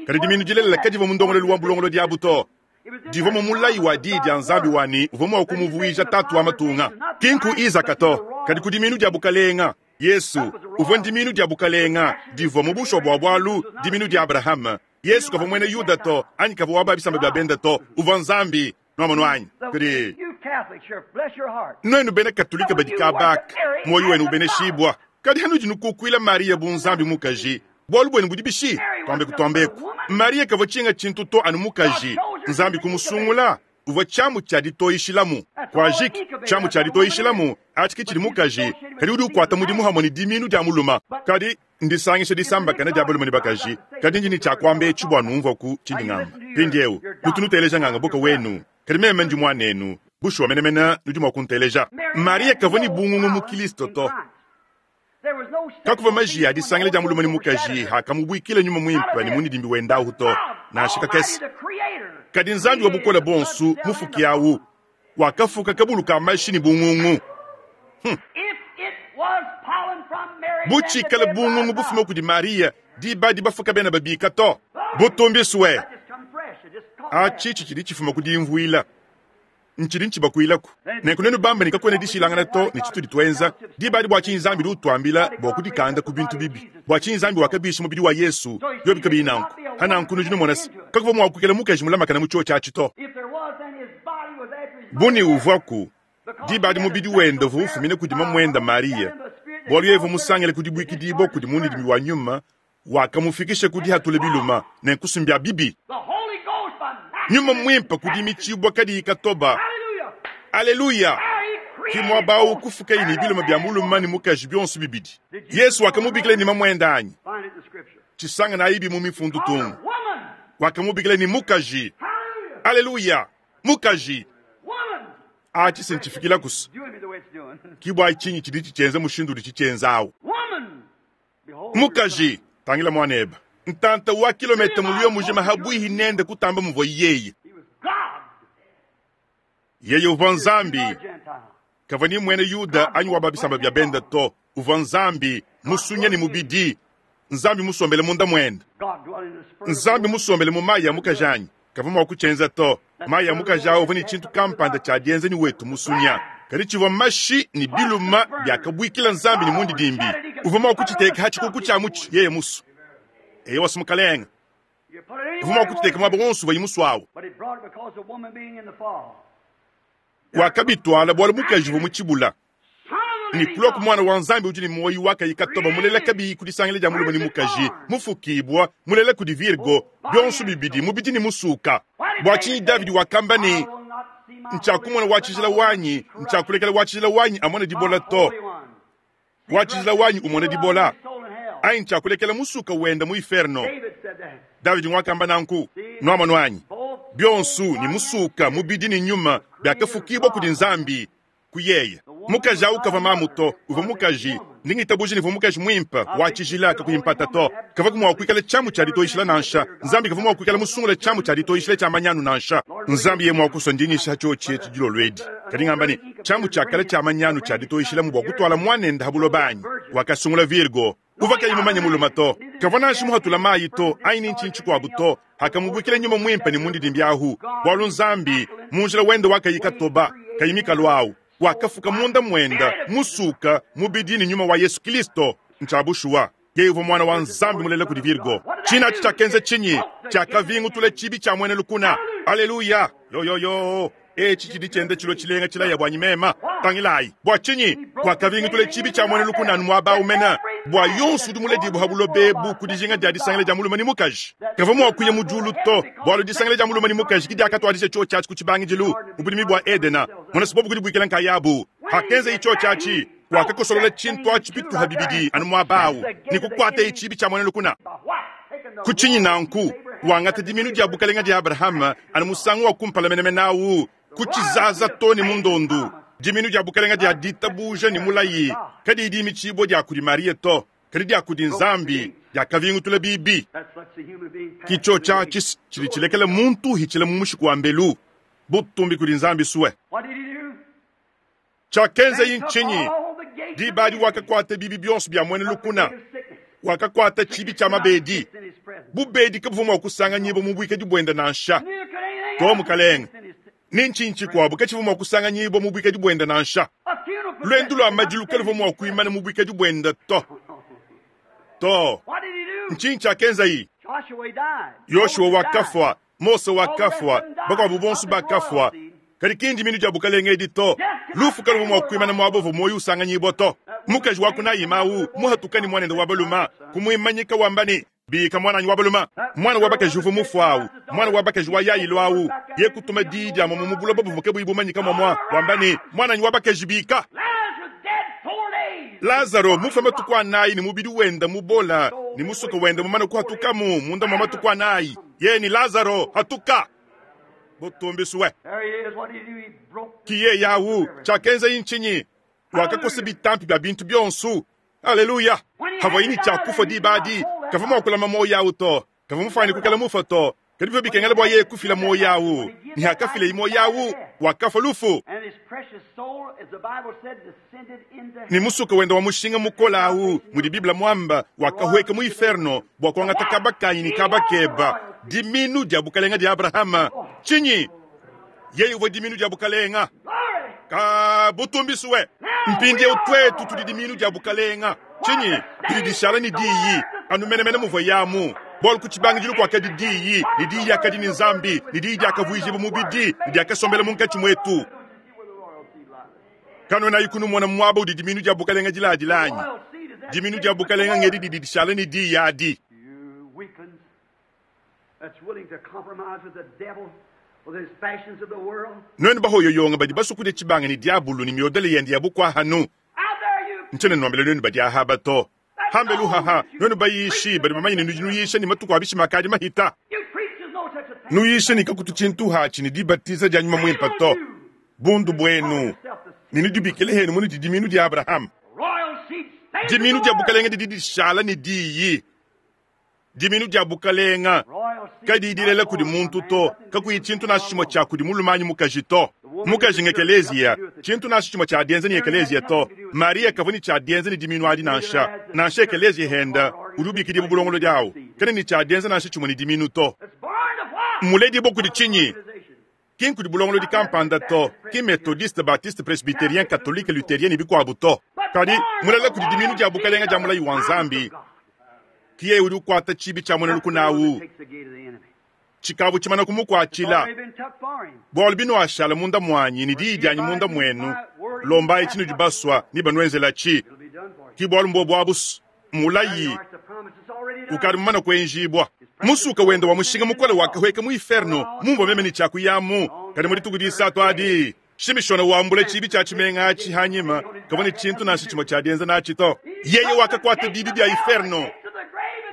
Kadi diminu dilelela kadivua mu ndongoluelu wa bulongolodi abu to. Divua mu mulayi wa diyi dia Nzambi wa ne uvua mua kumuvuija tatu wa matunga. Ki nku Isaka to, kadi ku diminu dia bukalenga. Yesu uvua ndiminu dia bukalenga, divua mu bushuwa bua bualu diminu dia Abrahama. Yesu kavua muena Yuda to, anyi kavua wa ba bisamba bia benda to, uvua Nzambi. Nuamonu anyi? Kadi nuenu bena Katolika badi kabaka, muoyo wenu ubeneshibua. Kadi hanudi nukukuila Maria bu Nzambi mukaji, bualu buenu budi bishi? Tuambe kutuambeku, Maria kavua tshinga tshintu to anu mukaji. Nzambi kumusungula, uvua tshiamu tshia ditoyishilamu. Kuajiki, tshiamu tshia ditoyishilamu atshi ke tshidi mukaji, kadi udi ukuata mudimu hamue ne diminu dia muluma. Kadi ndisangisha disambakana dia balume ne bakaji. Kadi ndi ne tshia kuamba etshi bua numvuaku tshindi ngamba. Mpindieu nutu nuteleja nganga buka wenu, kadi meme ndi muanenu. Bushuwa menemene nudi mua kunteleja. Maria kavua ne bungungu mu Kristo to. Kakuvua majiya a disangila dia mulume ne mukaji akamubuikila nyuma muimpe ne munidimbi wendahu to, nansha kakese. Kadi Nzambi wa bukole buonso mufuki awu wakafuka kabulu ka mashi ne bungungu. Hmm. Bu tshikale bungungu bufume kudi Maria, diba dibafuka bena babika to. Butumbiswe. Atshi tshidi tshifuma ku dimvuila. Ntshidi ntshibakuilaku. Nenku nuenu bamba ne kakuena dishilangana to ne tshitudi tuenza, diba adi bua tshinyi Nzambi udi utuambila bua kudikanda ku bintu bibi? Bua tshinyi Nzambi wakabisha mubidi wa Yesu biobi kabiyi nanku? Ha nanku nudi numona se, kakuvua mua kuikala mukaji mulamakane mu tshiotshi atshi to. Bu ne uvuaku, diba adi mubidi wende uvua ufumina kudi mamuende Maria, bualu yeye uvua musangile ku dibuikidibua kudi mundidimbi wa nyuma wakamufikisha ku dihatula biluma ne nkusumbia bibi. Nyuma muimpe ku dimitshibua kadiyi katoba. Aleluya! Ki muaba awu kufukaye ne biluma bia mulume ne mukaji bionso bibidi. Yesu wakamubikila ne mamuende anyi? Tshisangana ayibi mu mifundu tungu. Wakamubikila ne mukaji. Aleluya! Mukaji. Atshi se ntshifikila kusa. Ki bua tshinyi tshidi tshitshienza mushindu udi tshitshienza awu. Mukaji, tangila muanebe. Ntanta wa kilometa mulio mujima habuihi nende kutamba muvua yeye. Yeye uvua Nzambi. Kavua ni muena Yuda anyi wa ba bisamba bia benda to. Uvua Nzambi, musunya ne mubidi. Nzambi musombele munda muende. Nzambi musombele mu mayi ya mukaji anyi. Kavua mua kutshienza to. Mayi ya mukaji awu uvua ne tshintu kampanda tshia dienza ne wetu musunya. Kadi tshivua mashi ne biluma biakabuikila Nzambi ne mundidimbi. Uvua mua kutshiteka ha tshikuku tshia mutshi yeye musu. Eyo wasu mukalenga. Uvua mua kutshiteka muaba wonso uvua musu awu. Wakabitwala bwalu mukaji uvwa mucibula. Ne kulwa ku Mwana wa Nzambi udi ne mwoyi wakayi katoba mulela kabiyi ku disangila dya mulume ne mukaji, mufukibwa, mulela kudi Virgo, byonso bibidi mubidi ne musuka. Bwa cinyi Davidi wakamba ne, Ntshakumona wa tshijila wanyi, ntshakulekela wa tshijila wanyi amone dibola to. Wa tshijila wanyi umone dibola, anyi ntshakulekela musuka wenda mu inferno. Davidi ngwakamba nanku. Nwamonu anyi? Byonso, ne musuka, mubidi ne nyuma, byakafukibwa kudi Nzambi, ku yeye. Mukaji awu kavwa mamu to, uvwa mukaji. Ndi ngitabuja ne uvwa mukaji mwimpe, wa tshijila, kakuyi mpata to. Kavwaku mwa kwikala cyamu cya ditoyishila nansha. Nzambi kavwa mwa kwikala musungule cyamu cya ditoyishila cya manyanu nansha. Nzambi yeye mwa kuswa ndinyisha cyoci eci dilolo edi. Kadi ngamba ne, cyamu cya kale cya manyanu cya ditoyishilamu bwa kutwala mwanende ha buloba anyi? Wakasungula Virgo, uvwa kayi mumanye mulume to. Kavwa nansha muhatula mayi to, anyi ni ncinyi cikwabu to. Akamubwikila nyuma mwimpe ne mundidimbi ahu, bwalu Nzambi, mu njila wende wakayi katoba, kayi mikalu awu, wakafuka munda mwenda, musuka, mubidi ne nyuma wa Yesu Kilisto. Ncya bushuwa, yeye uvwa Mwana wa Nzambi mulela kudi Virgo. Cine aci cyakenza cinyi? Cyakavingutula cibi cya mwena lukuna. Aleluya! Yoyoyo! Eci cidi cyenda cilwa cilenga cilaya bwanyi mema. Tangilayi. Bwa cinyi? Wakavingutula cibi cya mwena lukuna anu mwaba awu mena, bwa yonso udi muledibwe ha buloba ebu ku dijinga dya disangila dya mulume ne mukaji. Kavwa mwa kuya mu dyulu to, bwalu disangila dya mulume ne mukaji ki dyakatwadija cyoci aci ku cibangidilu mu budimi bwa Edena. Mona se bobu kudibwikila nkayabu. Hakenza cyoci aci, wakakosolola cintu aci bituha bibidi anu mwaba awu, ne kukwataye cibi cya mwena lukuna. Ku cinyi nanku, wangata diminu dya bukalenga dya Abrahama anu musangu wa kumpala menemene awu, ku cizaza to ne mu ndondu. Diminu dya bukalenga dya ditabuja ne mulayi kadiyi dimicibwa dya kudi Mariya to, kadi dya kudi Nzambi, dyakavingutula bibi. Ki cyoci aci cidi cilekela muntu uhicila mu mushiku wa mbelu. Butumbi kudi Nzambi sue. Cyakenzayi ncinyi? Diba adi wakakwata bibi byonso bya mwena lukuna. Wakakwata cibi cya mabedi. Bubedi kabuvwa mwa kusanganyibwa mu bwikadi bwende nansha. To, mukalenge. Ni ncinyi cikwabo kacivwa mwa kusanganyibwa mu bwikadi bwende nansha. Lwendu lwa madilu kaluvwa mwa kwimana mu bwikadi bwende to. To. Ncinyi cyakenzayi? Yoshua wakafwa, Mose wakafwa, bakwabo bonso bakafwa. Kadi ki ndiminu dya bukalenge edi to. Lufu kaluvwa mwa kwimana mwaba uvwa mwoyi usanganyibwa to. Mukaji wa kunayima awu muhatuka ne mwanende wa baluma, kumwimanyika wamba ne, Bika mwananyi wa baluma. Mwana wa bakaji uvwa mufwa awu, mwana wa bakaji wa Yailo awu, ye kutuma diyi dya mwamwa mu buloba buvwa kabuyi bumanyika mwamwa, wamba ne, Mwananyi wa bakaji bika. Lazaro mufwe matuku anayi ne mubidi wenda mubola ne musuka wenda mumane kuhatukamu munda mwa matuku anayi. Ye ne Lazaro, hatuka! Butumbiswe. Ki yeye awu. Cyakenzaye ncinyi? Wakakosa bitampi bya bintu byonso. Aleluya! Havwaye ne cya kufwa diba adi, kavwa mwa kulama mwoyi awu to. Kavwa mufwanyine kwikala mufwe to. Kadi bivwa bikengela bwa yeye kufila mwoyi awu. Ne hakafileye mwoyi awu, wakafwa lufu. Ne musuka wenda wa mushinga mukole awu, mudi Bible mwamba, wakahweka mu inferno bwa kwangata kaba kanyi ne kaba keba, diminu dya bukalenga dya Abrahama. Cinyi? Yeye uvwa diminu dya bukalenga. Ka butumbiswe. Mpindyewu twetu tudi diminu dya bukalenga. Cinyi? Didi dishala ne Diyi, anu menemene muvwa yamu. Bwalu ku cibangidilu kwakadi Diyi, ne Diyi dyakadi ne Nzambi, ne Diyi dyakavwijibwa mubidi, ne dyakasombela munkaci mwetu. Kanwenayi kunumona mwaba udi diminu dya bukalenga diladila anyi? Diminu dya bukalenga ngedi didi dishala ne Diyi adi. Nwenu bahoyoyonga badi baswa kudya cibanga ne dyabulu ne myodele yende ya bukwahanu, ncyena nwambila nwenu badi Ahaba to. Hambelu haha, nwenu bayishi badi bamanye ne nudi nuyisha ne matuku a bishima akadi mahita. Nuyisha ne kakutu tshintu hatshi ne dibatiza dya Nyuma Mwimpe to. Bundu bwenu, ne nudibikile henu munudi diminu dya Abrahama. Diminu dya bukalenga didi dishala ne diyi. Diminu dya bukalenga kadiyi dilela kudi muntu to, kakuyi tshintu nansha tshimwe tshya kudi mulume anyi mukaji to. Mukaji ngekeleziya, tshintu nansha tshimwe tshya dienza ne ekeleziya to. Mariya kavwa ne tshya dienza ne diminu adi nansha. Nansha ekeleziya henda udi ubikidibwa bulongolodi awu, kena ne tshya dienza nansha tshimwe ne diminu to. Mmuledibwa kudi tshinyi? Ki nkudi bulongolodi kampanda to, ki Methodiste, Baptiste, Presbyterien, Katolike, Lutherien ne bikwabo to. Kadi, mulela kudi diminu dya bukalenga dya mulayi wa Nzambi. Ki yeye udi ukwata cibi cya mwena lukuna awu. Tshikavua tshimana kumukuatshila. Bualu binuashala munda muanyi ne diyi dianyi munda muenu, lombayi tshinudi basua ne banuenzelatshi. Ke bualu mbobu abu mulayi ukadi mumane kuenjibua. Musuka wende wa mushinga mukole wakahueka mu inferno, mumvua meme ne tshiakuyamu. Kadi mu dituku disatu adi, Shimishona wambula tshibi tshia tshimenga atshi hanyima, kavua ne tshintu nansha tshimue tshia dienza natshi to. Yeye wakakuata bibi bia inferno,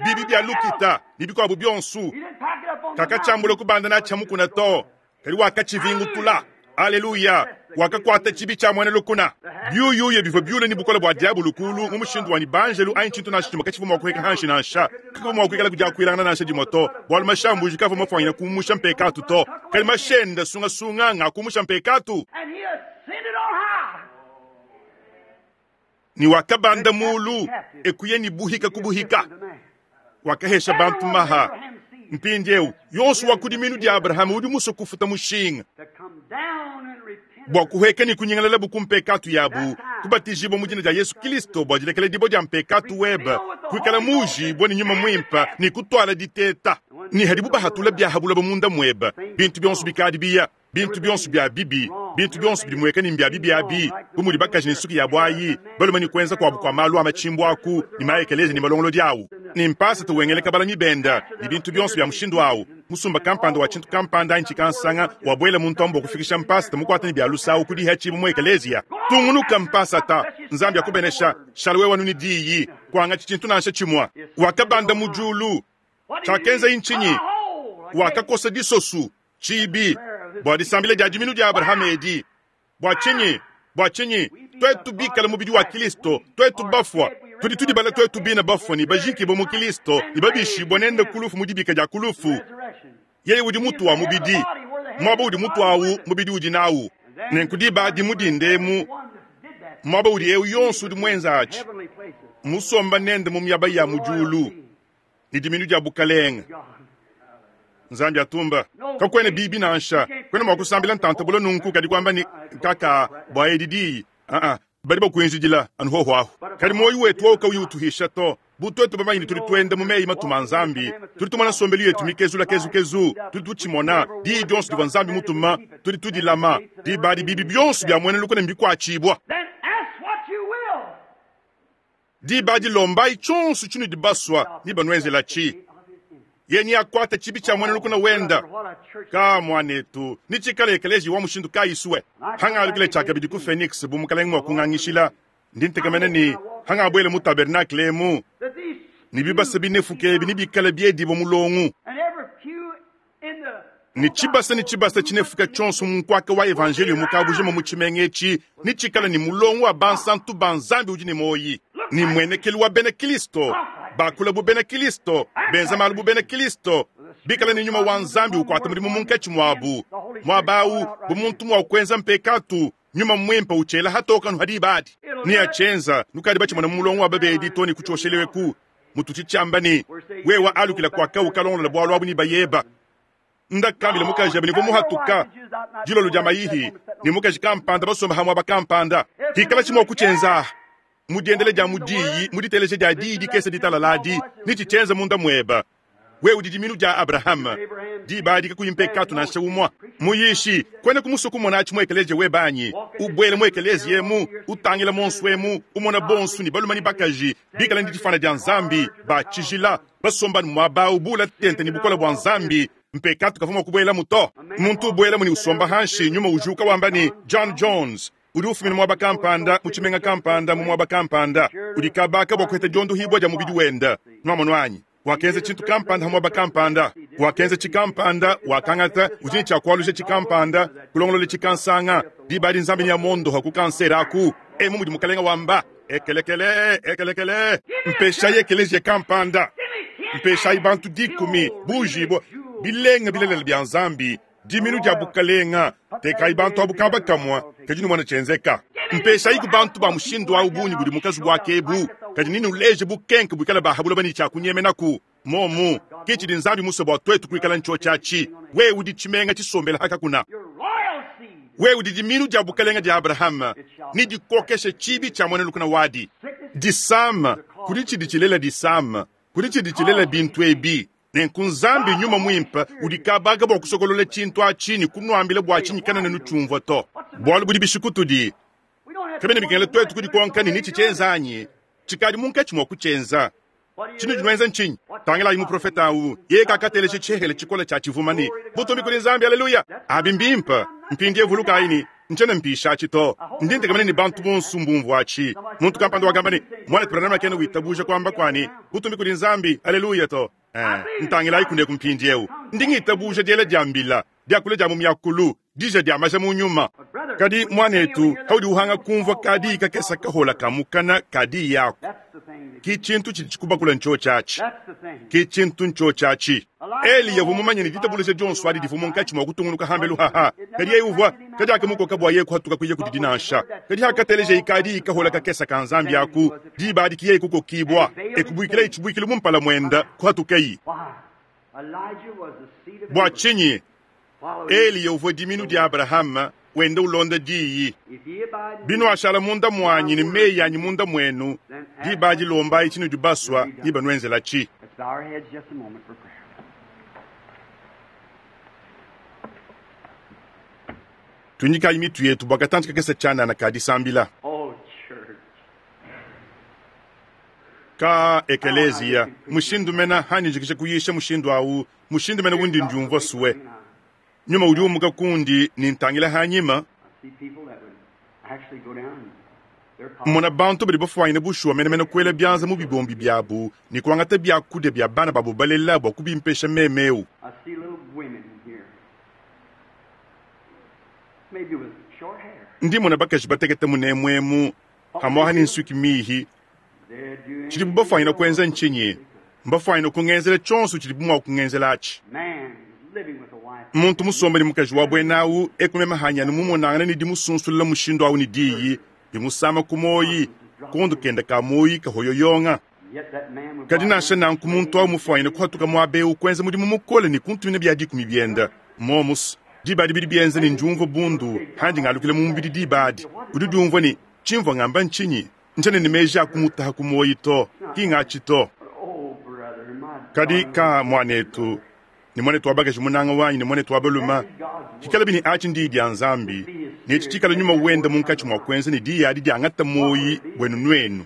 bibi bia lukita ne bikuabu bionso. Kakatshiambula kubanda natshi mukuna to, kadi wakatshivingutula. Aleluya! Wakakuata tshibi tshia muena lukuna. Biuyuya bivua biule ne bukole bua diabulu kulu mu mushindu wa ne banjelu anyi tshintu nansha tshimue katshivua mua kuheka hanshi nansha. Kakavua mua kuikala kudiakuilangana nansha dimue to, bualu mashambuji kavua mafuanyina kumusha mpekatu to. Kadi mashenda sungasunga nga kumusha mpekatu. Ni wakabanda mulu ekuye ni buhika kubuhika. Wakahesha bantu maha. Mpindieu yonso wa kudi minu dia Abrahama udi musue kufuta mushinga bua kuheka ne kunyingalala bu mpekatu yabu, kubatijibua mu dina dia Yesu Kristo bua dilekela dibo dia mpekatu webe, kuikala mujibua ne nyuma muimpe ne kutuala diteta. Ne hadibu bahatula biahabulaba munda muebe, bintu bionso bikadi biya, bintu bionso bia bibi, bintu bionso bidi mueka ne mbia bibi abi, bu mudi bakaji ne nsuki ya bwayi, balume ne kuenza kuabu kua malu a machimbu aku ne maekelezi ne malongolodi awu, ne mpasa tuwengeleka balami benda ne bintu bionso bia mushindu awu. Musumba kampanda wa tshintu kampanda anyi tshikansanga wabwela muntu ambo kufikisha mpasa mukwata ne bia lusawu kudiha tshibu mu ekelezia. Tungunuka mpasa ta Nzambi akubenesha shalwe wanu ni diyi kwanga tshintu nansha tshimwa. Wakabanda mu julu tshakenza inchinyi wakakosa disosu tshibi bua disambila dia diminu dia Abrahama edi. Bua tshinyi? Bua tshinyi? Twetu bikala mubidi wa Kristo, twetu bafua tudi tudibala twetu bina bafua ne bajikibwa mu Kristo ne babishibwa nende kulufu mu dibika dia kulufu. Yeye udi mutu wa mubidi, mwaba udi mutu awu mubidi udi nawu. Nenku diba adi mudindemu mwaba udi eu yonso udi mwenza atshi musomba nende mu miaba ya mu diulu ne diminu dia bukalenga. Nzambi atumba kakwene bibi nansha kwene mwa kusambila ntantabula nunku kadi kwamba ni kaka bwa edi diyi a a bali bakuinjidila anu hoho aho. Kadi moyo wetu wauka uyi utuhisha to butwetu bamanyi tuli twenda mu meyi matuma Nzambi, tuli tumona nsombelu yetu mikezula kezukezu, tuli tutshimona diyi dionso divua Nzambi mutuma, tuli tudilama dibadi bibi bionso bia muena lukuna mbikuatshibua. Dibadi lombai tshonso tshinudi basua ni banuenzela tshi. Yeni akwata tshibi tshia muena lukuna wenda ka mwanetu ni tshikala ekelezi wa mushindu kayiswe. Hangalukile tshakabidi ku Phoenix bu mukalenge mwa kungangishila ndi ntekamene ni hangabwele mu tabernacle emu ni bibasa binefuke ebi ni bikala biedibo mulongu ni tshibasa ni tshibasa tshinefuka tshonso mu nkwaka wa evangelio mukabujima mu tshimenga etshi ni tshikala ni mulongu wa bansantu ba Nzambi udi ne moyi ni mwenekelu wa bena Kristo bakula bu bena Kristo benza malu bu bena Kristo bikala ni nyuma wa Nzambi ukwata mudimu munkatshi mwabu mwabawu bu muntu mwa kwenza mpekatu nyuma mwimpe uchela hatoka nuhadibadi ni achenza nukadi bachimona mulongo wa babedi to ni kuchoshelewe mutu chichamba ni wewa alukila kwaka ukalongola bwalo abu ni bayeba ndakambila mukaji abini vomuhatuka jilolo lya mayihi ni mukaji kampanda basomba hamwe abakampanda hikala chimwa kuchenza mudiendele dia mudiyi muditeleje dia diyi dikese ditalaladi ni chichenza munda mweba we udi diminu dia Abrahama dibadi kakuyimpekatu nansha umwa muyishi kwene kumusuku mona tshimwekeleje webanyi ubwele mwekelezi yemu utangila monsu emu umona bonsu ni balumani bakaji bikala ndi difana dia Nzambi bachijila basomba mwaba ubula tente ni bukola bwa Nzambi mpekatu kavuma kubwela muto muntu ubwela muni usomba hanshi nyuma ujuka wamba ni John Jones udi ufumina mwaba kampanda muchimenga kampanda mu mwaba kampanda udi kabaka bwa kuheta diondo hibwa dia mubidi wenda nwamonwanyi wakenza chintu kampanda hamwaba kampanda wakenza chikampanda wakangata ujini chakwalusha chikampanda kulongolola chikansanga dibadi Nzambi nya mondo hakukansera aku emu mudi mukalenga wamba ekelekele ekelekele mpesha yekeleje kampanda mpesha ibantu dikumi bujibo bilenga bilelela bya Nzambi diminu dia bukalenga teka ibantu abukaba kamwa kadi numwana chenzeka mpesha iku bantu ba mushindu wa ubunyi budi mukazi bwakebu kadi nini uleje bukenke bwikala bahabula bani cha kunyemenaku momu kichi Nzambi muso bwa twetu kuikala ncho chachi we udi chimenga chisombela hakakuna we udi diminu dia bukalenga dia Abrahama ni dikokeshe chibi cha mwana lukuna wadi disama kudi chidi chilela disama kudi chidi chilela bintu ebi Nenku Nzambi Nyuma Mwimpe udi kabaga bwa kusokolola tshintu atshi ne kunwambila bwa tshinyi kanena nutshiumvwa to. Bwalu budi bishi kutudi. Kabiena bikengela twetu kudikonka ne nitshi tshienza anyi, tshikadi munkatshi mwa kutshienza. Tshinudi nwenza ntshinyi? Tangilayi muprofeta awu, yeye kakateleja tshihele tshikola tshia tshivuma ne butumbi kudi Nzambi, aleluya! Abi mbimpe. Mpindiewu vulukayi ne, ntshiena mpisha atshi to. Ndi ntekemena ne bantu bonso mbumvua atshi. Muntu kampanda wakamba ne, Mwanetu Branham kena witabuja kuamba kua ne, butumbi kudi Nzambi, aleluya to. Eh, ntangilayi kuneku mpindiewu. Ndi ngitabuja diela dia mbila, diakula dia mu miakulu, dija dia maja mu nyuma. Kadi, mwanetu, paudi uhanga kumvua kadiyi kakese kahola ka mukana ka diyi aku, ki tshintu tshidi tshikubakula ntshiotshi atshi. Ki tshintu ntshiotshi atshi. Eliya uvua mumanye ne ditabuluja dionso adi divua munkatshi mua kutungunuka hambelu haha, kadi yeye uvua, kadiakamukoka bua yeye kuhatuka kuya kudidi nansha. Kadi hakatelejayi kadiyi kahola kakese ka Nzambi aku, diba adi ki yeye kukokibua, e kubuikilayi tshibuikilu mu mpala muende, kuhatukayi. Bua tshinyi? Eliya uvua diminu dia Abrahama, wenda ulonda diyi. Binuashala munda muanyi ne meyi anyi munda muenu, diba adi lombayi tshinudi basua, nebanuenzelatshi. Let's bow our heads just a moment for prayer. Tuinyikayi mitu yetu bua katantshi kakese tshianana ka disambila. Oh, church. Ka ekeleziya, mushindu mena hanyi njikija kuyisha mushindu awu, mushindu mena wundi ndiumvua sue. Nyuma udi umuka kundi ne ntangila hanyima, I see people that would actually go down and their pockets. mmona bantu badi bafuanyine bushuwa menemene kuela bianza mu bibombi biabu ne kuangata biakudia bia bana babo balela bua kubimpesha meme eu. I see little women here. Maybe with short hair. Ndi mmona bakaji batekete munemuemu, hamuaha ne nsuki mihi. They'd do Tshidibu anything bafuanyine in the kuenza world. ntshinyi? Mbafuanyine kungenzela tshionso tshidibu mua kungenzela atshi. Man living with a wife. Muntu musombe ne mukaji wa buena awu ekumema hanyanu mumonangane ne dimusunsulula mushindu awu ne diyi, dimusama ku moyi, kondo kende ka moyi kahoyoyonga. Yet that man would Kadi walk nansha in nanku muntu awu mufuanyine kuhatuka muaba eu kuenza mudimu mukole ne kuntumina bia dikumi biende. Momus, diba adi bidi bienza ne ndiumvua bundu, handi ngalukila mu mubidi diba adi. Udi diumvua ne, tshimvua ngamba ntshinyi? Ntshiena ne meji a kumutaha ku moyi to, ki ngatshi to. Oh, brother, my Kadi darling ka mwanetu, ne mwanetu wa bakaji munanga wanyi ne mwanetu wa baluma, kikala bini atshi ndiyi dia Nzambi, ne tshikala nyuma wenda munkatshi mua kuenza ne diyi adi diangata moyi wenu nuenu.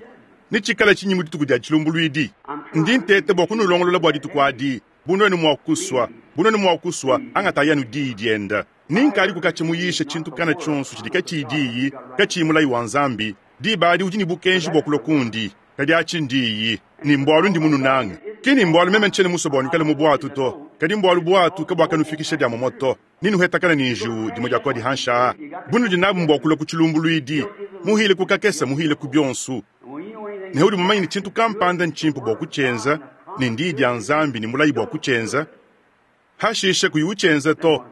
Ne tshikala tshinyi mu dituku dia tshilumbuluidi. Ndi ntete bua kunulongolola bua dituku adi, bu nuenu mua kusua, bu nuenu mua kusua, angatayi anu diyi dienda. Ninkadi kukatshi muyisha tshintu kana tshionso tshidi katshiyi diyi, katshiyi mulayi wa Nzambi. Diba adi udi ne bukenji bua kulua kundi, kadi atshi ndiyi, ne mbualu ndi mununanga. Ki ni mbualu meme ntshiena musue bua nuikale mu bwatu to, kadi mbualu bwatu kabuakanufikisha dia momo to. Ninuhetakana ne njiwu dimue dia kua dihansha. Bunudi nabu mbua kulua ku tshilumbuluidi, muhile ku kakese, muhile ku bionso. And when you know anything Ne udi mumanye ne tshintu kampanda ntshimpe bua kutshienza, ne ndiyi dia Nzambi ne mulayi bua kutshienza, hashishe kuyi utshienza to.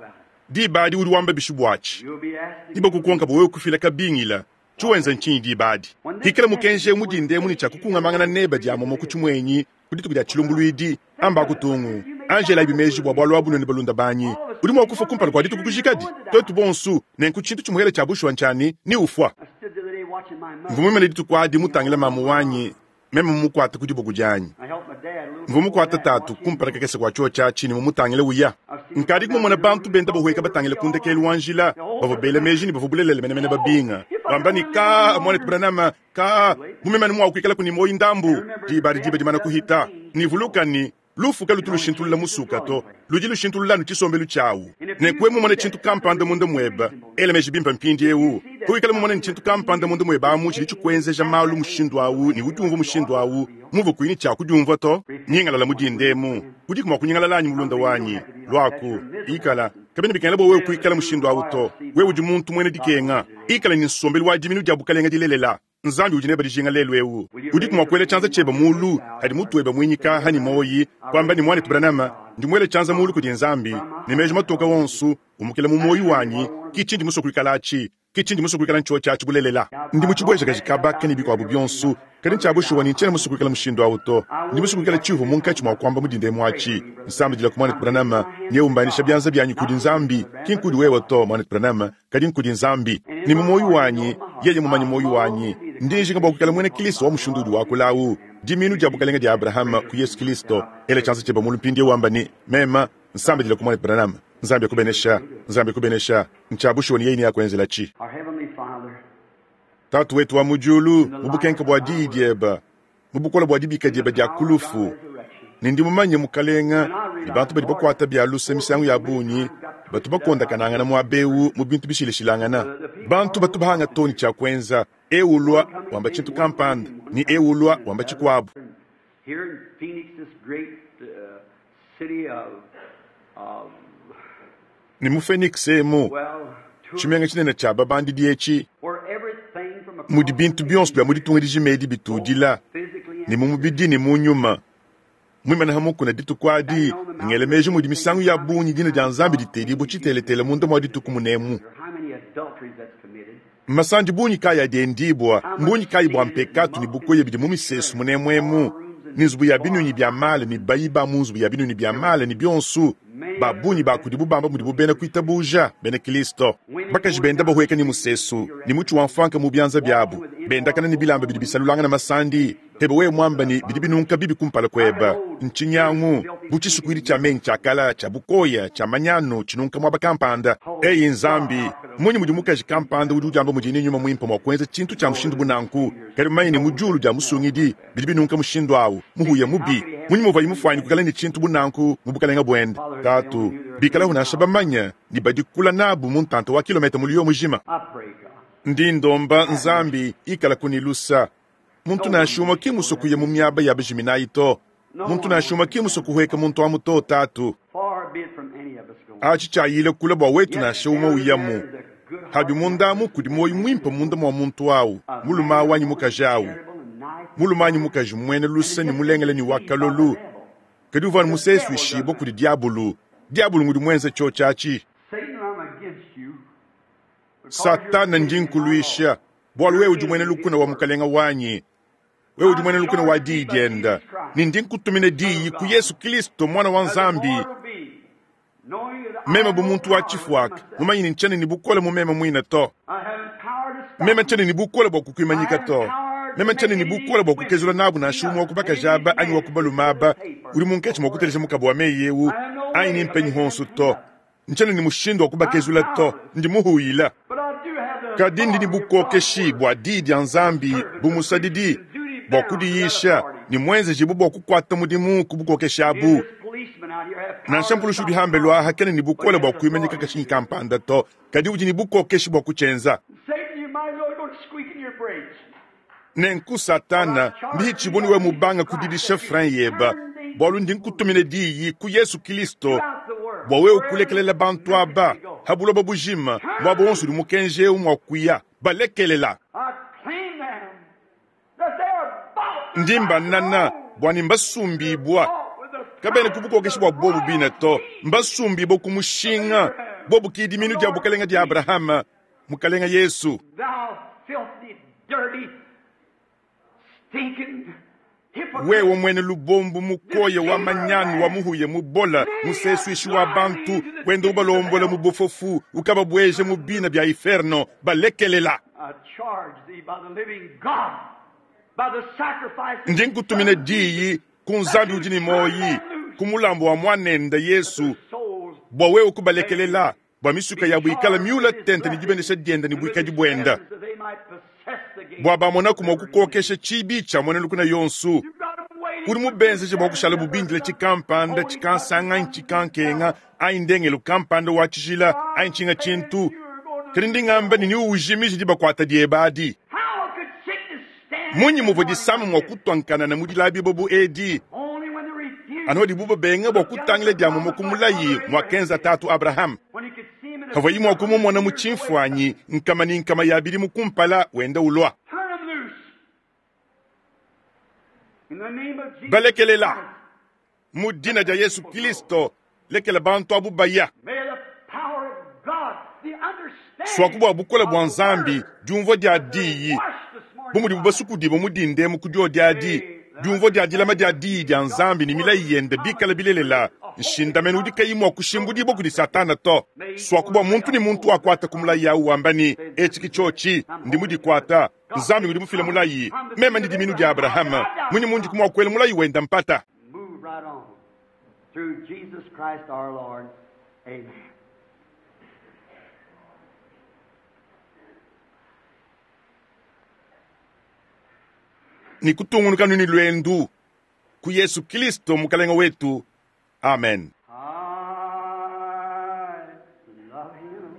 Diba adi udi wamba bishi buatshi. you'll be asked Diba kukonka bua wewe kufila kabingila, tshiwenza ntshinyi diba adi? Hikala mukenji eu mudinde muni tshia kukungamangana neba dia momo ku tshimuenyi, ku dituku dia tshilumbuluidi, amba kutungu. Angela ibi meji bua bualu abu nenu balunda banyi. Udi mua kufa kumpala kua dituku kujikadi. Twetu bonsu, nenku tshintu tshimuhele tshia bushuwa ntshani, ni ufua. I stood the other day watching my mother. Mvua mumane dituku adi mutangila mamu wanyi, meme mumukuate ku diboko dianyi. I helped my dad a little Mvua before mukuate that. tatu Watch him kumpala go. kakese kua tshiotshi atshi ne mumutangile uya. Nkadi kumumona bantu benda bahueka batangile ku ndekelu wa njila, bavua bela meji ne bavua bulelele menemene babinga. Bamba ne ka mwanetu Branham, ka mumemane mua kuikala kuni moyi ndambu, diba adi diba dimana kuhita. Nivuluka ni lufu kalutu lushintulula musuka to, ludi lushintulula anu tshisombelu tshiawu. Nenku wewe mumone tshintu kampanda munda muebe, ela meji bimpe mpindiewu. Kuikala mumone ne tshintu kampanda munda muebe amu tshidi tshikuenzeja malu mushindu awu ne udiumvua mushindu awu, muvu kuyi ne tshia kudiumvua to. Nyingalala mudindemu, udiku mua kunyingalala anyi mulunda wanyi, lwaku, ikala. Kabiena bikengela bua wewe kuikala mushindu awu to. Wewe udi muntu muena dikenga. Ikala ne nsombelu wa diminu dia bukalenga dilelela. Nzambi udi neba dijinga lelu eu. Udiku mua kuela tshianza tshiebe mulu, hadi mutu webe mwinyika hani moyi, kuamba ne mwanetu Branham, ndi muele tshianza mulu kudi Nzambi, ne meji matoka wonso, umukila mu moyi wanyi, ki tshindi musue kuikala atshi, ki tshindi musue kuikala ntshiotshi atshi bulelela. Ndi mu tshibwejakaji kabaka ne bikuabu bionso, kadi ntshia bushuwa ne ntshiena musue kuikala mushindu awu to. Ndi musue kuikala tshiuvua munkatshi mua kuamba mudindemu atshi. Nsambidila ku mwanetu Branham, ne umbanisha bianza bianyi kudi Nzambi, ki nkudi wewe to mwanetu Branham, kadi nkudi Nzambi. Ne mu moyi wanyi, yeye mumanye moyi wanyi. Ndi njinga bua kuikala muena Kristo wa mushindu udi wakula awu. Dimiinu dia bukalenga dia Abrahama ku Yesu Kilisto. Ela tshianza tshiebe mulu mpindieu wamba ne, Mema nsambidila ku muanetu Branham. Nzambi akubenesha. Nzambi akubenesha. Ntshia bushuwa ne yeye neakuenzelatshi. Our Heavenly Father, Tatu wetu wa mu diulu, mu bukenke bua diyi diebe, mu bukole bua dibika diebe dia ku lufu, ne ndi mumanye Mukalenga ne bantu badi bakuata bia luse misangu ya bungi batu bakondakanangana muaba eu mu bintu bishilashilangana. Bantu batu bahanga too ne tshia kuenza, eu ulua wamba tshintu kampanda ne eu ulua wamba tshikuabu. here in Phoenix, this great uh, city of, of Ne mu Phoenix emu, well, tour, tshimenga tshinene tshia babandidi etshi, where everything from mudi across bintu the bionso bia mu nation, ditunga dijima edi bitudila, physically ne and mu mubidi ne mu nyuma. Muimane ha mukuna dituku adi, ngele meji mudi misangu ya bungi dina dia Nzambi ditedibua tshiteletele munda mua dituku munemu. how many adulteries that's committed. Masandi bungi kayi adi endibua, mbungi kayi bua mpekatu ne bukoya bidi mu misesu munemu emu, ne nzubu ya binyunyi bia male ne bayi ba mu nzubu ya binyunyi bia male ne bionso, ba bungi ba kudibu bamba mudibu bena kuitabuja, bena Kilisto. Bakaji benda bahueka ne musesu, ne mutshi wa mfanka mu bianza biabu, bendakana ne bilamba bidi bisalulangana masandi, hebe wewe mwamba ne bidi binunka bibi kumpala kueba, nchinyangu, bu tshisukuidi tshia menyi tshia kala, tshia bukoya, tshia manyanu, tshinunka muaba kampanda. Eyi Nzambi, munyi mudi mukaji kampanda udi udiamba mudi ne nyuma muimpe mua kuenza tshintu tshia mushindu bu nanku, kadi mumanye ne mu diulu dia musungidi bidi binunka mushindu awu, muhuya mubi. Munyi muvuaye mufuanye kukala ne tshintu bu nanku mu bukalenga buende. Tatu, bikala nansha bamanya ne badikula nabu mu ntanta wa kilometa muliyo mujima. I pray, God. Ndi ndomba Nzambi ikala kunilusa. Muntu nansha umwe ki musokuye mu miaba ya bajiminayi to. Muntu nansha umwe ki musokuhweka muntu amu to tatu. Far be it from any of us going. Achi tshayile kula bua wetu nansha umwe uyamu. There's a good heart Habi mundamu kudi moyo mwimpe munda mwa muntu awu, mulume awu anyi mukaji awu. charitable and nice. Mulume anyi mukaji mwene luse ne mulengele ne wa kalolu. Kadi uvua musesu ishibwa kudi diabulu. Diabulu ngudi mwenze cho tshiatshi. Satan, I'm against you. because Satana you're ndi nkuluisha. Bualu wewe udi mwene lukuna wa mukalenga wanyi. Wewe udi mwene lukuna wa diyi dienda. Ne ndi nkutumina diyi ku Yesu Kristo mwana wa Nzambi. As the Lord will be, knowing that I Meme have bu no muntu wa power within tshifuaka, myself. mumanye ne ntshene ne bukole mu meme muine to. I haven't power to stop Meme you. ntshene ne bukole bua kukwimanyika to. Meme ntshene ne bukole bua kukezula nabu nansha umwe wa kubakajaba anyi wa kubalumaba, udi munkatshi mua kutelesha mukabo wa meyi eu, anyi ne mpenyi honso to. Ntshene ne mushindu wa kubakezula to, ndi muhuyila. But I do have the Kadi ndi ne authority of God's bukokeshi word. bua diyi dia Nzambi bu musadidi, bua kudiyisha ne mwenzejibu bua kukuata mudimu ku bukokeshi abu. This policeman out here have power Nansha to mpulushi stop udi hambelu aha kena ne bukole but bua he has kuimanyika authority kashinyi to do it. kampanda to, kadi udi ne bukokeshi bua kutshienza. Satan, you might as well go to squeaking your brakes. Nenku Satana mbihitshibua niwe mubanga kudidisha frein yeba, bualu ndi nkutumina diyi ku Yesu Kristo Throughout the world. bua wewe kulekelela bantu aba ha buloba bujima muaba wonso udi mukenji eu mua kuya balekelela. I claim them that they are bought Ndi mbanana bua ne mbasumbibua bought with the kabene ku bukokeshi bua bobu bine to, mbasumbibua ku mushinga bobu kidiminu dia bukalenga dia Abrahama mukalenga Yesu. Thou filthy, dirty, stinking hypocrite. Wewe mwene lubombu mukoye wa manyanu wa muhuye mubola musesuishi wa bantu wenda ubalombola mu bufofu ukababweje mu bina bya inferno balekelela. I charge thee by the living God, by the sacrifice of Ndi his nkutumina son diyi ku Nzambi udi ne moyi ku mulambo wa mwanenda Yesu souls bua wewe kubalekelela bua misuka yabu ikala miula tente ne dibenesha dienda ne buikadi buenda that they might possess the gate. bua bamonaku mua kukokesha tshibi tshia muena lukuna yonsu. You've got 'em waiting Udi mubenzeje bua kushala bubindile tshikampanda tshikansanga anyi tshikankenga anyi ndengelo kampanda wa tshijila anyi tshinga tshintu. Kadi ndi ngamba ne niuwujimije dibakuata dieba adi. How could sickness stand Munyi muvua disama mua kutuankanana mu dilabi bu edi, only when they refused, anu adibu babenga bua kutangila dia mumo ku mulayi muakenza tatu Abraham. when he could see him in a Kavua mua kumumona mu tshimfuanyi nkama ne nkama ya bidimu kumpala wenda ulua. Turn 'em loose. In the name of Jesus Balekelela. Christ, Mu dina dia Yesu Kristo lekela bantu abu baya. may the power of God, the understanding Swaku bua bukole bua of the Nzambi word, diumvua dia diyi wash this morning bu mudibu basukudibua mu dindemu ku diodi adi Diumvua dia dilama dia Diyi dia Nzambi ne milayi yende bikale bilelela, nshindamenu udi kayi mua kushimbudibua kudi Satana to. Suaku bua muntu ne muntu akuate ku mulayi au wamba ne, Etshi ke tshiotshi, ndi mudikuata. Nzambi udi mufile mulayi, meme ndi dimiinu dia Abrahama, mmunyi mundi mua kuela mulayi wende mpata? Move right on through Jesus Christ our Lord. Amen. Ne kutungunuka ne luendu ku Yesu Kristo Mukalenge wetu. Amen. I love him.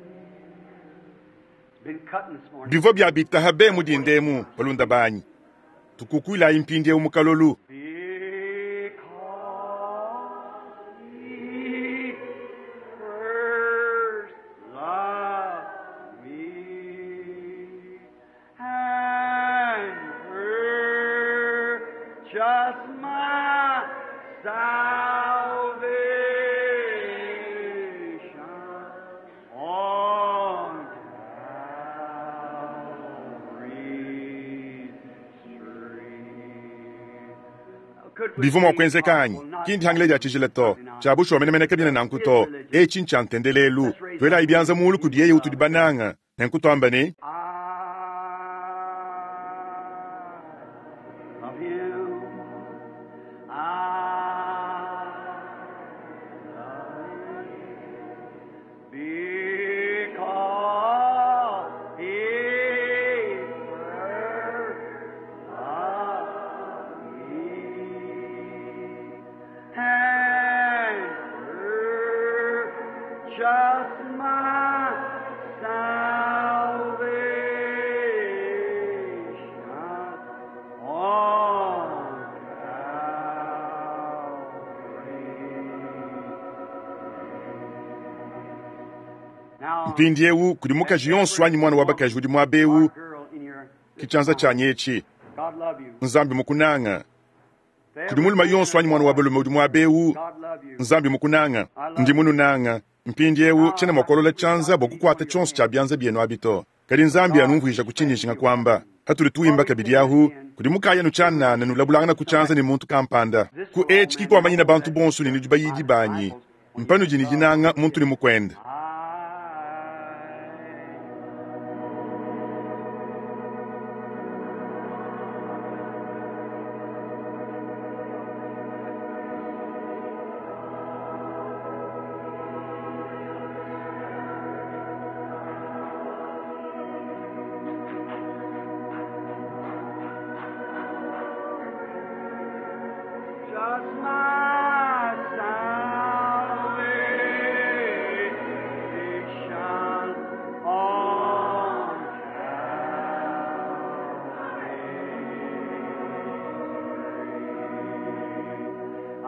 Been cutting this morning. Bivua bia bitaha be mu dindemu balunda banyi tukukuilayi mpindieu mu kalolu. Because he first loved me and purchased my salvation on Calvary's tree. Bivua mua kuenzeka anyi? Ki ndihangile dia tshijila to, tshia bushuwa menemene kabiena nanku to. Etshi ntshia ntendelelu. Tuelayi bianza mulu kudi yeye utudi bananga, nenku tuamba ne, I love him. I love him because he first loved me and purchased my salvation on Calvary. Now, mpindieu kudi mukaji yonso anyi mwana wa bakaji udi muaba eu our girl in your ki tshianza tshianyi etshi. God love you. Nzambi mukunanga. Kudi mulume yonso anyi mwana wa balume udi muaba eu, God love you. Nzambi mukunanga. Ndi mununanga. Mpindieu tshiena mua kuolola tshianza bua kukuata tshionso tshia bianza bienu abi to. Kadi Nzambi anumvuija ku tshinyishinga kwamba hatuli tuimba kabidi ahu kudi mukaya nutshianana nulabulangana ku tshianza ne muntu kampanda. Ku etshi kikuamanyina bantu bonso ne nudi bayidi banyi. Mpanudi ne dinanga muntu ne mukwende. I Just my salvation on Calvary. I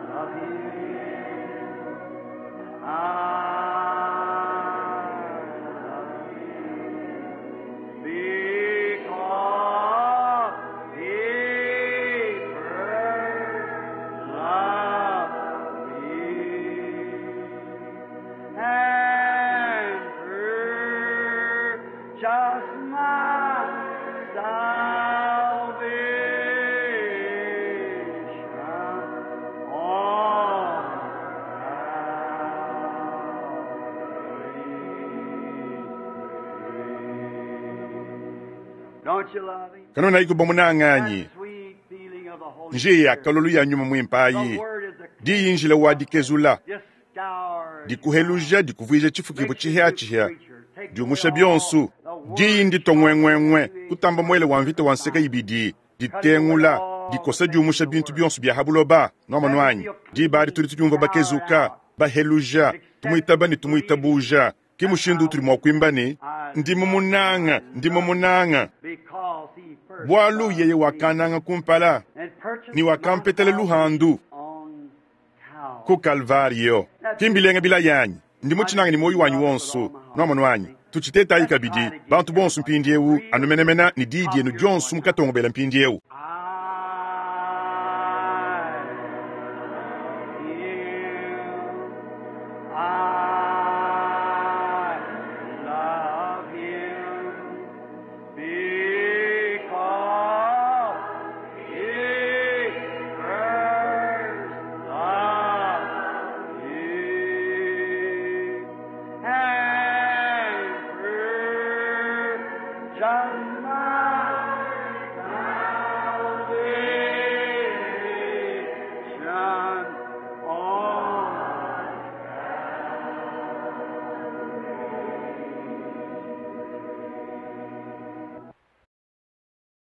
love Him. I love Him. Because he first loved me and purchased my salvation on Calvary. Don't you love him? Kanona ikuba munanga anyi. That sweet feeling of the Holy Njiya Spirit. kalolu ya nyuma mwimpayi. The word is a Diyi njila wa dikezula. just scours Dikuheluja dikuvuija chifukibo chihya-chihya. Diumusha bionso. Diyi nditongwengwengwe kutamba mwele wa mvita wa nseka ibidi. Ditengula dikosa diumusha bintu bionso bya habuloba nomano anyi. Diba adi tudi tudiumva bakezuka baheluja tumuitaba ne tumuitabuja. Ki mushindu utudi mua kuimba ne ndi mumunanga ndi mumunanga because he first bualu loved yeye me wakananga kumpala and purchased ni wakampetela my luhandu on Calvary. ku Kalvario. Kimbilenga bila yanyi ndi mutshinanga ni moyo wanyi wonso nomano wanyi tuchitetayi kabidi bantu bonso mpindieu anumenemena ni diyi dienu dionso mukatongobela mpindieu. I love him. I love him because Just